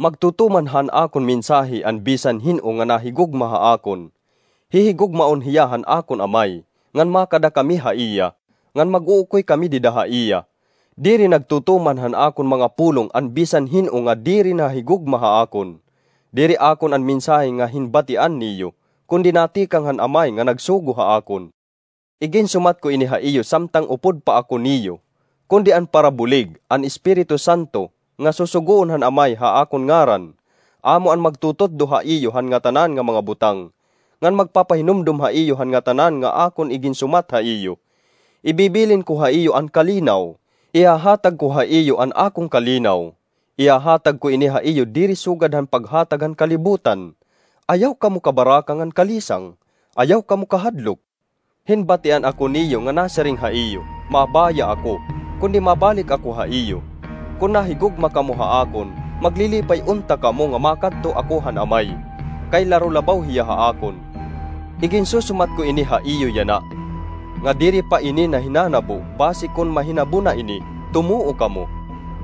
"Magtutuman han akon mensahe an bisan hin-o nga nahigugma ha akon. Hihigugmaon hiya han akon Amay, ngan makada kami ha iya, ngan mag-uukoy kami dida ha iya. Diri nagtutuman han akon mga pulong an bisan hin-o nga diri nahigugma ha akon. Diri akon an mensahe nga hinbatian niyo, kundi natikang han Amay nga nagsugo ha akon. Iginsumat ko ini ha iyo samtang upod pa ako niyo, kundi an parabulig, an Espiritu Santo, nga susugoon han Amay ha akon ngaran, amo an magtututdo ha iyo han ngatanan nga mga butang, ngan magpapahinumdom ha iyo han ngatanan nga akon iginsumat ha iyo. Ibibilin ko ha iyo an kalinaw. Ihahatag ko ha iyo an akon kalinaw. Ihahatag ko ini ha iyo diri sugad han paghatag han kalibutan. Ayaw kamo kabaraka ngan kalisang. Ayaw kamo kahadlok. Hinbatian ako niyo nga nasiring ha iyo, 'Mabaya ako, kundi mabalik ako ha iyo.' Kon nahigugma kamo ha akon, maglilipay unta kamo nga makadto ako han Amay, kay laro labaw hiya ha akon. Iginsusumat ko ini ha iyo yana, nga diri pa ini nahinanabo, basi kon mahinabo na ini, tumuo kamo.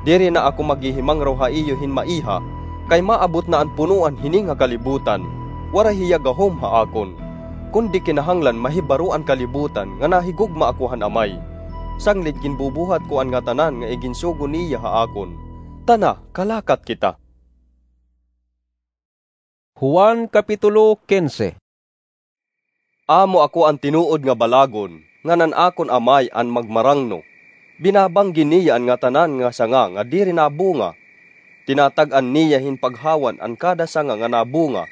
Diri na ako maghihimangraw ha iyo hin maiha, kay maabot na an punoan hini nga kalibutan. Waray hiya gahom ha akon. Kundi kinahanglan mahibaro an kalibutan nga nahigugma ako han Amay, sanglit ginbubuhat ko an ngatanan nga iginsugo niya ha akon. Tana, kalakat kita." Juan Kapitulo Quince. Amo ako an tinuod nga balagon, ngan an akon Amay an magmarangno. Binabanggi niya an ngatanan nga sanga nga diri nabunga. Tinatag-an niya hin paghawan an kada sanga nga nabunga,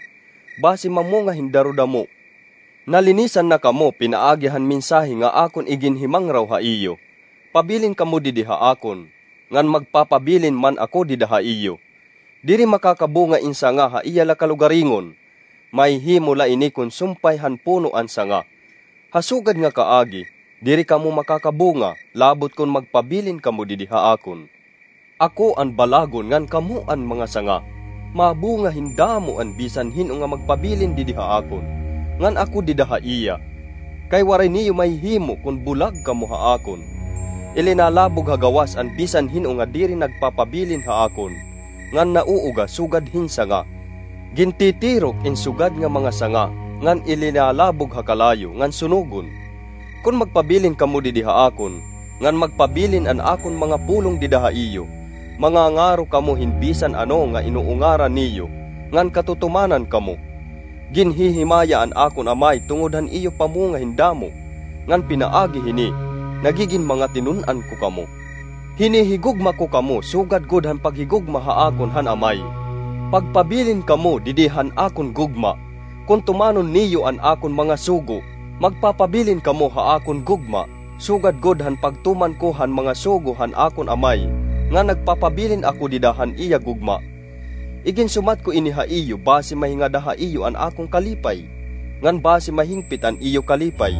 basi mamunga hin darudamo. Nalinisan na kamo pinaagi han mensahe nga akon iginhimangraw ha iyo. Pabilin kamo didi ha akon, ngan magpapabilin man ako dida ha iyo. Diri makakabunga in sanga ha iya la kalugaringon. Mahihimo la ini kon sumpay han puno an sanga. Ha sugad nga kaagi, diri kamo makakabunga, labot kon magpabilin kamo didi ha akon. Ako an balagon ngan kamo an mga sanga. Mabunga hin damo an bisan hin-o nga magpabilin didi ha akon, ngan ako dida ha iya. Kay waray niyo mahihimo kon bulag kamo ha akon. Ilinalabog ha gawas an bisan hin-o nga diri nagpapabilin ha akon, ngan nauuga sugad hin sanga. Gintitirok in sugad nga mga sanga, ngan ilinalabog ha kalayo ngan sunogon. Kon magpabilin kamo didi ha akon, ngan magpabilin an akon mga pulong dida ha iyo, mangangaro kamo hin bisan ano nga inuungaran niyo, ngan katutumanan kamo. Ginhihimaya an akon Amay tungod han iyo pamunga hin damo, ngan pinaagi hini, nagigin mga tinun-an ko kamo. Hinihigugma ko kamo sugad gud han paghigugma ha akon han Amay. Pagpabilin kamo didi han akon gugma. Kon tumanon niyo an akon mga sugo, magpapabilin kamo ha akon gugma, sugad gud han pagtuman ko han mga sugo han akon Amay, nga nagpapabilin ako dida han iya gugma. Iginsumat ko ini ha iyo basi mahingada ha iyo an akon kalipay. ngan basi mahingpit an iyo kalipay.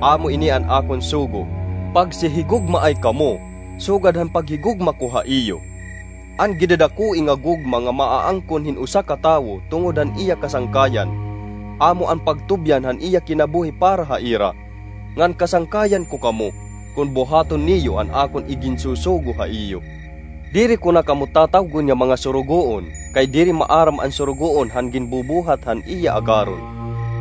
Amo ini an akon sugo: pagsihigugmaay kamo, sugad han paghigugma ko ha iyo. An gidadakoi nga gugma nga maaangkon hin usa ka tawo tungod han iya kasangkayan, amo an pagtubyan han iya kinabuhi para ha ira. Ngan kasangkayan ko kamo kon buhaton niyo an akon iginsusugo ha iyo. Diri ko na kamo tatawgon nga mga surugoon, kay diri maaram an surugoon han ginbubuhat han iya agaron.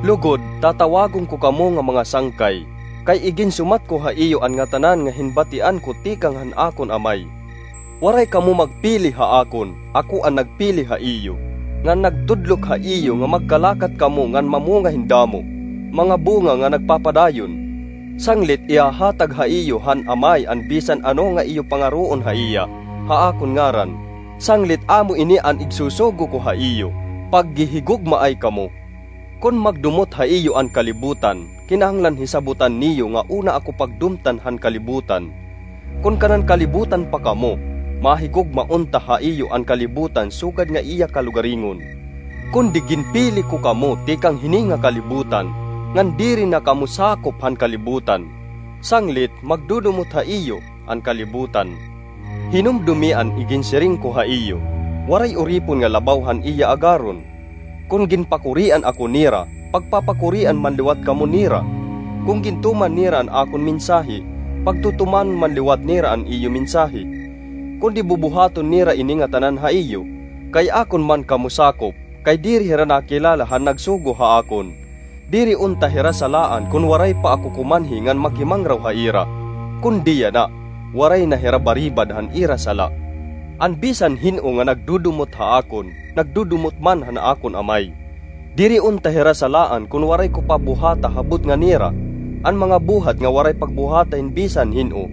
Lugod, tatawagon ko kamo nga mga sangkay, kay iginsumat ko ha iyo an ngatanan nga hinbatian ko tikang han akon Amay. Waray kamo magpili ha akon, ako an nagpili ha iyo, ngan nagtudlok ha iyo nga magkalakat kamo ngan mamunga hin damo, mga bunga nga nagpapadayon. Sanglit ihahatag ha iyo han Amay an bisan ano nga iyo pangaroon ha iya, ha akon ngaran. Sanglit amo ini an igsusugo ko ha iyo: paghihigugmaay kamo. Kon magdumot ha iyo an kalibutan, kinahanglan hisabutan niyo nga una ako pagdumtan han kalibutan. Kon kanan kalibutan pa kamo, mahigugma unta ha iyo an kalibutan sugad nga iya kalugaringon. Kundi ginpili ko kamo tikang hini nga kalibutan, ngan diri na kamo sakop han kalibutan. Sanglit, magdudumot ha iyo an kalibutan. Hinumdomi an iginsiring ko ha iyo: waray uripon nga labaw han iya agaron. Kon ginpakurian ako nira, pagpapakurian man liwat kamo nira. Kon gintuman nira an akon mensahe, pagtutuman man liwat nira an iyo mensahe. Kundi bubuhaton nira ini ngatanan ha iyo, kay akon man kamo sakop, kay diri hira nakilala han nagsugo ha akon. Diri unta hira salaan kon waray pa ako kumanhi ngan makimangraw ha ira. Kundi yana, waray na hira baribad han ira sala. An bisan hin-o nga nagdudumot ha akon, nagdudumot man han akon Amay. Diri unta hira salaan kon waray ko pa buhata ha butnga nira an mga buhat nga waray pagbuhata hin bisan hin-o.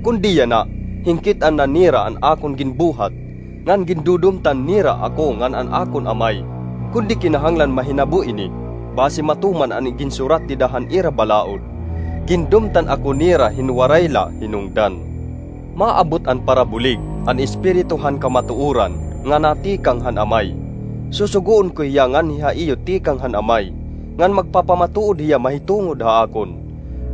Kundi yana, hingkit-an na nira an akon ginbuhat, ngan gindudumtan nira ako ngan an akon Amay. Kundi kinahanglan mahinabo ini, basi matuman an iginsurat dida han ira balaod: Gindumtan ako nira hin waray la hinungdan. Maabot an parabulig, an Espiritu han kamatuoran, nga natikang han Amay. Susugoon ko hiya nganhi ha iyo tikang han Amay, ngan magpapamatuod hiya mahitungod ha akon,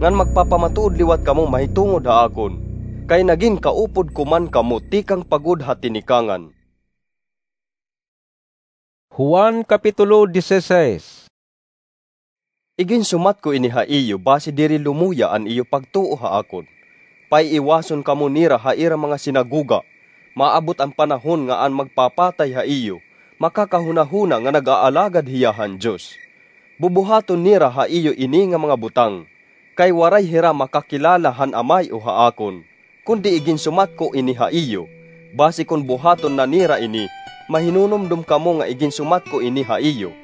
ngan magpapamatuod liwat kamo mahitungod ha akon, kay nagin kaupod ko man kamo tikang pa gud ha tinikangan. Juan, Kapitulo dieciséis. Iginsumat ko ini ha iyo basi diri lumuya an iyo pagtuo ha akon. Paiiwason kamo nira ha ira mga sinagoga. Maabot an panahon nga an magpapatay ha iyo makakahunahuna nga nag-aalagad hiya han Dios. Bubuhaton nira ha iyo ini nga mga butang, kay waray hira makakilala han Amay o ha akon. Kundi iginsumat ko ini ha iyo, basi kon buhaton na nira ini, mahinunumdom kamo nga iginsumat ko ini ha iyo.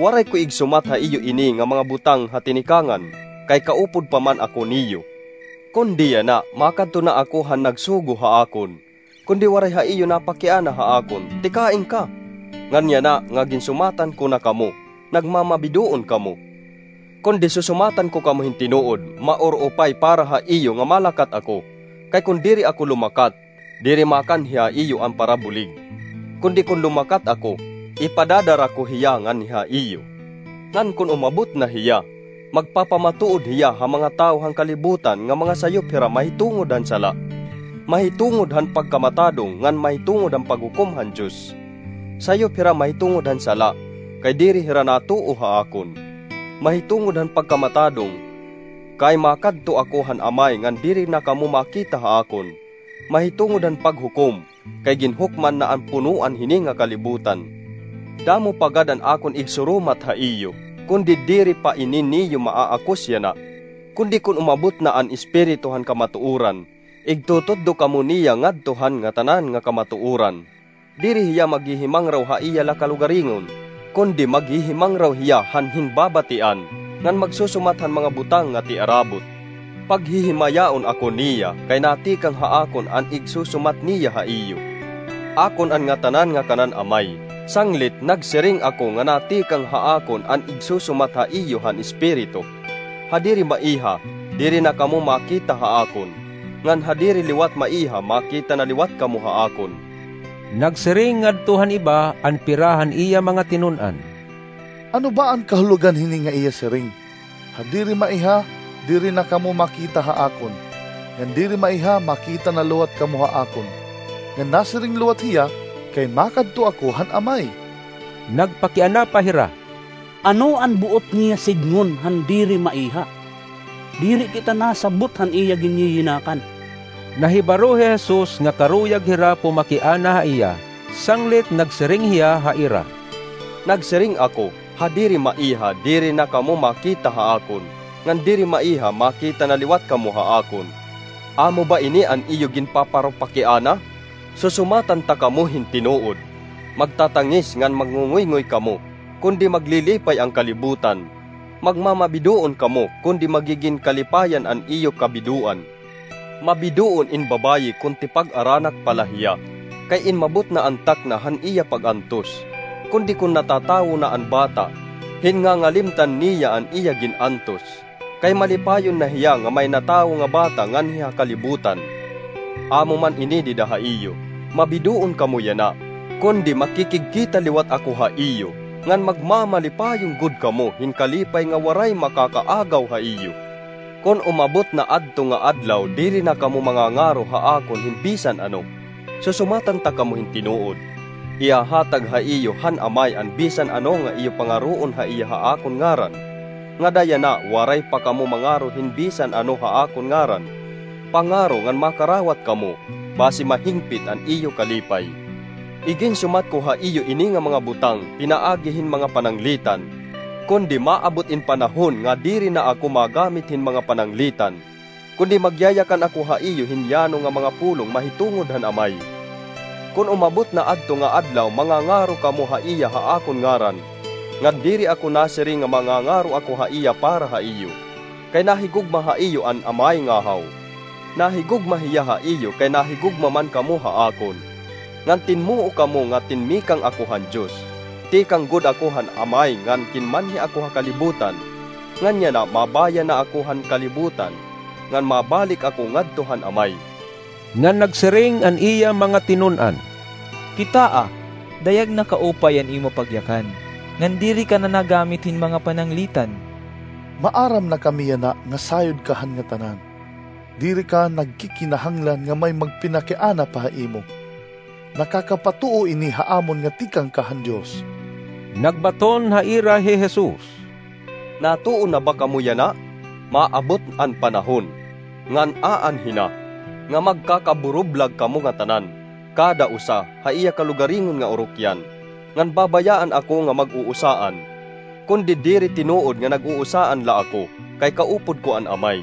Waray ko igsumat ha iyo ini nga mga butang ha tinikangan, kay kaupod pa man ako niyo. Kundi yana, makadto na ako han nagsugo ha akon. Kundi waray ha iyo napakiana ha akon, tikain ka. Ngan yana nga ginsumatan ko na kamo, nagmamabidoon kamo. Kundi susumatan ko kamo hin tinuod, maur-upay para ha iyo nga malakat ako. Kay kon diri ako lumakat, diri makanhi ha iyo an parabulig. Kundi kon lumakat ako, ipadadara ko hiya nganhi ha iyo. Ngan kon umabot na hiya, magpapamatuod hiya ha mga tawo han kalibutan nga mga sayop hira mahitungod han sala, mahitungod han pagkamatadong ngan mahitungod han paghukom han Dios. Sayop hira mahitungod han sala, kay diri hira natuo ha akon. Mahitungod han pagkamatadong, kay makadto ako han Amay ngan diri na kamo makita ha akon. Mahitungod han paghukom, kay ginhukman na an punoan hini nga kalibutan. Damo pa gad an akon igsurumat ha iyo, kundi diri pa ini niyo maaakus yana. Kundi kon umabot na an Espiritu han kamatuoran, igtutudlo kamo niya ngadto han ngatanan nga kamatuoran. Diri hiya maghihimangraw ha iya la kalugaringon, kundi maghihimangraw hiya han hinbabatian, ngan magsusumat han mga butang nga tiarabot. Paghihimayaon ako niya, kay natikang ha akon an igsusumat niya ha iyo. Akon an ngatanan nga kanan Amay, sanglit nagsiring ako nga natikang ha akon an igsusumat ha iyo han Espiritu. Ha diri maiha, diri na kamo makita ha akon, ngan ha diri liwat maiha, makita na liwat kamo ha akon. Nagsiring ngadto han iba an pira han iya mga tinun-an. Ano ba an kahulogan hini nga iya siring, 'Ha diri maiha, diri na kamo makita ha akon; ngan diri maiha, makita na liwat kamo ha akon'? Ngan nasiring liwat hiya, 'Kay makadto ako han Amay.'" Nagpakiana pa hira, "Ano an buot niya sidngon han diri maiha? Diri kita nasabot han iya ginyiyinakan." Nahibaro hi Jesus nga karuyag hira pumakiana ha iya, sanglit nagsiring hiya ha ira, "Nagsiring ako, 'Ha diri maiha, diri na kamo makita ha akon; ngan diri maiha, makita na liwat kamo ha akon.' Amo ba ini an iyo ginpaparupakiana? Susumatan ta kamo hin tinuod, magtatangis ngan magngunguyngoy kamo, kundi maglilipay an kalibutan. Magmamabidoon kamo, kundi magigin kalipayan an iyo kabidoan. Mabidoon in babaye kon tipag-aranak pa la hiya, kay inmabot na an takna han iya pag-antos. Kundi kon natatawo na an bata, hinngangalimtan niya an iya gin-antos, kay malipayon na hiya nga may natawo nga bata nganhi ha kalibutan. Amo man ini dida ha iyo, mabidoon kamo yana, kundi makikigkita liwat ako ha iyo, ngan magmamalipayon gud kamo hin kalipay nga waray makakaagaw ha iyo. Kon umabot na adto nga adlaw, diri na kamo mangangaro ha akon hin bisan ano. Susumatan ta kamo hin tinuod, ihahatag ha iyo han Amay an bisan ano nga iyo pangaroon ha iya ha akon ngaran. Ngada yana, waray pa kamo mangaro hin bisan ano ha akon ngaran. Pangaro ngan makarawat kamo, basi mahingpit an iyo kalipay. Iginsumat ko ha iyo ini nga mga butang pinaagi hin mga pananglitan, kundi maabot in panahon nga diri na ako magamit hin mga pananglitan, kundi magyayakan ako ha iyo hin yano nga mga pulong mahitungod han Amay. Kon umabot na adto nga adlaw, mangangaro kamo ha iya ha akon ngaran, ngan diri ako nasiring nga mangangaro ako ha iya para ha iyo, kay nahigugma ha iyo an Amay ngahaw. Nahigugma hiya ha iyo kay nahigugma man kamo ha akon. Ngan tinmuo kamo nga tinmikang ako han Dios. Tikang gud ako han Amay ngan kinmanhi ako ha kalibutan. Ngan yana, mabaya na ako han kalibutan, ngan mabalik ako ngadto han Amay. Ngan nagsiring an iya mga tinun-an, "Kitaa, dayag na kaupay an imo pagyakan, ngan diri ka na nagamit hin mga pananglitan. Maaram na kami yana nga sayod ka han ngatanan. Diri ka nagkikinahanglan nga may magpinakiana pa ha imo. Nakakapatuo ini ha amon nga tikang ka han Dios." Nagbaton ha ira hi Jesus, "Natuo na ba kamo yana? Maabot an panahon, ngan aanhi na, nga magkakaburublag kamo ngatanan, kada usa ha iya kalugaringon nga urokyan, ngan babayaan ako nga mag-uusaan. Kundi diri tinuod nga nag-uusaan la ako, kay kaupod ko an Amay.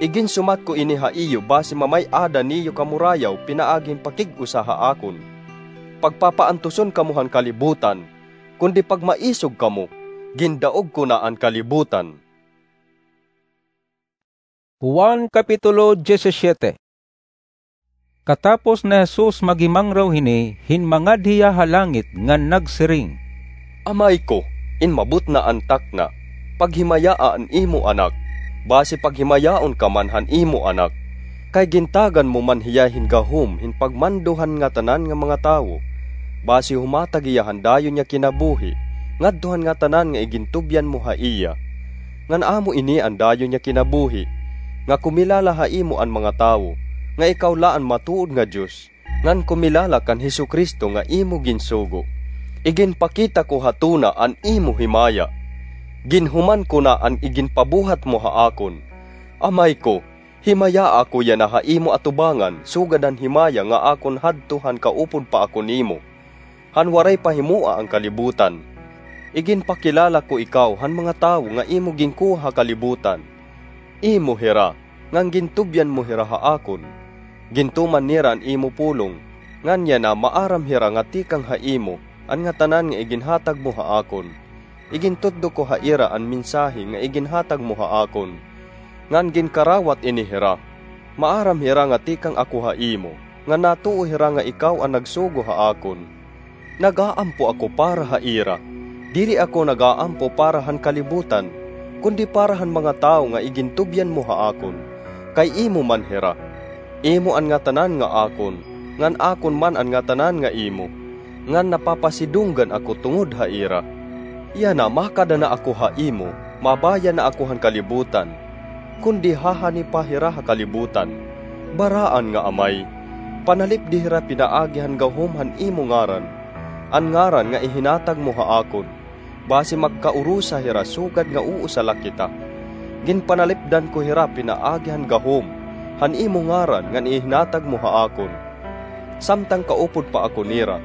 Iginsumat ko ini ha iyo basi mamay-ada niyo kamurayaw pinaagi hin pakig-usa ha akon. Pagpapaantuson kamo han kalibutan, kundi pagmaisog kamo, gindaog ko na an kalibutan." Juan, Kapitulo diyesisiete. Katapos ni Jesus maghimangraw hini, hinmangad hiya ha langit ngan nagsiring, "Amay ko, inmabot na an takna. Paghimayaa an imo Anak, basi paghimayaon ka man han imo Anak, kay gintagan mo man hiya hin gahom hin pagmando han ngatanan nga mga tawo. Basi humatag hiya han dayon nga kinabuhi ngadto han ngatanan nga igintubyan mo ha iya. Ngan amo ini an dayon nga kinabuhi, nga kumilala ha imo an mga tawo, nga ikaw la an matuod nga Dios, ngan kumilala kan Jesu-Cristo nga imo ginsugo. Iginpakita ko ha tuna an imo himaya. Ginhuman ko na an iginpabuhat mo ha akon. Amay ko, himayaa ako yana ha imo atubangan sugad han himaya nga akon hadto han kaupod pa ako nimo, han waray pa himoa an kalibutan. Iginpakilala ko ikaw han mga tawo nga imo ginkuha ha kalibutan. Imo hira, ngan gintubyan mo hira ha akon. Gintuman nira an imo pulong, ngan yana maaram hira nga tikang ha imo an ngatanan nga iginhatag mo ha akon. Igintutdo ko ha ira an mensahe nga iginhatag mo ha akon, ngan ginkarawat ini hira. Maaram hira nga tikang ako ha imo, ngan natuo hira nga ikaw an nagsugo ha akon. Nag-aampo ako para ha ira. Diri ako nag-aampo para han kalibutan, kundi para han mga tawo nga igintubyan mo ha akon, kay imo man hira. Imo an ngatanan nga akon, ngan akon man an ngatanan nga imo, ngan napapasidunggan ako tungod ha ira." Yana, makada na ako ha imo, mabaya na ako han kalibutan. Kundi hahani pa hira ha kalibutan. Baraan nga Amay, panalipdi hira pinaagi han gahom han imo ngaran, an ngaran nga ihinatag mo ha akon, basi magkaurusa hira sugad nga uusa la kita. Ginpanalipdan ko hira pinaagi han gahom han imo ngaran ngan ihinatag mo ha akon, samtang kaupod pa ako nira.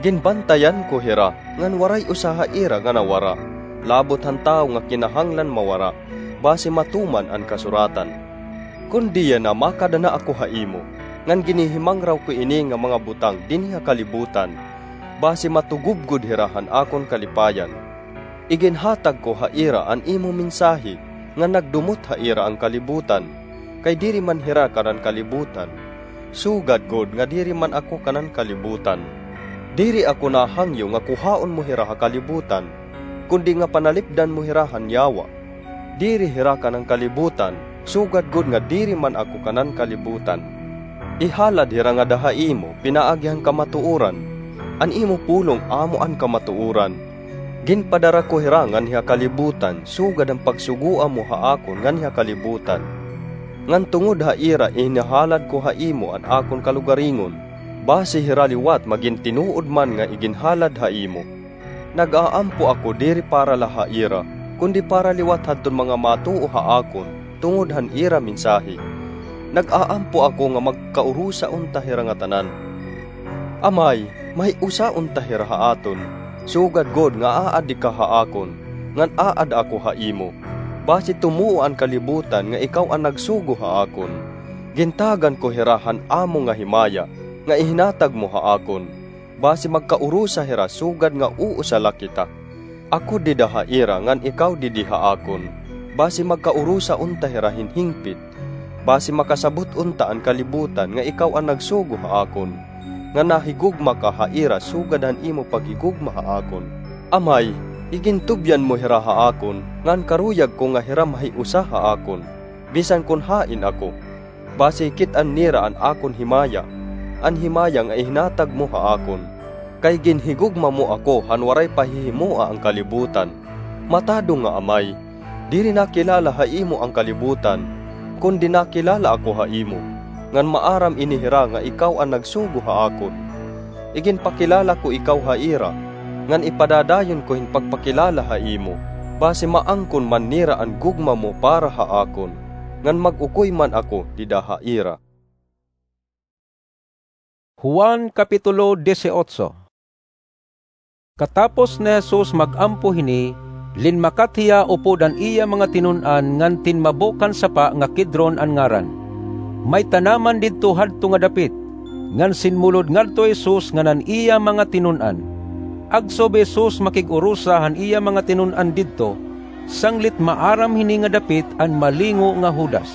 Ginbantayan ko hira ngan waray usa ha ira nga nawara, labot han tawo nga kinahanglan mawara, basi matuman an kasuratan. Kundi yana, makada na ako ha imo, ngan ginhihimangraw ko ini nga mga butang dinhi ha kalibutan, basi matugubgod hira han akon kalipayan. Iginhatag ko ha ira an imo mensahe, ngan nagdumot ha ira an kalibutan, kay diri man hira kanan kalibutan, sugad gud nga diri man ako kanan kalibutan. Diri ako nahangyo nga kuhaon mo hira ha kalibutan, kundi nga panalipdan mo hira han yawa. Diri hira kanan kalibutan, sugad gud nga diri man ako kanan kalibutan. Ihalad hira ngada ha imo pinaagi han kamatuoran. An imo pulong amo an kamatuoran. Ginpadara ko hira nganhi ha kalibutan sugad han pagsugoa mo ha akon nganhi ha kalibutan. Ngan tungod ha ira ihinahalad ko ha imo an akon kalugaringon, basi hira liwat magin tinuod man nga iginhalad ha imo. Nag-aampo ako diri para la ha ira, kundi para liwat hadton mga matuo ha akon tungod han ira mensahe. Nag-aampo ako nga magkaurusa unta hira ngatanan. Amay, mahiusa unta hira ha aton, sugad gud nga aadi ka ha akon, ngan aada ako ha imo. Basi tumuo an kalibutan nga ikaw an nagsugo ha akon. Gintagan ko hira han amo nga himaya nga ihinatag mo ha akon. Basi magkaurusa hira sugad nga uusa la kita. Ako dida ha ira ngan ikaw didi ha akon, basi magkaurusa unta hira hin hingpit. Basi makasabot unta an kalibutan nga ikaw an nagsugo ha akon, ngan nahigugma ka ha ira sugad han imo paghigugma ha akon. Amay, igintubyan mo hira ha akon, ngan karuyag ko nga hira mahiusa ha akon, bisan kon hain ako. Basi kit-an nira an akon himaya, an himaya nga ihinatag mo ha akon. Kay ginhigugma mo ako han waray pa hihimoa an kalibutan. Matadong nga Amay, diri nakilala ha imo an kalibutan, kundi nakilala ako ha imo, ngan maaram ini hira nga ikaw an nagsugo ha akon. Iginpakilala ko ikaw ha ira, ngan ipadadayon ko hin pagpakilala ha imo, basi maangkon man nira an gugma mo para ha akon, ngan mag-ukoy man ako dida ha ira. Juan, Kapitulo dieciocho. Katapos ni Jesus mag-ampo hini, linmakat hiya upod an iya mga tinun-an ngan tinmabok han sapa nga Kidron an ngaran. May tanaman didto hadto nga dapit, ngan sinmulod ngadto hi Jesus ngan an iya mga tinun-an. Agso bi Jesus makig-urusa han iya mga tinun-an didto, sanglit maaram hini nga dapit an malingo nga Judas.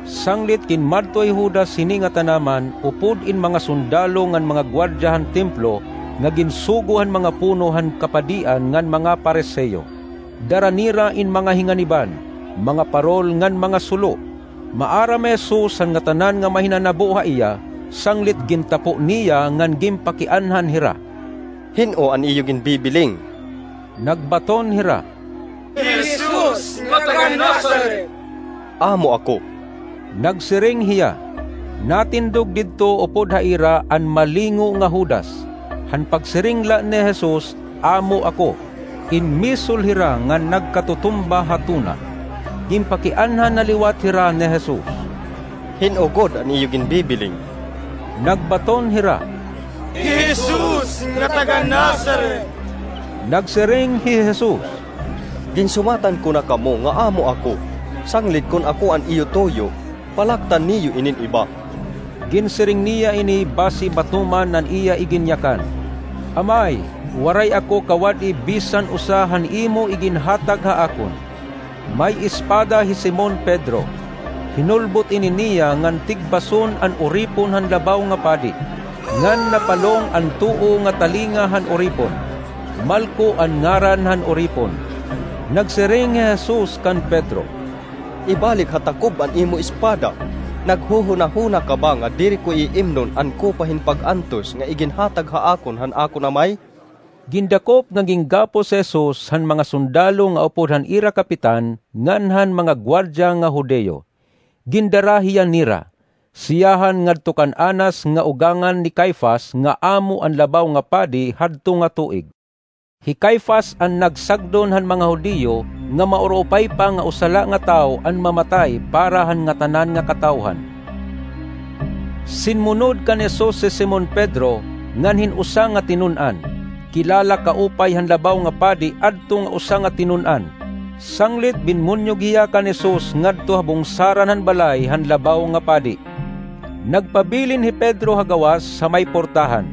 Sanglit ginmadto hi Judas hini nga tanaman upod in mga sundalo ngan mga guardia han templo nga ginsugo han mga puno han kapadian ngan mga Fariseo. Dara nira in mga hinganiban, mga parol ngan mga sulo. Maaram hi Jesus han ngatanan nga mahinanabo ha iya, sanglit gintapo niya ngan ginpakianhan hira. "Hin-o an iyo ginbibiling?" Nagbaton hira, "Hi Jesus nga taga Nazaret." "Amo ako," nagsiring hiya. Natindog didto upod ha ira an malingo nga Judas. Han pagsiring la ni Jesus, "Amo ako," inmisol hira ngan nagkatutumba ha tuna. Ginpakianhan na liwat hira ni Jesus. "Hin-o gud an iyo ginbibiling?" Nagbaton hira, "Hi Jesus nga taga Nazaret." Nagsiring hi Jesus, "Ginsumatan ko na kamo nga amo ako. Sanglit kon ako an iyo tuyo, palaktan niyo inin iba." Ginsiring niya ini basi batuman an iya iginyakan. "Amay, waray ako kawad-i bisan usa han imo iginhatag ha akon." May espada hi Simon Pedro. Hinulbot ini niya ngan tigbason an uripon han labaw nga padi, ngan napalong an tuo nga talinga han uripon. Malco an ngaran han uripon. Nagsiring hi Jesus kan Pedro, "Ibalik ha takob an imo espada. Naghuhunahuna ka ba nga diri ko iimnon an kopa hin pag-antos nga iginhatag ha akon han akon Amay?" Gindakop nga ginggapos hi Jesus han mga sundalo nga upod han ira kapitan ngan han mga guwardiya nga Judio. Gindara hiya nira, siyahan ngadto kan Anas nga ugangan ni Caifas nga amo an Labaw nga Padi hadto nga tuig. Hi Caifas an nagsagdon han mga Judio nga mauruupay pa nga usa la nga tawo an mamatay para han ngatanan nga katawhan. Sinmunod kan Jesus hi Simon Pedro ngan hin usa nga tinun-an. Kilala kaupay han Labaw nga Padi adto nga usa nga tinun-an. Sanglit binmunyog hiya kan Jesus ngadto ha bungsaran han balay han Labaw nga Padi. Nagpabilin hi Pedro ha gawas ha may portahan.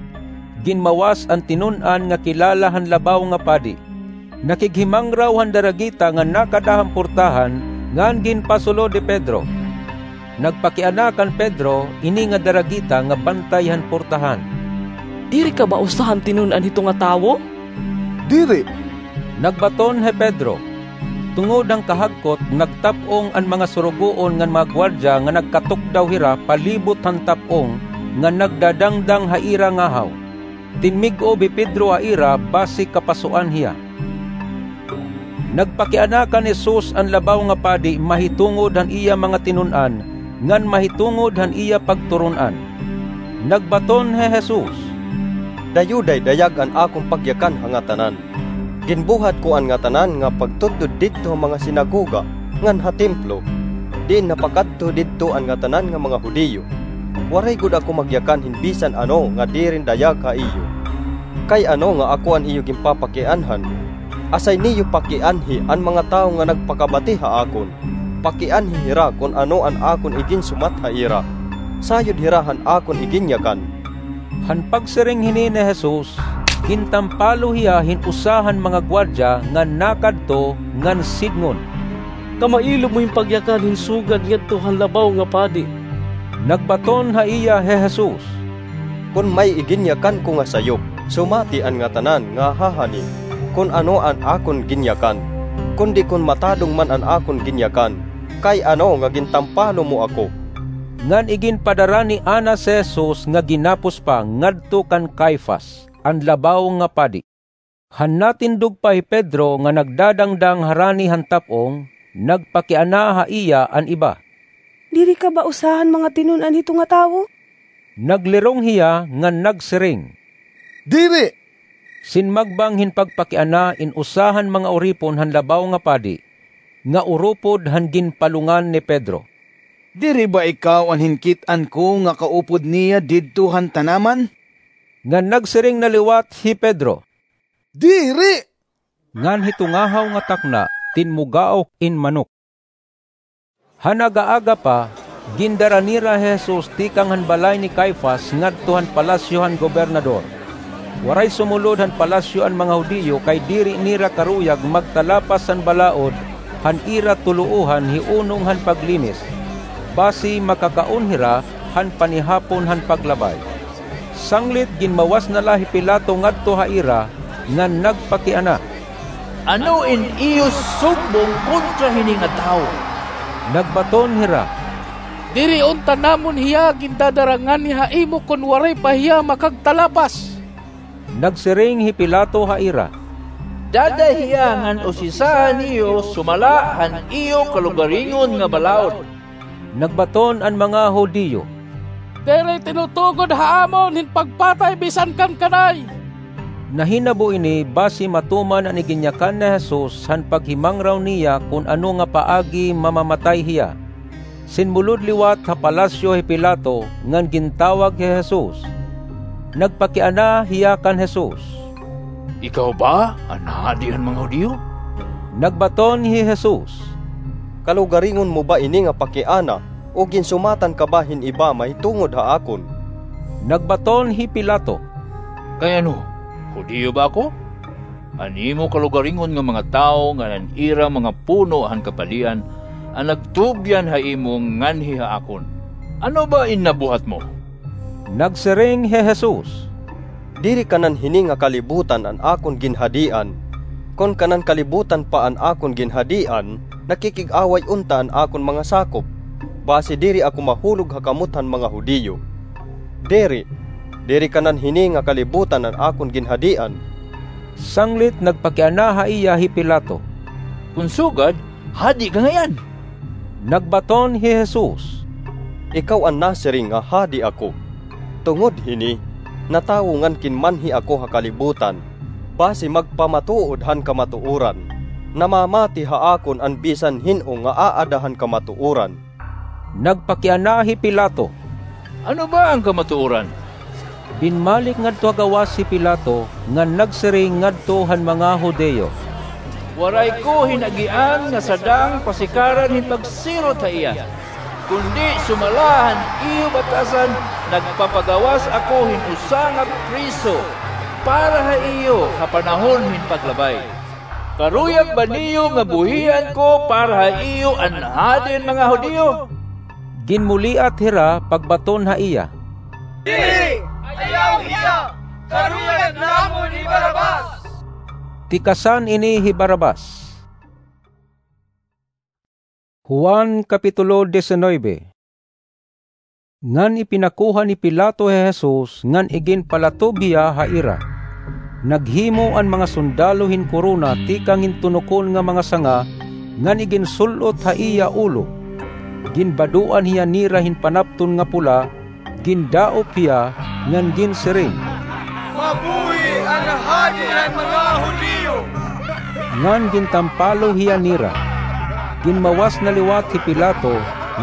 Ginmawas an tinun-an nga kilala han Labaw nga Padi. Nakighimangraw han daragita nga nakada han portahan ngan ginpasulod hi Pedro. Nagpakiana kan Pedro ini nga daragita nga bantay han portahan. "Diri ka ba usa han tinun-an hito nga tawo?" "Diri," nagbaton hi Pedro. Tungod han kahagkot, nagtap-ong an mga surugoon ngan mga guwardiya nga nagkatukdaw hira palibot han tap-ong nga nagdadangdang ha ira ngahaw. Tinmig-ob hi Pedro ha ira basi kapasuan hiya. Nagpakiana kan Jesus an Labaw nga Padi mahitungod han iya mga tinun-an ngan mahitungod han iya pagturon-an. Nagbaton hi Jesus, "Dayuday dayag an akon pagyakan ha ngatanan. Ginbuhat ko an ngatanan nga pagtudlod didto ha mga sinagoga ngan ha templo, diin napakadto didto an ngatanan nga mga Judio. Waray gud ako magyakan hin bisan ano nga diri dayag ha iyo. Kay ano nga ako an iyo ginpapakianhan? Asay niyo pakianhi an mga tawo nga nagpakabati ha akon. Pakianhi hira kon ano an akon iginsumat ha ira. Sayod hira han akon iginyakan." Han pagsiring hini ni Jesus, gintampalo hiya hin usa han mga guwardiya nga nakadto ngan sidngon, "Kamailo mo hin pagyakan hin sugad ngadto han Labaw nga Padi." Nagbaton ha iya hi Jesus, "Kon may iginyakan ko nga sayop, sumati an ngatanan nga hahani kon ano an akon ginyakan, kundi kon matadong man an akon ginyakan, kay ano nga gintampalo mo ako?" Ngan iginpadara ni Anas hi Jesus nga ginapos pa ngadto kan Caifas, an Labaw nga Padi. Han natindog pa hi Pedro nga nagdadangdang harani han tap-ong, nagpakiana ha iya an iba, "Diri ka ba usa han mga tinun-an hito nga tawo?" Naglirong hiya ngan nagsiring, "Diri!" Sinmagbang hin pagpakiana in usa han mga uripon han Labaw nga Padi, nga urupod han ginpalungan ni Pedro. "Diri ba ikaw an hinkit-an ko nga kaupod niya didto han tanaman?" Ngan nagsiring na liwat hi Pedro, "Diri!" Ngan hito ngahaw nga takna, tinmugaok in manok. Han aga-aga pa, gindara nira hi Jesus tikang han balay ni Caifas ngadto han palasyo han gobernador. Waray sumulod han palasyo an mga Judio kay diri nira karuyag magtalapas han balaod han ira tuloohan hi unong han paglinis, basi makakaon hira han panihapon han paglabay. Sanglit ginmawas na la hi Pilato ngadto ha ira ngan nagpakiana, "Ano in iyo sumbong kontra hini nga tawo?" Nagbaton hira, "Diri unta namon hiya gindadara ngani ha imo kon waray pa hiya makagtalapas." Nagsiring hi Pilato ha ira, "Dada hiya ngan usisaha niyo sumala han iyo kalugaringon nga balaod." Nagbaton an mga Judio, "Diri tinutugon ha amon hin pagpatay bisan kan kanay." Nahinabo ini basi matuman an iginyakan ni Jesus han paghimangraw niya kon ano nga paagi mamamatay hiya. Sinmulod liwat ha palasyo hi Pilato ngan gintawag hi Jesus. Nagpakiana hiya kan Jesus, "Ikaw ba an hadi han mga Judio?" Nagbaton hi Jesus, "Kalugaringon mo ba ini nga pakiana, o ginsumatan ka ba hin iba mahitungod ha akon?" Nagbaton hi Pilato, "Kay ano, Judio ba ako? An imo kalugaringon nga mga tawo ngan an ira mga puno han kapadian an nagtugyan ha imo nganhi ha akon. Ano ba in nabuhat mo?" Nagsiring hi Jesus, "Diri kanan hini nga kalibutan an akon ginhadian. Kon kanan kalibutan pa an akon ginhadian, nakikig-away unta an akon mga sakop, basi diri ako mahulog ha kamot han mga Judio. Diri, diri kanan hini nga kalibutan an akon ginhadian. Sanglit nagpakiana ha iya hi Pilato, "Kon sugad, hadi ka ngay-an?" Nagbaton hi Jesus, "Ikaw an nasiring nga hadi ako. Tungod hini, natawo ngan kinmanhi ako ha kalibutan, basi magpamatuod han kamatuoran. Namamati ha akon an bisan hin-o nga aada han kamatuoran." Nagpakiana hi Pilato, "Ano ba an kamatuoran?" Binmalik ngadto ha gawas hi Pilato ngan nagsiring ngadto han mga Judio, "Waray ko hin-agian nga sadang pasikaran hin pagsirot ha iya. Kundi sumala han iyo batasan, nagpapagawas ako hin usa nga priso para ha iyo ha panahon hin paglabay. Karuyag ba niyo nga buhian ko para ha iyo an Hadi han mga Judio?" Ginmuliat hira pagbaton ha iya, "Diri! Ayaw hiya! Karuyag namon hi Barrabas!" Tikasan ini hi Barrabas. Juan, Kapitulo diecinueve. Ngan ipinakuha ni Pilato hi Jesus ngan iginpalatob hiya ha ira. Naghimo an mga sundalo hin korona tikang hin tunokon nga mga sanga ngan iginsul-ot ha iya ulo. Ginbadoan hiya nira hin panapton nga pula, gindaop hiya, ngan ginsiring, "Mabuhi an Hadi han mga Judio!" Ngan gintampalo hiya nira. Ginmawas na liwat hi Pilato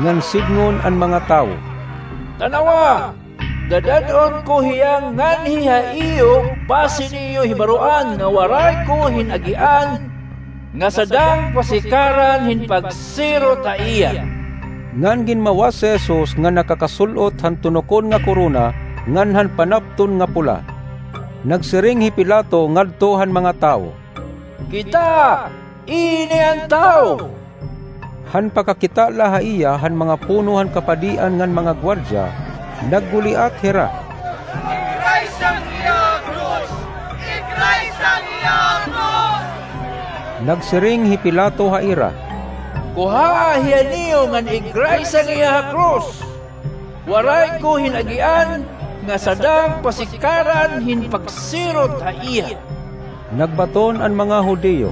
ngan sidngon an mga tawo, "Tanawa, dadad-on ko hiya nganhi ha iyo, basi niyo hibaroan nga waray ko hin-agian nga sadang pasikaran hin pagsirot ha iya." Ngan ginmawas hi Jesus nga nakakasul-ot han tunokon nga korona ngan han panapton nga pula. Nagsiring hi Pilato ngadto han mga tawo, "Kita, ini an tawo!" Han pakakita la ha iya han mga puno han kapadian ngan mga guardia, nagguliat hira, "Igraysang hiya ha krus! Igraysang hiya ha krus!" Nagsiring hi Pilato ha ira, "Kuhaa hiya niyo ngan igraysang hiya ha krus! Waray ko hin-agian nga sadang pasikaran hin pagsirot ha iya." Nagbaton an mga Judio,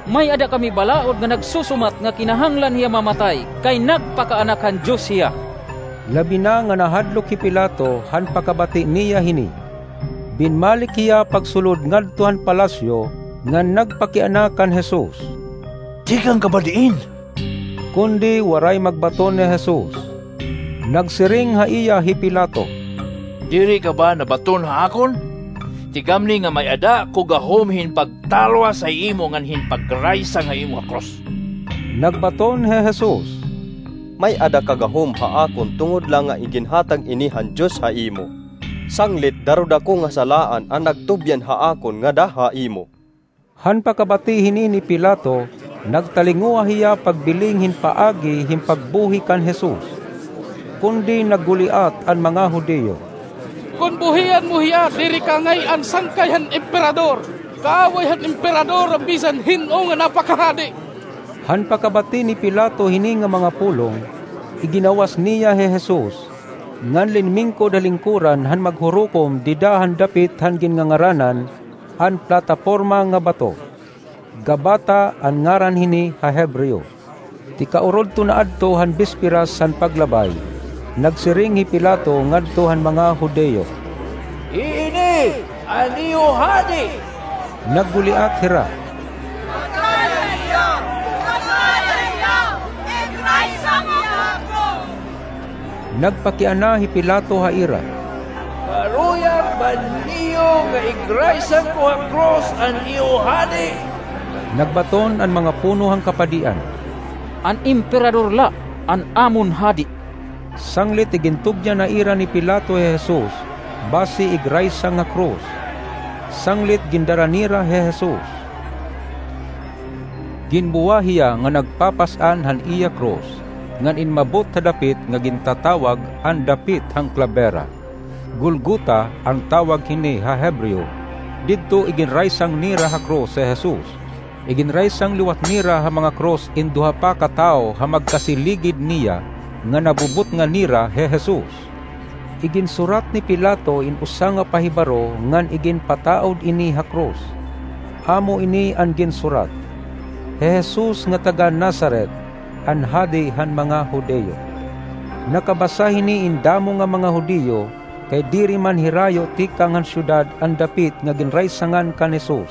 "May-ada kami balaod nga nagsusumat nga kinahanglan hiya mamatay, kay nagpakaanak han Dios hiya." Labi na nga nahadlok hi Pilato han pakabati niya hini. Binmalik hiya pagsulod ngadto han palasyo ngan nagpakiana kan Jesus, "Tikang ka ba diin?" Kundi waray magbaton ni Jesus. Nagsiring ha iya hi Pilato, "Diri ka ba nabaton ha akon? Tigamni nga may-ada ko gahom hin pagtalwas ha imo ngan hin pagraysang ha imo ha krus." Nagbaton hi Jesus, "May-ada ka gahom ha akon tungod la nga iginhatag ini han Dios ha imo. Sanglit daruda ko nga salaan an nagtubyan ha akon ngada ha imo." Han pakabati hini ni Pilato, nagtalinguha hiya pagbiling hin paagi hin pagbuhi kan Jesus. Kundi nagguliat an mga Judio, "Kon buhian mo hiya, diri ka ngay-an sangkay han Emperador. Kaaway han Emperador an bisan hin-o nga napakahadi." Han pakabati ni Pilato hini nga mga pulong, iginawas niya hi Jesus, ngan linmingkod ha lingkuran han maghurukom dida han dapit han ginngangaranan an Plataporma nga Bato. Gabata an ngaran hini ha Hebreo. Tikaurodto na adto han bisperas han paglabay, nagsiring hi Pilato ngadto han mga Judio, "Iini an iyo hadi!" Nagguliat hira, "Sakaya hiya! Sakaya hiya! Igraysang hiya ha krus!" Nagpakiana hi Pilato ha ira, "Karuyag ba niyo nga igraysang ko ha krus an iyo hadi?" Nagbaton an mga puno han kapadian, "An Emperador la an amon hadi." Sanglit igintugyan na ira ni Pilato hi Jesus, basi igraysang ha krus. Sanglit gindara nira hi Jesus. Ginbuwa hiya nga nagpapas-an han iya krus, ngan inmabot ha dapit nga gintatawag an Dapit han Klabera. Golgota an tawag hini ha Hebreo. Didto iginraysang nira ha krus hi Jesus. Iginraysang liwat nira ha mga krus in duha pa ka tawo ha magkasiligid niya nga nabubutngan nira hi Jesus. Iginsurat ni Pilato in usa nga pahibaro ngan iginpataod ini ha krus. Amo ini an ginsurat: Hi Jesus nga taga-Nazaret, an Hadi han mga Judio. Nakabasa hini in damo nga mga Judio, kay diri man hirayo tikang han syudad an dapit nga ginraysangan kan Jesus.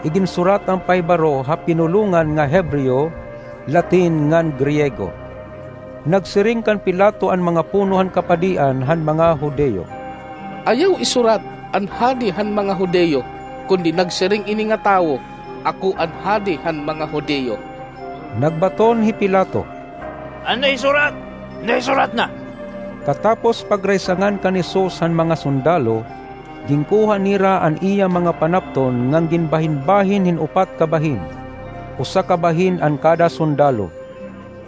Iginsurat an pahibaro ha pinulongan nga Hebreo, Latin ngan Griego. Nagsiring kan Pilato an mga puno han kapadian han mga Judio, "Ayaw isurat, 'An Hadi han mga Judio,' kundi nagsiring ini nga tawo, 'Ako an Hadi han mga Judio.'" Nagbaton hi Pilato, "An naisurat, naisurat na!" Katapos pagraysangan kan Jesus han mga sundalo, ginkuha nira an iya mga panapton ngan ginbahinbahin hin upat ka bahin, usa ka bahin an kada sundalo.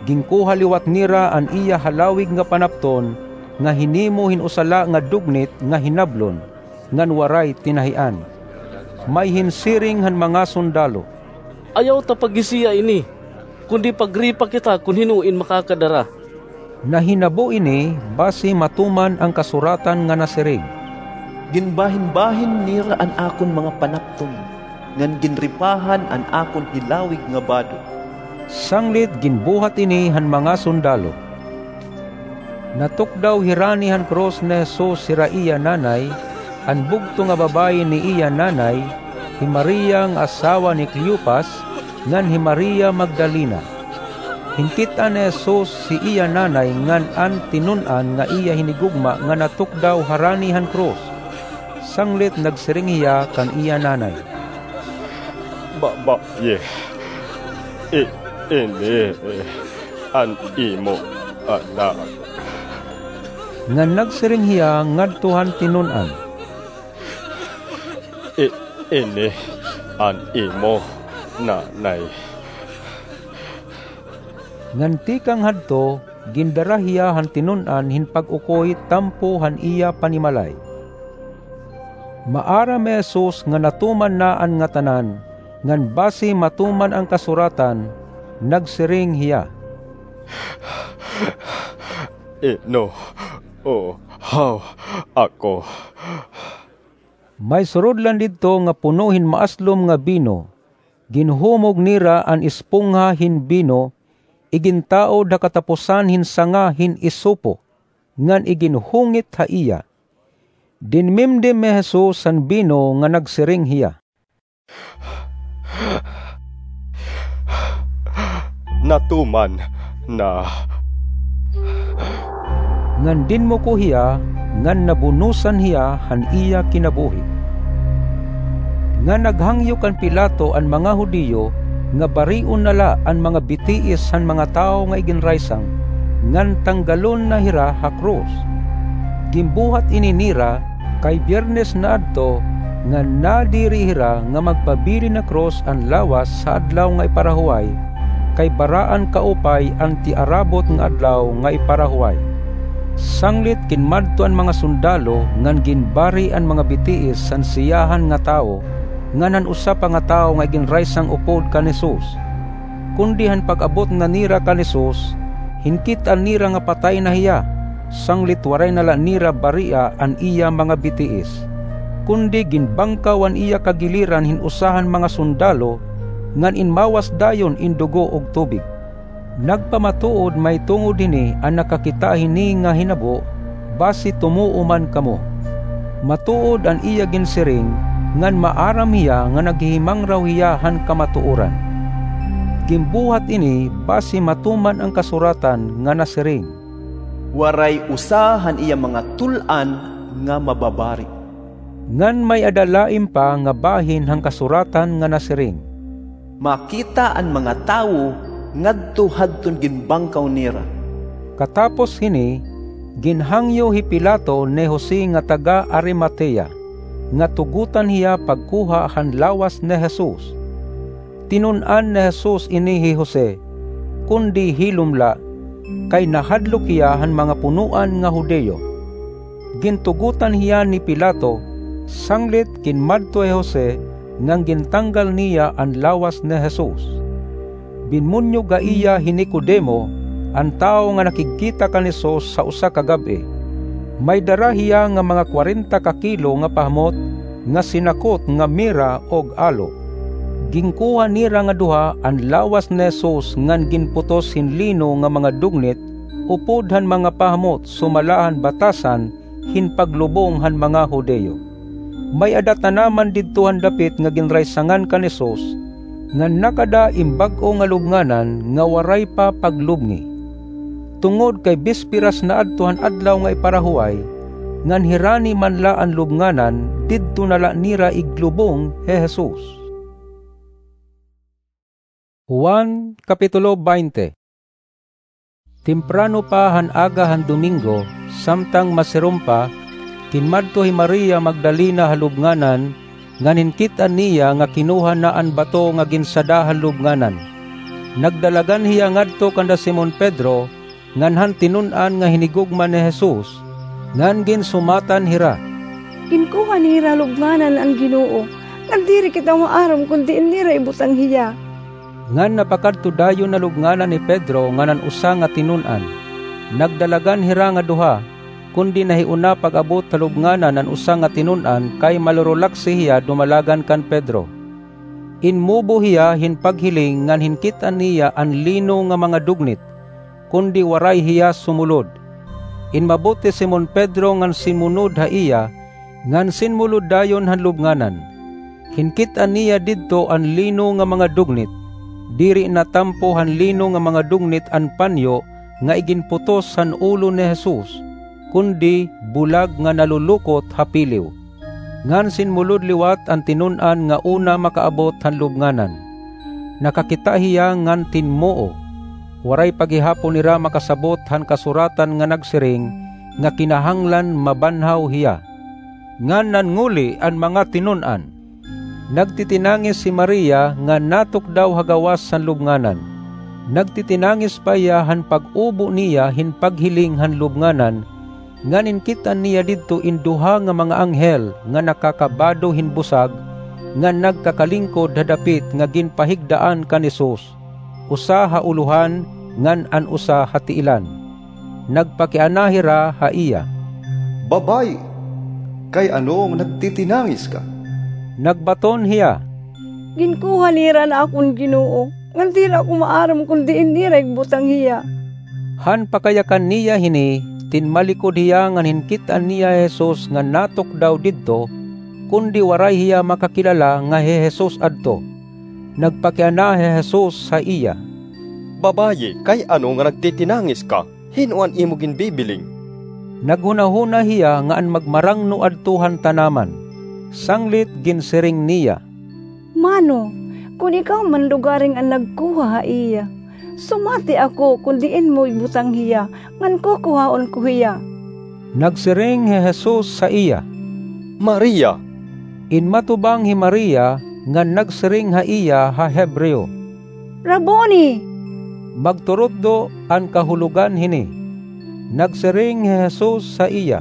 Ginkuha liwat nira an iya halawig nga panapton nga hinimo hin usa la nga dugnit nga hinablon, ngan waray tinahian. May hinsiring han mga sundalo, "Ayaw ta paghisiya ini, kundi pagripa kita kon hin-o in makakadara." Nahinabo ini basi matuman an kasuratan nga nasiring, "Ginbahinbahin nira an akon mga panapton, ngan ginripahan an akon hilawig nga bado." Sanglit ginbuhat ini han mga sundalo. Natukdaw hirani han krus ni Jesus hira iya nanay, an bugto nga babaye ni iya nanay, hi Maria nga asawa ni Cleopas, ngan hi Maria Magdalena. Hinkit-an ni Jesus hi iya nanay ngan an tinun-an nga iya hinigugma nga natukdaw harani han krus. Sanglit nagsiring hiya kan iya nanay, "Babaye, i-, ini an imo anak." Ngan nagsiring hiya ngadto han tinun-an, "I-, ini an imo nanay." Ngan tikang hadto, gindara hiya han tinun-an hin pag-ukoy tampo han iya panimalay. Maaram hi Jesus nga natuman na an ngatanan, ngan basi matuman an kasuratan, nagsiring hiya, "Inuhaw ako." May surudlan didto nga puno hin maaslom nga bino. Ginhumog nira an espongha hin bino, igintaod ha kataposan hin sanga hin isopo, ngan iginhungit ha iya. Dinmimdim hi Jesus han bino nga nagsiring hiya, "Natuman na." Ngan dinmuko hiya, ngan nabunosan hiya han iya kinabuhi. Ngan naghangyo kan Pilato an mga Judio nga barion na la an mga bitiis han mga tawo nga iginraysang, ngan tanggalon na hira ha krus. Ginbuhat ini nira, kay Biyernes na adto, ngan nadiri hira nga magpabilin ha krus an lawas ha Adlaw nga Iparahuway, kay baraan kaupay an tiarabot nga Adlaw nga Iparahuway. Sanglit ginmadto an mga sundalo ngan ginbari an mga bitiis han siyahan nga tawo ngan han usa pa nga tawo nga iginraysang upod kan Jesus. Kundi han pag-abot na nira kan Jesus, hinkit-an nira nga patay na hiya, sanglit waray na la nira baria an iya mga bitiis. Kundi ginbangkaw an iya kagiliran hin usa han mga sundalo, ngan inmawas dayon in dugo ug tubig. Nagpamatuod mahitungod hini an nakakita hini nga hinabo, basi tumuo man kamo. Matuod an iya ginsiring, ngan maaram hiya nga naghihimangraw hiya han kamatuoran. Ginbuhat ini basi matuman an kasuratan nga nasiring, "Waray usa han iya mga tul-an nga mababari." Ngan may-ada lain pa nga bahin han kasuratan nga nasiring, "Makita an mga tawo ngadto hadton ginbangkaw nira." Katapos hini, ginhangyo hi Pilato ni Jose nga taga-Arimatea, nga tugotan hiya pagkuha han lawas ni Jesus. Tinun-an ni Jesus ini hi Jose, kundi hilom la, kay nahadlok hiya han mga punoan nga Judio. Gintugotan hiya ni Pilato, sanglit ginmadto hi Jose ngan gintanggal niya an lawas ni Jesus. Binmonyog ha iya hi Nicodemo, an tawo nga nakigkita kan Jesus ha usa ka gab-i. May dara hiya nga mga kwarenta ka kilo nga pahamot nga sinakot nga mira ug alo. Ginkuha nira nga duha an lawas ni Jesus ngan ginputos hin lino nga mga dugnit upod han mga pahamot sumala han batasan hin paglubong han mga Judio. May-ada tanaman didto han dapit nga ginraysangan kan Jesus, ngan nakada in bag-o nga lubnganan nga waray pa paglubngi. Tungod kay bisperas na adto han Adlaw nga Iparahuway, ngan hirani man la an lubnganan, didto na la nira iglubong hi Jesus. Juan, Kapitulo twenty. Temprano pa han aga han Domingo, samtang masirom pa, kinmadto hi Maria Magdalena ha lubnganan, ngan hinkit-an niya nga kinuha na an bato nga ginsada han lubnganan. Nagdalagan hiya ngadto kanda Simon Pedro, ngan han tinun-an nga hinigugma ni Jesus, ngan ginsumatan hira, "Ginkuha nira ha lubnganan an Ginoo, ngan diri kita maaram kon diin nira ibutang hiya." Ngan napakadto dayon ha lubnganan hi Pedro ngan an usa nga tinun-an. Nagdalagan hira nga duha, kundi nahiuna pag-abot ha lubnganan an usa nga tinun-an kay malurulaksi hiya dumalagan kan Pedro. Inmubo hiya hin paghiling ngan hinkit-an niya an lino nga mga dugnit, kundi waray hiya sumulod. Inmabot hi Simon Pedro ngan sinmunod ha iya, ngan sinmulod dayon han lubnganan. Hinkit-an niya didto an lino nga mga dugnit. Diri natampo han lino nga mga dugnit an panyo nga iginputos han ulo ni Jesus, kundi bulag nga nalulukot ha piliw. Ngan sinmulod liwat an tinun-an nga una makaabot han lubnganan. Nakakita hiya ngan tinmoo. Waray pa gihapon hira makasabot han kasuratan nga nagsiring nga kinahanglan mabanhaw hiya. Ngan nannguli an mga tinun-an. Nagtitinangis hi Maria nga natukdaw ha gawas han lubnganan. Nagtitinangis pa hiya han pag-ubo niya hin paghiling han lubnganan, ngan hinkit-an niya didto in duha nga mga anghel nga nakakabado hin busag, nga nagkakalingkod ha dapit nga ginpahigdaan kan Jesus, usa ha ulohan ngan an usa ha tiilan. Nagpakiana hira ha iya, "Babaye, kay ano nga nagtitinangis ka?" Nagbaton hiya, "Ginkuha nira an akon Ginoo, ngan diri ako maaram kon diin nira igbutang hiya." Han pakayakan niya hini, tinmalikod hiya ngan hinkit-an niya hi Jesus nga natukdaw didto, kundi waray hiya makakilala nga hi Jesus adto. Nagpakiana hi Jesus ha iya, "Babaye, kay ano nga nagtitinangis ka? Hin-o an imo ginbibiling?" Naghunahuna hiya nga an magmarangno adto han tanaman. Sanglit ginsiring niya, "Mano, kon ikaw man lugaring an nagkuha ha iya, sumati ako kon diin mo ibutang hiya, ngan kukuhaon ko hiya." Nagsiring hi Jesus ha iya, "Maria!" Inmatubang hi Maria ngan nagsiring ha iya ha Hebreo, "Rabboni!" Magturutdo an kahulogan hini. Nagsiring hi Jesus ha iya,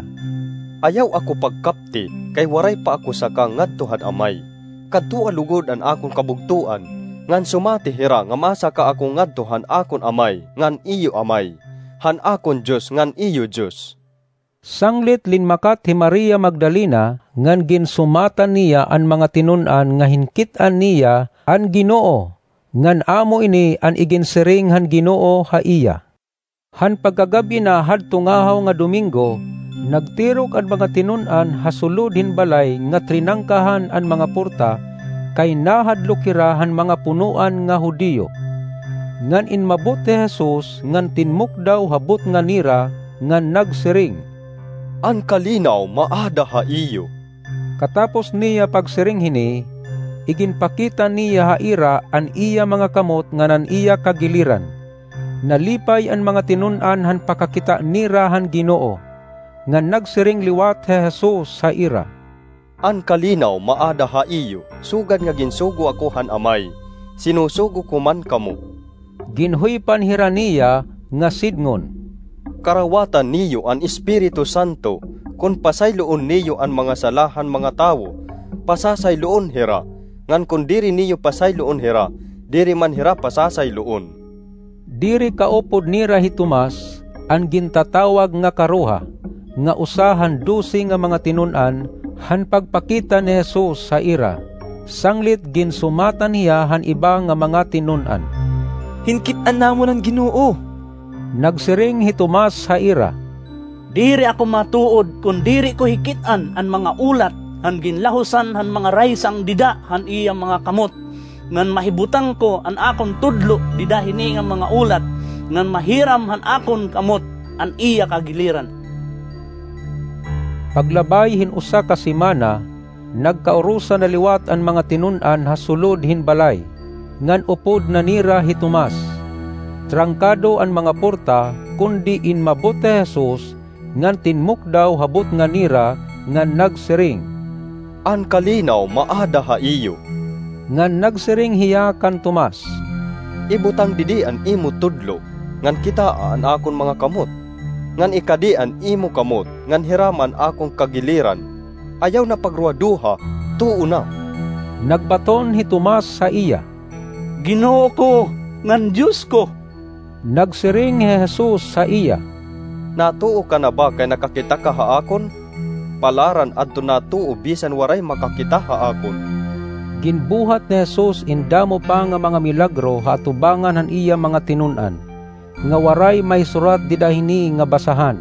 "Ayaw ako pagkapti, kay waray pa ako saka ngadto han Amay. Kadtua lugod an akon kabugtoan, ngan sumati hira nga masaka ako ngadto han akon Amay ngan iyo Amay, han akon Dios ngan iyo Dios." Sanglit linmakat hi Maria Magdalena ngan ginsumatan niya an mga tinun-an nga hinkit-an niya an Ginoo, ngan amo ini an iginsiring han Ginoo ha iya. Han pagkagab-i na hadto ngahaw nga Domingo, nagtirok an mga tinun-an ha sulod hin balay nga trinangkahan an mga porta, kay nahadlok hira han mga punoan nga Judio. Ngan inmabot hi Jesus ngan tinmukdaw ha butnga nira, ngan nagsiring, "An kalinaw maada ha iyo." Katapos niya pagsiring hini, iginpakita niya ha ira an iya mga kamot ngan an iya kagiliran. Nalipay an mga tinun-an han pakakita nira han Ginoo, ngan nagsiring liwat hi Jesus ha ira, "An kalinaw maada ha iyo, sugad nga ginsugo ako han Amay, sinusugo ko man kamo." Ginhuypan hira niya nga sidngon, "Karawatan niyo an Espiritu Santo. Kon pasayloon niyo an mga sala han mga tawo, pasasayloon hira, ngan kon diri niyo pasayloon hira, diri man hira pasasayloon." Diri kaupod nira hi Tomas, an gintatawag nga Karuha, nga usa han dose nga mga tinun-an, han pagpakita ni Jesus ha ira. Sanglit ginsumatan hiya han iba nga mga tinun-an, "Hinkit-an namon an Ginoo." Nagsiring hi Tomas ha ira, "Diri ako matuod kon diri ko hikit-an an mga ulat han ginlahosan han mga raysang dida han iya mga kamot, ngan mahibutang ko an akon tudlo dida hini nga mga ulat, ngan mahiram han akon kamot an iya kagiliran." Paglabay hin usa ka semana, nagkaurusa na liwat an mga tinun-an ha sulod hin balay, ngan upod na nira hi Tomas. Trangkado an mga porta, kundi inmabot hi Jesus, ngan tinmukdaw ha butnga nira, ngan nagsiring, "An kalinaw maada ha iyo." Ngan nagsiring hiya kan Tomas, "Ibutang didi an imo tudlo, ngan kitaa an akon mga kamot, ngan ikadi an imo kamot, ngan hirama an akon kagiliran. Ayaw na pagruhaduha, tuo na." Nagbaton hi Tomas ha iya, "Ginoo ko ngan Dios ko!" Nagsiring hi Jesus ha iya, "Natuo ka na ba kay nakakita ka ha akon? Palaran adton natuo bisan waray makakita ha akon." Ginbuhat ni Jesus in damo pa nga mga milagro ha atubangan han iya mga tinun-an, nga waray mahisurat dida hini nga basahan.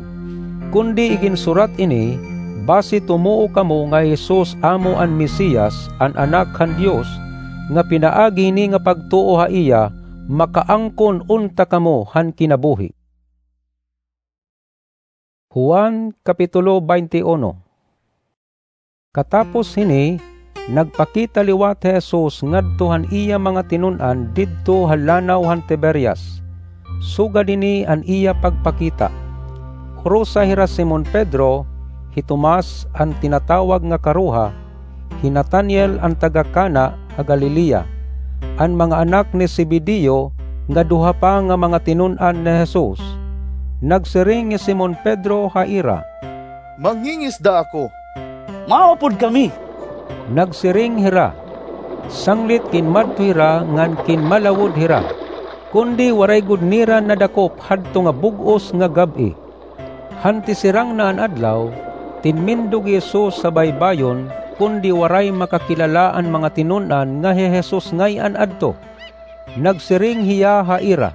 Kundi iginsurat ini, basi tumuo kamo nga hi Jesus amo an Mesias, an Anak han Dios, nga pinaagi hini nga pagtuo ha iya, makaangkon unta kamo han kinabuhi. Juan, Kapitulo twenty-one. Katapos hini, nagpakita liwat hi Jesus ngadto han iya mga tinun-an didto ha lanaw han Tiberias. Sugad hini an iya pagpakita. Urusa hira Simon Pedro, hi Tomas an tinatawag nga Karuha, hi Nataniel an taga Cana ha Galilea, an mga anak ni Zebedeo, nga duha pa nga mga tinun-an ni Jesus. Nagsiring hi Simon Pedro ha ira, "Mangingisda ako." "Maupod kami," nagsiring hira. Sanglit ginmadto hira ngan ginmalawod hira, kundi waray gud nira nadakop hadto nga bug-os nga gab-i. Han tisirang na an adlaw, tinmindog hi Jesus ha baybayon, kundi waray makakilala an mga tinun-an nga hi Jesus ngay-an adto. Nagsiring hiya ha ira,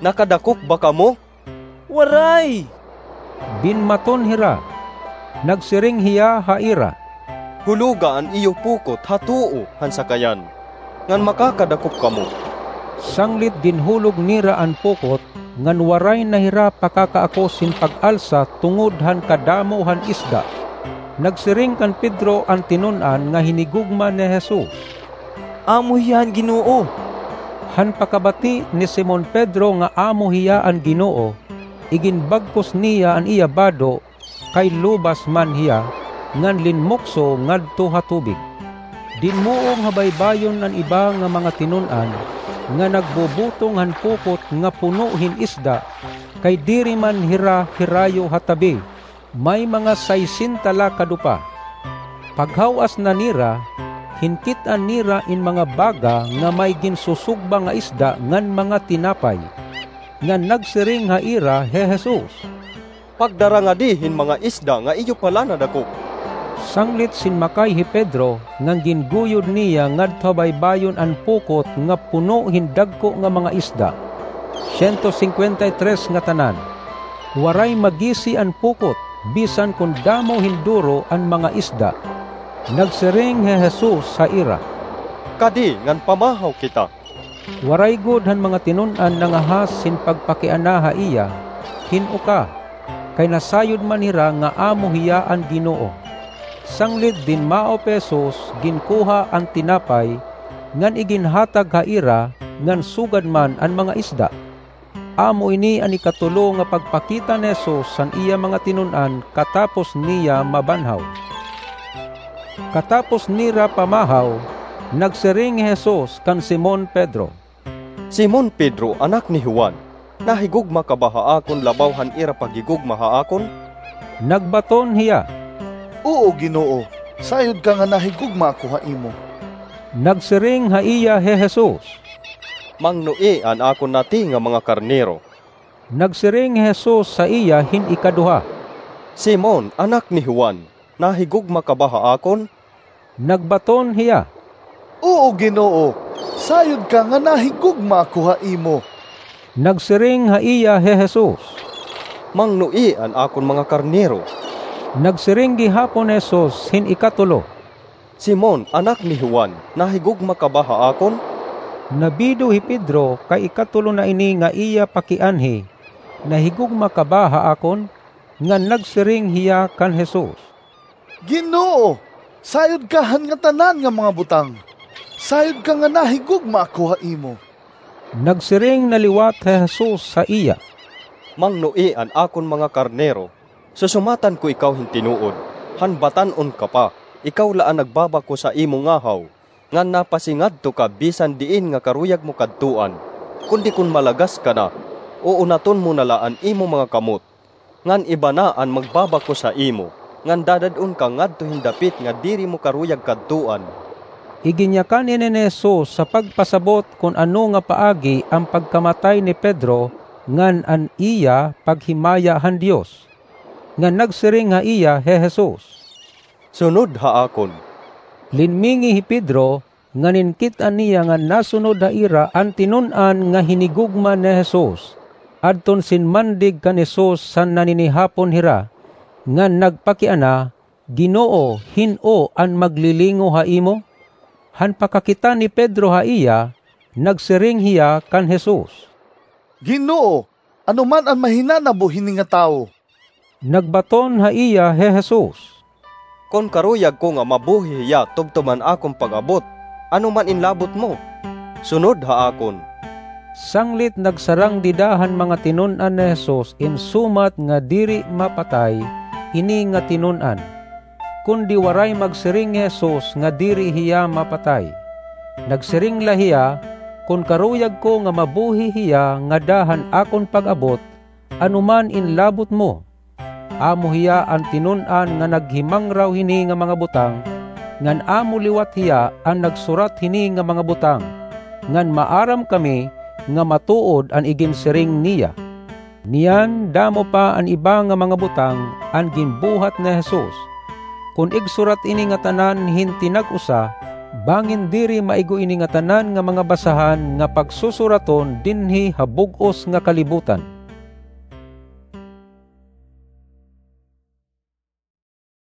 "Nakadakop ba kamo?" "Waray," binmaton hira. Nagsiring hiya ha ira, "Huloga an iyo pukot ha tuo han sakayan, ngan makakadakop kamo." Sanglit ginhulog nira an pukot, ngan waray na hira pakakaakos hin pag-alsa tungod han kadamo han isda. Nagsiring kan Pedro an tinun-an nga hinigugma ni Jesus, "Amo hiya an Ginoo." Han pakabati ni Simon Pedro nga amo hiya an Ginoo, iginbagkos niya an iya bado, kay lubas man hiya, ngan linmukso ngadto ha tubig. Dinmuong ha baybayon an iba nga mga tinun-an nga nagbubutong han pukot nga puno hin isda, kay diri man hira hirayo ha tabi, may mga saysenta la ka dupa. Paghaw-as na nira, hinkit-an nira in mga baga nga may ginsusugba nga isda ngan mga tinapay. Ngan nagsiring ha ira hi Jesus, "Pagdara ngadi hin mga isda nga iyo pala nadakop." Sanglit sinmakay hi Pedro, ngan ginguyod niya ngadto ha baybayon an pukot nga puno hin dagko nga mga isda. Siyento singkwenta y tres ngatanan. Waray magisi an pukot, bisan kon damo hin duro an mga isda. Nagsiring hi Jesus ha ira, "Kadi ngan pamahaw kita." Waray gud han mga tinun-an nangahas hin pagpakiana ha iya, hin uka, kay nasayod man hira nga amo hiya an Ginoo. Sanglit dinmaop hi Jesus, ginkuha an tinapay, ngan iginhatag ha ira, ngan sugad man an mga isda. Amo ini an ikatulo nga pagpakita ni Jesus han iya mga tinun-an katapos niya mabanhaw. Katapos nira pamahaw, nagsiring hi Jesus kan Simon Pedro, "Simon Pedro, anak ni Juan, nahigugma ka ba ha akon labaw han ira paghigugma ha akon?" Nagbaton hiya, "Oo, Ginoo, sayod ka nga nahigugma ako ha imo." Nagsiring ha iya hi Jesus, "Mangnoi an akon nati nga mga karnero." Nagsiring hi Jesus ha iya hin ikaduha, "Simon, anak ni Juan, nahigugma ka ba ha akon?" Nagbaton hiya, "Oo, Ginoo, sayod ka nga nahigugma ako ha imo." Nagsiring ha iya hi Jesus, "Mangnoi an akon mga karnero." Nagsiring gihapon hi Jesus hin ikatulo, "Simon, anak ni Juan, nahigugma ka ba ha akon?" Nabido hi Pedro kay ikatulo na ini nga iya pakianhi, "Nahigugma ka ba ha akon?" Ngan nagsiring hiya kan Jesus, "Ginoo, sayod ka han ngatanan nga mga butang. Sayod ka nga nahigugma ako ha imo." Nagsiring na liwat hi Jesus ha iya, "Mangnoi an akon mga karnero. Susumatan ko ikaw hin tinuod, han batan-on ka pa, ikaw la an nagbabakos ha imo ngahaw, ngan napasingadto ka bisan diin nga karuyag mo kadtuan. Kundi kon malagas ka na, uunaton mo na la an imo mga kamot, ngan iba na an magbabakos ha imo, ngan dadad-on ka ngadto hin dapit nga diri mo karuyag kadtuan." Iginyakan ini ni Jesus sa pagpasabot kon ano nga paagi an pagkamatay ni Pedro ngan an iya paghimaya han Dios. Ngan nagsiring ha iya hi Jesus, "Sunod ha akon." Linmingi hi Pedro, ngan inkit-an niya nga nasunod ha ira an tinun-an nga hinigugma ni Jesus. Adton sinmandig kan Jesus san naninihapon hira, ngan nagpakiana, "Ginoo, hin-o an maglilingo ha imo?" Han pakakita ni Pedro ha iya, nagsiring hiya kan Jesus, "Ginoo, ano man an mahinanabo hini nga tawo?" Nagbaton ha iya hi Jesus, "Kon karuyag ko nga mabuhi hiya tubtob han akon pag-abot, ano man in labot mo? Sunod ha akon." Sanglit nagsarang dida han mga tinun-an ni Jesus in sumat nga diri mapatay ini nga tinun-an. Kundi waray magsiring hi Jesus nga diri hiya mapatay. Nagsiring la hiya, "Kon karuyag ko nga mabuhi hiya ngada han akon pag-abot, ano man in labot mo?" Amo hiya an tinun-an nga naghimangraw hini nga mga butang, ngan amo liwat hiya an nagsurat hini nga mga butang, ngan maaram kami nga matuod an iginsiring niya. Niyan, damo pa an iba nga mga butang an ginbuhat ni Jesus. Kon igsurat ini ngatanan hin tinag-usa, bangin diri maigo ini ngatanan nga mga basahan nga pagsusuraton dinhi ha bug-os nga kalibutan.